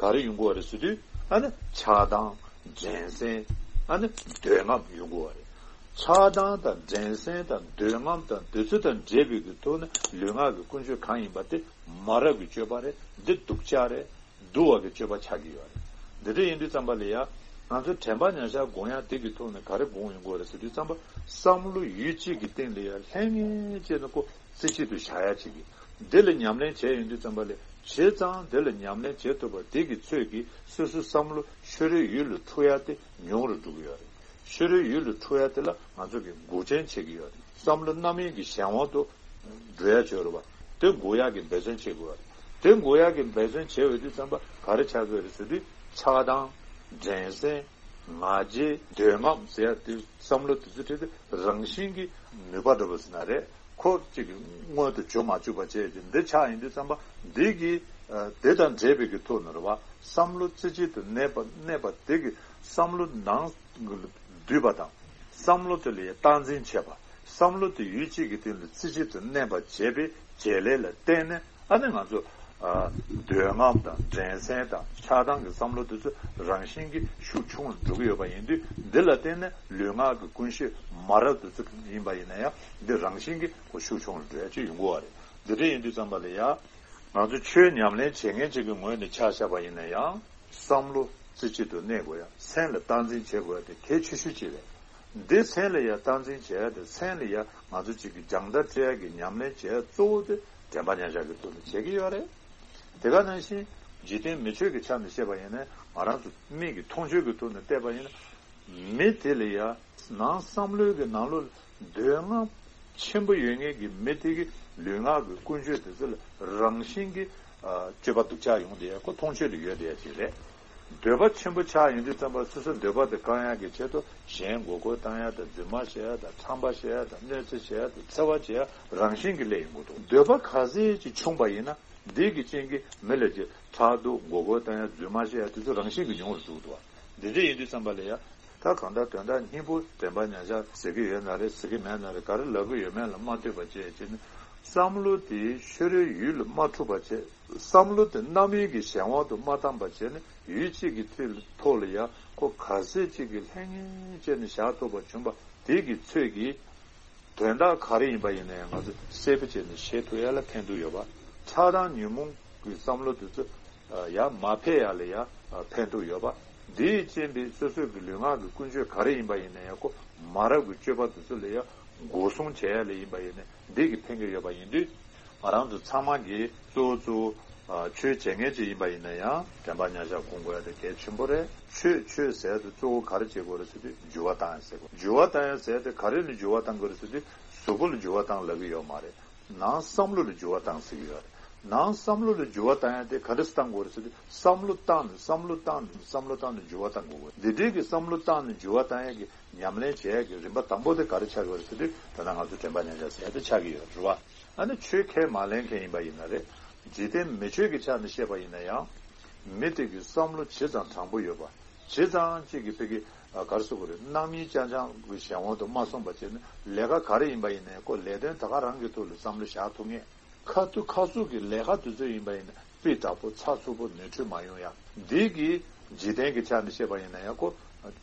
ག་རེ་ཡོང་གི་ཡོད་རེད་ཟེར་དུས། ཨ་ནི་ཆགས་སྡང་། འགྲན་སེམས། ཨ་ནི་འདོད་རྔམ་ཡོང་གི་ཡོད་རེད། ཆགས་སྡང་དང་འགྲན་སེམས་དང་འདོད་རྔམ་དང་འདོད་ཚུལ་དང་འདྲེས་པའི་གི་ཐོག་ནས་ལུས་ངག་གི་ཀུན་སྤྱོད་གང་ཡིན་པ་དེ་མ་རབས་ཀྱི་སྤྱོད་པ་རེད། འདི་སྡུག་ཅག་རེད། སྡུག་པ་གི་སྤྱོད་པ་ཆགས་ཀྱི་ཡོད་རེད། འདི་འདྲ་ཡིན་དུས་ཙམ་པ་ལ་ཡ། ང་ཚོ་དྲན་པ་ཉམས་ཆག་སྒོམ་ཡག་དེ་གི་ཐོག་ནས་ག་རེ་སྒོམ་ཡོང་དགོས་རེད་ཟེར་དུས་ཙམ་པ། བསམ་བློ་ཡུལ་གཅིག་གི་སྟེང་ལ་ཡ་ལྷང་ངེ་བྱས་ནས་ཁོ་རྩེ་གཅིག་ཏུ་བཞག་ཡག་ཅིག་གི། འདི་ལ་ཉམས་ལེན་བྱས་ཡོང་དུས་ཙམ་པ་ལ། བྱས་ཙང་འདི་ལ་ཉམས་ལེན་བྱེད་ཐུབ་པ་དེ་གི་ཚོད་ཀྱིས་སོ་སོའི་བསམ་བློ་ཤོར་བའི་ཡུལ་ལ་འཁྲུག་ཡག་དེ་ཉུང་རུ་འགྲོ་གི་ཡོད་རེད། ཤོར་བའི་ཡུལ་ལ་འཁྲུག་ཡག་དེ་ལ་ང་ཚོ་གི་འགོག་རྐྱེན་བྱེད་ཀྱི་ཡོད་རེད། བསམ་བློ་རྣམ་གཡེང་གི་གཞན་དབང་དུ་འགྲོ་ཡག་ཅིག་ཡོད་རེད་བ། དེ་འགོག་ཡག་གི་འབད་བརྩོན་བྱེད་དགོས་པ་རེད། དེ་འགོག་ཡག་གི་འབད་བརྩོན་བྱེད་འོས་དུས་ཙམ་པ་ག་རེ་ཆགས་ཀྱི་ཡོད་རེད་ཟེར་དུས། ཆགས་སྡང་། འགྲན་སེམས། ང་རྒྱལ། འདོད་རྔམ་ཟེར་ཡག་དེ་བསམ་བློ་དེ་ཚོ་ཁྲིད་དེ་རང་བཞིན་གྱི་ནུས་པ་འདྲ་པོ་ཟེར་ན་རེད། ཁོ་གཅིག་གི་མངོན་དུ་བྱུང་མ་བཅུག་པ་བྱས་ཏེ་འདི་ཆགས་ཡིན་དུས་ཙམ་པ། འདི་གི་ཨ་དེ་དང་འབྲེལ་བའི་གི་ཐོག་ནས་རེད་བ། བསམ་བློ་རྩེ་གཅིག་ཏུ་གནས་པ་གནས་པ་དེ་གི་བསམ་བློ་ནང་འདུས་པ་དང་། བསམ་བློ་དེ་ལ་སྟངས་འཛིན་བྱེད་པ། བསམ་བློ་དེ་ཡུལ་གཅིག་གི་སྟེང་ལ་རྩེ་གཅིག་ཏུ་གནས་པ་བྱས་པའི་བྱེད་ལས་ལ་བརྟེན་ནས། ཨ་ནི་ང་ཚོ་ཨ་འདོད་རྔམ་དང་འགྲན་སེམས་དང་ཆགས་སྡང་གི་བསམ་བློ་དེ་ཚོ་རང་བཞིན་གྱིས་ཤུགས་ཆུང་རུ་འགྲོ་གི་ཡོད་པ་ཡིན་དུས། འདི་ལ་བརྟེན་ནས་ལུས་ངག་གི་ཀུན་སྤྱོད་མ་རབས་དེ་ཚོ་ཡིན་པ་ཡིན་ན་ཡང་། འདི་རང་བཞིན་གྱིས་ཁོ་ཤུགས་ཆུང་རུ་འགྲོ་ཡག་ཅིག་ཡོང་གི་ཡོད་རེད། འདི་འདྲ་ཡིན་དུས་ཙམ་པ་ལ་ཡ། ང་ཚོ་ཆོས་ཉམས་ལེན་བྱེད་མཁན་ཅིག་གི་ངོས་ནས་ཆ་བཞག་པ་ཡིན་ན་ཡང་། བསམ་བློ་རྩེ་གཅིག་ཏུ་གནས་དགོས་ཡ། སེམས་ལ་སྟངས་འཛིན་བྱེད་དགོས་ཡ་དེ་གལ་ཆེ་ཤོས་ཅིག་རེད། འདི་སེམས་ལ་ཡ་སྟངས་འཛིན་བྱེད་ཡ་དེ། སེམས་ལ་ཡ་ང་ཚོ་གཅིག་གི་སྦྱང་བརྡར་སྤྲད་ཡ་གི་ཉམས་ལེན་བྱེད་ཡ་གཙོ་བོ་དེ་དྲན་པ་ཉམས་ཆག་གི་ཐོག་ནས་བྱེད་ཀྱི་ཡོད་རེད། དེ་ག་ནང་བཞིན་འཇིག་རྟེན་མི་ཆོས་ཀྱི་ཆ་ནས་བཤད་པ་ཡིན་ན། ང་རང་ཚོ་མིག་གི་མཐོང་ཆོས་ཀྱི་ཐོག་ནས་བལྟས་པ་ཡིན་ན། མི་དེ་ལ་ཡ་ནང་བསམ་བློའི་གི་ནང་ལོགས་འདོད་རྔམ་ཆེན་པོ་ཡོད་མཁན་གྱི་མི་དེ་གི་ལུས་ངག་གི་ཀུན་སྤྱོད་དེ་ཚོ་ལ་རང་བཞིན་གྱི་ཨ་སྤྱོད་པ་སྡུག་ཅག་ཡོང་བསྡད་ཡ་ཁོ་མཐོང་ཆོས་ལ་ཡོད་བསྡད་ཡ་ཅིག་རེད། འདོད་པ་ཆེན་པོ་ཆགས་ཡོང་དུས་ཙམ་པ། སོ་སོའི་འདོད་པ་དེ་བསྐང་ཡག་གི་ཆེད་དུ་གཞན་མགོ་སྐོར་བཏང་ཡ་དང་། རྫུན་མ་བཤད་ཡ་དང་། ཁྲམ་པ་བྱེད་ཡ་དང་། གནོད་འཚེ་བྱེད་ཡ་དང་། འཚེ་བ་བྱེད་ཡ་རང་བཞིན་གྱིས་སླེབས་ཡོང་གི་འདུག་འདོད་པ་ག་ཚད་ཅིག་ཆུང་པ་ཡིན་ན། འདི་གི་རྐྱེན་གྱིས་མི་ལ་ཅིག་ཕྲག་དོག། མགོ་སྐོར་བཏང་ཡ། རྫུན་མ་བཤད་ཡ་དེ་ཚོ་རང་བཞིན་གྱིས་ཉུང་རུ་འགྲོ་གི་འདུག་འདི་འདྲ་ཡིན་དུས་ཙམ་པ་ལ་ཡ། ད་གང་ལྟར་དོན་དག་སྙིང་པོ་དྲན་པ་ཉམས་ཆག་ཟེར་གྱི་ཡོད་ན་རེད། ཟེར་གྱི་མེད་ན་རེད། ག་རེ་ལབ་ཀྱི་ཡོད་མེད་ལ་མ་ལྟོས་པ་བྱས་བྱས་ནས། བསམ་བློ་དེ་ཤོར་བའི་ཡུལ་ལ་མ་འཁྲུག་པ་བྱས། བསམ་བློ་དེ་རྣམ་གཡེང་གི་གཞན་དབང་དུ་མ་བཏང་པ་བྱས་ནས། ཡུལ་གཅིག་གི་ཐོག་ལ་ཡ་ཁོ་ག་ཚད་ཅིག་གི་ལྷང་ངེ་བྱས་ནས་བཞག་ཐུབ་པ་བྱུང་པ་དེ་གི་ཚོད་ཀྱིས། དོན་དག་ག་རེ་ཡིན་པ་ཡིན་ན་ཡང་ང་ཚོ་གསལ་པོ་བྱས་ནས་ཤེས་ཐུབ་ཡ་ལ་ཕན་ཐོགས་ཡོད་པ། ཆགས་སྡང་ཉོན་མོངས་ཀྱི་བསམ་བློ་དེ་ཚོ་ཡར་མ་འཕེལ་ཡ་ལ་ཡ་ཕན་ཐོགས་ཡོད་པ། འདིས་རྐྱེན་པས་སོ་སོའི་གི་ལུས་ངག་གི་ཀུན་སྤྱོད་ག་རེ་ཡིན་པ་ཡིན་ན་ཡང་། ཁོ་མ་རབས་ཀྱི་སྤྱོད་པ་དེ་ཚོ་ལ་ཡ་འགོག་སྲུང་བྱེད་ཡ་ལ་ཡིན་པ་ཡིན་ན། འདི་གི་ཕན་གྱི་ཡོད་པ་ཡིན་དུས། ང་རང་ཚོ་ཚང་མ་གིས་གཙོ་བོ་གཙོ་བོ་ཨ་ཆོས་བྱེད་མཁན་ཅིག་ཡིན་པ་ཡིན་ན་ཡང་། དྲན་པ་ཉམས་ཆག་སྒོམ་དགོས་ཡ་དེ་གལ་ཆེན་པོ་རེད། ཆོས་ཆོས་ཟེར་དུས་གཙོ་བོ་ག་རེ་བྱེད་དགོས་རེད་ཟེར་དུས། འགྱུར་བ་བཏང་ཡ་ཟེར་དགོས། འགྱུར་བ་བཏང་ཡ་ཟེར་དེ་ག་རེ་ལ་འགྱུར་བ་བཏང་དགོས་རེད་ཟེར་དུས། གཟུགས་པོ་ལ་འགྱུར་བ་བཏང་ལབ་ཀྱི་ཡོད་མ་རེད། ནང་བསམ་བློ་ལ་འགྱུར་བ་བཏང་ཟེར་གྱི་ཡོད་རེད། ནང་བསམ་བློ་ལ་འགྱུར་བ་བཏང་ཡ་དེ་ག་འདྲ་སེ་བཏང་དགོས་རེད་ཟེར་དུས། བསམ་བློ་བཏང་ནས་བསམ་བློ་བཏང་ནས་བསམ་བློ་བཏང་ནས་འགྱུར་བ་བཏང་དགོས། འདི་འདྲའི་གི་བསམ་བློ་བཏང་ནས་འགྱུར་བ་བཏང་ཡ་གི་ཉམས་ལེན་བྱེད་ཡ་གི་རིམ་པ་དང་པོ་དེ་ག་རེ་ཆགས་ཀྱི་ཡོད་རེད་ཟེར་དུས། ད་ལྟ་ང་ཚོ་དྲན་པ་ཉམས་ཆག་ཟེར་ཡ་དེ་ཆགས་ཀྱི་ཡོད་རེད་བ། ཨ་ནི་ཆོས་ཁས་མ་ལེན་མཁན་ཡིན་པ་ཡིན་ན་རེད། འཇིག་རྟེན་མི་ཆོས་ཀྱི་ཆ་ནས་བཤད་པ་ཡིན་ན་ཡང་། མི་དེ་གི་བསམ་བློ་ཇི་ཙམ་དྲང་པོ་ཡོད་པ། ཇི་ཙམ་ཅིག་གི་ཕ་གི་ཨ་ག་རེ་ཟེར་དགོས་རེད། རྣམ་གཡེང་རྐྱང་རྐྱང་གི་གཞན་དབང་དུ་མ་སོང་བ་བྱས་ནས། ལས་ཀ་ག་རེ་ཡིན་པ་ཡིན་ནའི་ཁོ་ལས་དོན་ད་ག་རང་གི་ཐོག་ལ་བསམ་བློ་བཞག་ཐུབ་ངེས། ཁ་ཐུག་ཁ་ཟུག་གི་ལས་ཀ་དེ་ཚོ་ཡིན་པ་ཡིན་ན་སྤུས་དག་པོ་ཚགས་ཚུད་པོ་ནོར་འཁྲུལ་མ་ཡོང་ཡ། འདི་གི་འཇིག་རྟེན་གྱི་ཆ་ནས་བཤད་པ་ཡིན་ན་ཡང་ཁོ་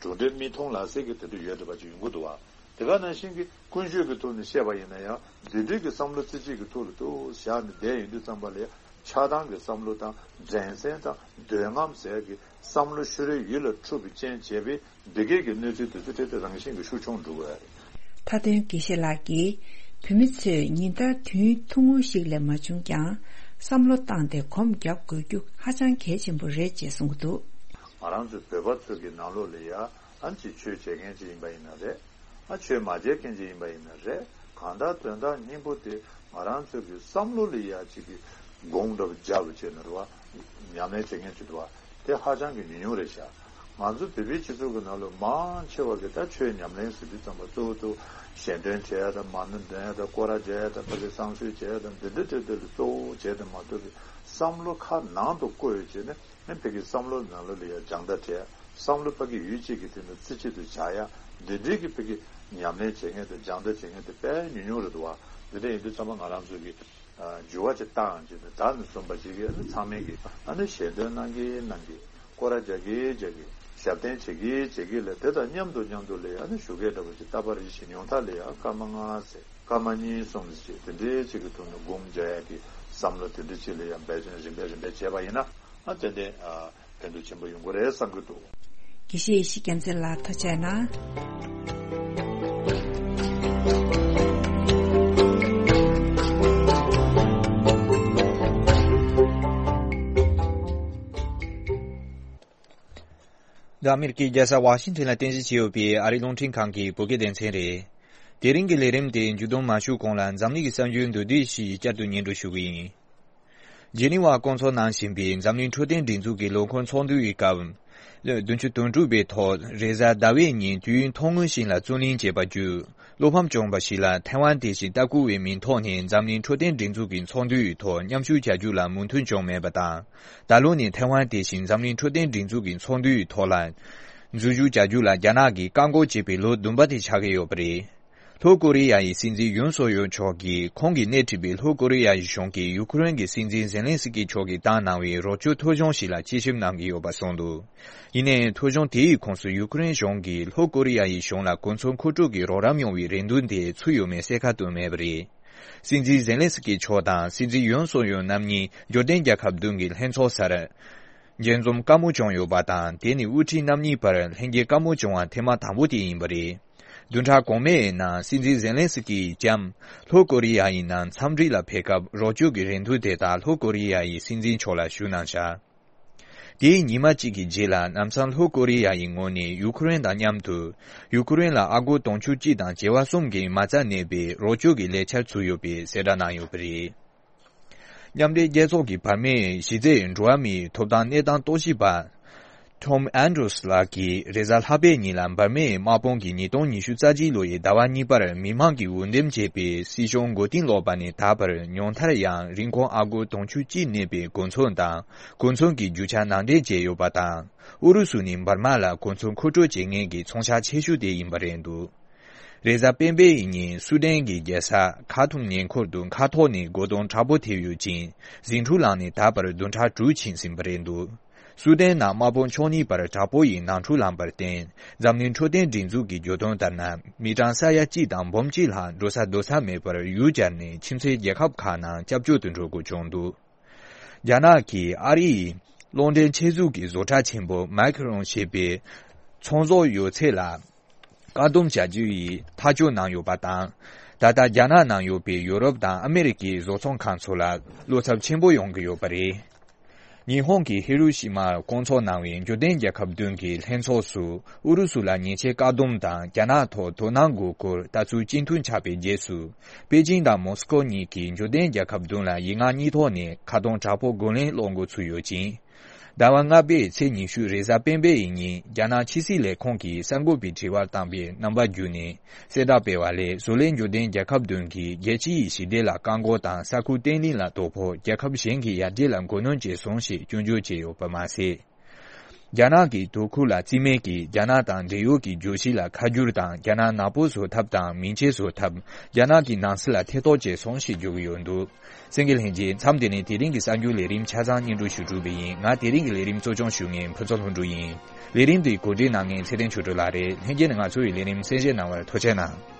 གྲུབ་འབྲས་མིག་མཐོང་ལག་ཟིན་གྱི་དེ་འདྲ་ཡོད་བསྡད་པ་ཅིག་ཡོང་གི་འདུག་བ། དེ་ག་ནང་བཞིན་གྱི་ཀུན་སྤྱོད་ཀྱི་ཐོག་ནས་བཤད་པ་ཡིན་ན་ཡང་འདི་འདྲའི་གི་བསམ་བློ་རྩེ་གཅིག་གི་ཐོག་ལ་དུ་བཞག་ནས་བསྡད་ཡོང་དུས་ཙམ་པ་ལ་ཡང་ ཆགས་སྡང་གི་བསམ་བློ་དང་འགྲན་སེམས་དང་འདོད་རྔམ་ཟེར་གྱི་བསམ་བློ་ཤུ་རེ་ཡིད་ལ་འཁྲུག་པའི་རྐྱེན་བྱས་པས། འདི་གས་ཀྱི་གནོད་འཚེ་དེ་ཚོ་དེ་དེ་རང་བཞིན་གྱིས་ཤུགས་ཆུང་འགྲོ་གི་རེད། མཐའ་དོན་དགེ་བཤེས་ལགས་ཀྱིས། བོད་མི་ཚོས་ཉིན་ལྟར་དུས་ཡུན་ཐུང་ངུ་ཞིག་ལས་མ་བྱུང་ཀྱང་། བསམ་བློ་བཏང་སྟེ་སྒོམ་རྒྱག་དགོས་རྒྱུ་ཧ་ཅང་གལ་ཆེན་པོ་རེད་ཅེས་གསུངས་འདུག་ང་རང་ཚོའི་བོད་པ་ཚོ་གི་ནང་ལོགས་ལ་ཡ་ཨ་ཅིག་ཆོས་བྱེད་མཁན་ཅིག་ཡིན་པ་ཡིན་ན་རེད། ཨ་ཆོས་མ་བྱེད་མཁན་ཅིག་ཡིན་པ་ཡིན་ན་རེད། གང་ལྟར་དོན་དག་སྙིང་པོ་དེ་ང་རང་ཚོ་གི་བསམ་བློ་ལ་ཡ་ཅིག་གི་སྒོམ་འདྲ་པོ་རྒྱབ་བྱས་ན་རེད་བ། ཉམས་ལེན་བྱེད་མཁན་ཅིག་འདུག་བ། དེ་ཧ་ཅང་གི་ཉུང་ཉུང་རེད་ཤག་ང་ཚོ་བོད་པའི་སྤྱི་ཚོགས་ཀྱི་ནང་ལ་མང་ཆེ་བ་གི་ད་ཆོས་ཉམས་ལེན་ཟེར་དུས་ཙམ་པ་གཙོ་བོ་དུ་ཞལ་འདོན་བྱེད་ཡ་དང་མ་ཎི་འདོན་ཡ་དང་སྐོར་ར་རྒྱག་ཡ་དང་ཕ་གི་བསང་གསོལ་བྱེད་ཡ་དང་འདི་འདྲ་དེ་དེ་ལ་གཙོ་བོ་བྱས་ཏེ་མ་གཏོགས་པའི་བསམ་བློ་ཁ་ནང་དུ་བཀོད་ཡོད་བྱས་ནས་ཨ་ཕ་གི་བསམ་བློ་ནང་ལོགས་ལ་ཡ་སྦྱང་བརྡར་བྱེད་ཡ། བསམ་བློ་ཕ་གི་ཡུལ་གཅིག་གི་སྟེང་དུ་རྩེ་གཅིག་ཏུ་བཞག་ཡ། འདི་འདྲའི་གི་ཕ་གི་ཉམས་ལེན་བྱེད་མཁན་དང་སྦྱང་བརྡར་བྱེད་མཁན་དེ་དཔེ་ཉུང་ཉུང་རེད་འདུག་བ། འདི་འདྲ་ཡིན་དུས་ཙམ་པ་ང་རང་ཚོ་གི་ཨ་འགྱུར་བ་ཅིག་བཏང་ཡང་ཅིག་ནས་ད་ནས་བཟུང་པ་ཅིག་གི་ཨ་ནི་ཚང་མས་གི་ཨ་ནི་ཞལ་འདོན་གནང་གི་གནང་གི་སྐོར་ར་རྒྱག་གི་རྒྱག་གི་ཞབས་བརྟན་བྱེད་ཀྱི་བྱེད་ཀྱི་ལས་དེ་དང་མཉམ་དུ་མཉམ་དུ་ལས་ཨ་ནི་ཞུ་སྐད་འདྲ་པོ་ཅིག་ལྟ་བ་རེ་ཞིག་ཉུང་མཐའ་ལས་ཨ་སྐར་མ་ལྔ་ཟེར་སྐར་མ་གཉིས་གསུམ་ཟེར་ཅིག་དེ་འདྲའི་ཅིག་གི་ཐོག་ནས་སྒོམ་རྒྱག་ཡ་གི་བསམ་བློ་དེ་འདྲ་ཅིག་ལ་ཡང་འབད་བརྩོན་རིམ་པས་རིམ་པས་བྱས་པ་ཡིན་ན་ཨ་ཏན་ཏན་ཨ། ཕན་ཐོགས་ཆེན་པོ་ཡོང་གི་རེད་བསམ་གྱི་འདུག་དགེ་བཤེས་ཡེ་ཤེས་རྒྱལ་མཚན་ལགས་ཐུགས་རྗེ་གནང་། འདི་ཨ་མེ་རི་ཀའི་རྒྱལ་ས་ཝ་ཤིང་ཊོན་ལ་རྟེན་གཞི་བྱས་ཡོད་པའི་ཨ་རིའི་རླུང་འཕྲིན་ཁང་གི་བོད་སྐད་སྡེ་ཚན་རེད། དེ་རིང་གི་ལས་རིམ་དེ་མཇུག་སྡོམ་མ་ཞུས་གོང་ལ་འཛམ་གླིང་གི་གསར་འགྱུར་མདོར་བསྡུས་ཤིག་བསྐྱར་དུ་སྙན་སྒྲོན་ཞུ་གི་ཡིན། ཇི་ནི་ཝར་བསྐོང་ཚོགས་ནང་བཞིན་པའི་འཛམ་གླིང་འཕྲོད་བསྟེན་སྒྲིག་འཛུགས་ཀྱི་ལོ་འཁོར་ཚོགས་འདུ་ཡི་སྐབས། བདུན་ཅུ་དོན་དྲུག་པའི་ཐོག་རེས་གཟའ་ཟླ་བའི་ཉིན་དུས་ཡུན་ཐུང་ངུ་ཞིག་ལ་རྩོད་གླེང་བྱས་པ་བརྒྱུད། བློ་ཕམ་བྱུང་བ་ཞིག་ལ་ཐའེ་ཝན་དེ་བཞིན་ལྟ་སྐུལ་བའི་མིང་ཐོག་ནས་འཛམ་གླིང་འཕྲོད་བསྟེན་སྒྲིག་འཛུགས་ཀྱི་ཚོགས་འདུའི་ཐོག་མཉམ་ཞུགས་བྱ་རྒྱུ་ལ་མོས་མཐུན་བྱུང་མེད་པ་དང་། ད་ལོ་ནི་ཐའེ་ཝན་དེ་བཞིན་འཛམ་གླིང་འཕྲོད་བསྟེན་སྒྲིག་འཛུགས་ཀྱི་ཚོགས་འདུའི་ཐོག་ལ་འཛུལ་ཞུགས་བྱ་རྒྱུ་ལ་རྒྱ་ནག་གིས་བཀག་འགོག་བྱས་པའི་ལོ་བདུན་པ་དེ་ཆགས་ཀྱི་ཡོད་པ་རེད། ལྷོ་ཀོ་རི་ཡ་ཡི་སྲིད་འཛིན་ཡོན་སུག་ཡོལ་མཆོག་གིས་ཁོང་གིས་སྣེ་ཁྲིད་པའི་ལྷོ་ཀོ་རི་ཡ་ཡི་གཞུང་གིས་ཡུ་ཁུ་རེན་གྱི་སྲིད་འཛིན་ཟེ་ལན་སི་ཀི་མཆོག་གིས་བཏང་གནང་བའི་རོགས་སྐྱོར་ཐོ་གཞུང་ཞིག་ལ་དཔྱད་ཞིབ་གནང་གི་ཡོད་པ་གསུངས་འདུག་ཡིན་ནའི་ཐོ་གཞུང་དེའི་ཁོངས་སུ་ཡུ་ཁུ་རེན་གཞུང་གིས་ལྷོ་ཀོ་རི་ཡ་ཡི་གཞུང་ལ་གོ་མཚོན་མཁོ་སྤྲོད་ཀྱི་རོགས་རམ་ཡོང་བའི་རེ་འདུན་དེ་ཚུད་ཡོད་མེད་གསལ་ཁ་བཏོན་མེད་པ་རེད། སྲིད་འཛིན་ཟེ་ལན་སི་ཀི་མཆོག་དང་སྲིད་འཛིན་ཡོན་སུག་ཡོལ་རྣམ་གཉིས་འབྱོར་ལྡན་རྒྱལ་ཁབ་བདུན་གྱི་ལྷན་ཚོགས་སར་མཇལ་འཛོམས་དཀའ་མོ་བྱུང་ཡོད་པ་དང་། དེ་ནི་དབུ་ཁྲིད་རྣམ་གཉིས་བར་ལྷན་རྒྱས་དཀའ་མོ་བྱུང་བ་ཐེངས་མ་དང་པོ་དེ་ཡིན་པ་རེད། བདུན་ཕྲག་གོང་མའི་ནང་སྲིད་འཛིན་ཟེ་ལན་སི་ཀིས་ལྕམ་ལྷོ་ཀོ་རི་ཡ་ཡི་ནང་འཚམས་འདྲི་ལ་ཕེབས་སྐབས་རོགས་སྐྱོར་གྱི་རེ་འདུན་དེ་དག་ལྷོ་ཀོ་རི་ཡ་ཡི་སྲིད་འཛིན་མཆོག་ལ་ཞུས་གནང་བཞག་དེའི་ཉི་མ་གཅིག་གི་རྗེས་ལ་ལམ་སང་ལྷོ་ཀོ་རི་ཡ་ཡི་ངོས་ནས་ཡུ་ཁུ་རེན་དང་མཉམ་དུ་ཡུ་ཁུ་རེན་ལ་ཨ་སྒོར་དུང་ཕྱུར་གཅིག་དང་བྱེ་བ་གསུམ་གྱི་མ་རྩ་གནས་པའི་རོགས་སྐྱོར་གྱི་ལས་འཆར་ཚུད་ཡོད་པའི་གསལ་བསྒྲགས་གནང་ཡོད་པ་རེད། མཉམ་འབྲེལ་རྒྱལ་ཚོགས་ཀྱི་བར་མའི་གཞི་རྩའི་འགྲོ་བ་མིའི་ཐོབ་ཐང་གནས་སྟངས་རྟོག་ཞིབ་པ། Tom Andrews ལགས་ཀྱིས་རེས་གཟའ་ལྷག་པའི་ཉིན་ལ་འབར་མའི་དམག་དཔུང་གིས་ཉིས་སྟོང་ཉི་ཤུ་རྩ་གཅིག་ལོ་ཡི་ཟླ་བ་གཉིས་པར་མི་མང་གིས་འོས་འདེམས་བྱས་པའི་སྲིད་གཞུང་མགོ་རྟིང་སློག་པ་ནས་ད་བར་ཉུང་མཐར་ཡང་རིན་གོང་ཨ་སྒོར་དུང་ཕྱུར་གཅིག་གནས་པའི་གོ་མཚོན་དང་གོ་མཚོན་གྱི་རྒྱུ་ཆ་ནང་འདྲེན་བྱས་ཡོད་པ་དང་། ཨུ་རུ་སུ་ནས་འབར་མ་ལ་གོ་མཚོན་མཁོ་སྤྲོད་བྱེད་མཁན་གྱི་ཚོང་ཤག་ཆེ་ཤོས་དེ་ཡིན་པ་རེད་འདུག་རེས་གཟའ་སྤེན་པའི་ཉིན་སུ་ཌན་གྱི་རྒྱལ་ས་ཁ་ཐུམ་ཉེ་འཁོར་དུ་མཁའ་ཐོག་ནས་རྒོལ་རྡུང་དྲག་པོ་ཐེབས་ཡོད་ཅིང་། ཟིང་འཁྲུག་ལངས་ནས་ད་བར་བདུན་ཕྲག་དྲུག་ཕྱིན་ཟིན་པ་རེད་འདུག་སུ་ཌན་ནང་དམག་དཔུང་ཕྱོགས་གཉིས་བར་དྲག་པོ་ཡི་ནང་འཁྲུག་ལངས་པར་བརྟེན། འཛམ་གླིང་འཕྲོད་བསྟེན་སྒྲིག་འཛུགས་ཀྱི་བརྗོད་དོན་ལྟར་ན། མི་གྲངས་ས་ཡ་གཅིག་དང་འབུམ་གཅིག་ལྷག་འགྲོ་ས་སྡོད་ས་མེད་པར་ཡུལ་གྱར་ནས་ཁྱིམ་མཚེས་རྒྱལ་ཁབ་ཁག་ནང་སྐྱབས་བཅོལ་དུ་འགྲོ་དགོས་བྱུང་འདུག་རྒྱ་ནག་གིས་ཨ་རི་ཡི་རླུང་འཕྲིན་ཆེད་འཛུགས་ཀྱི་བཟོ་གྲྭ་ཆེན་པོ་མའི་ཁི་རོན་ཞེས་པའི་ཚོང་ཟོག་ཡོད་ཚད་ལ་བཀག་སྡོམ་བྱ་རྒྱུ་ཡི་ཐག་གཅོད་གནང་ཡོད་པ་དང་། ད་ལྟ་རྒྱ་ནག་ནང་ཡོད་པའི་ཡོ་རོབ་དང་ཨ་མེ་རི་ཀའི་བཟོ་ཚོང་ཁང་ཚོ་ལ་བློ་འཚབ་ཆེན་པོ་ཡོང་གི་ཡོད་པ་རེད། ཉི་ཧོང་གི་ཧི་རུ་ཤི་མར་བསྐོང་ཚོགས་གནང་བའི་འབྱོར་ལྡན་རྒྱལ་ཁབ་བདུན་གྱི་ལྷན་ཚོགས་སུ་ཨུ་རུ་སུ་ལ་ཉེས་ཆད་བཀག་སྡོམ་དང་རྒྱ་ནག་ཐོག་དོ་སྣང་དགོས་སྐོར་ལྟ་ཚུལ་གཅིག་མཐུན་ཆགས་པའི་རྗེས་སུ། པེ་ཅིང་དང་མོ་སི་ཀོ་གཉིས་ཀྱིས་འབྱོར་ལྡན་རྒྱལ་ཁབ་བདུན་ལ་ཡིག་ངག་གཉིས་ཐོག་ནས་ཁ་གཏོང་དྲག་པོ་རྒོལ་ལན་སློག་འགོ་ཚུགས་ཡོད་ཅིང་། ཟླ་བ་ལྔ་པའི་ཚེས་ཉི་ཤུ་རེས་གཟའ་སྤེན་པའི་ཉིན་རྒྱ་ནག་ཕྱི་སྲིད་ལས་ཁུངས་ཀྱིས་གསར་འགོད་པའི་དྲི་བར་བཏང་པའི་རྣམ་པ་བརྒྱུད་ནས་གསལ་བསྒྲགས་སྤེལ་བ་ལས། བཟོ་ལས་འབྱོར་ལྡན་རྒྱལ་ཁབ་བདུན་གྱིས་རྒྱལ་སྤྱི་ཡི་ཞི་བདེ་ལ་བཀག་འགོག་དང་ས་ཁུལ་བརྟན་ལྷིང་ལ་དོ་ཕོག་རྒྱལ་ཁབ་གཞན་གྱི་ཡར་རྒྱས་ལ་འགོ་གནོན་བྱས་སོང་ཞེས་སྐྱོན་བརྗོད་བྱས་ཡོད་པ་མ་ཟད། རྒྱ་ནག་གི་དོ་ཁུར་ལ་རྩིས་མེད་ཀྱིས་རྒྱ་ནག་དང་འབྲེལ་ཡོད་ཀྱི་བརྗོད་གཞི་ལ་ཁ་བསྒྱུར་དང་རྒྱ་ནག་ནག་པོ་བཟོ་ཐབས་དང་མིང་ཆད་བཟོ་ཐབས། རྒྱ་ནག་གི་ནང་སྲིད་ལ་ཐེ་གཏོགས་བྱས་སོང་ཞེས་བརྗོད་ཀྱི་ཡོད་འདུག་གསན་མཁན་ལྷན་རྒྱས། མཚམས་འདི་ནས་དེ་རིང་གི་གསར་འགྱུར་ལས་རིམ་ཆ་ཚང་སྙན་སྒྲོན་ཞུ་གྲུབ་པ་ཡིན། ང་དེ་རིང་གི་ལས་རིམ་གཙོ་སྐྱོང་ཞུ་མཁན་ཕུན་ཚོགས་ལྷུན་གྲུབ་ཡིན། ལས་རིམ་འདི་གོ་སྒྲིག་གནང་མཁན་ཚེ་བརྟན་ཆོས་སྒྲོན་ལགས་རེད། ལྷན་རྒྱས་ནས་ང་ཚོའི་ལས་རིམ་གསན་བཞེས་གནང་བར་ཐུགས་རྗེ་གནང་།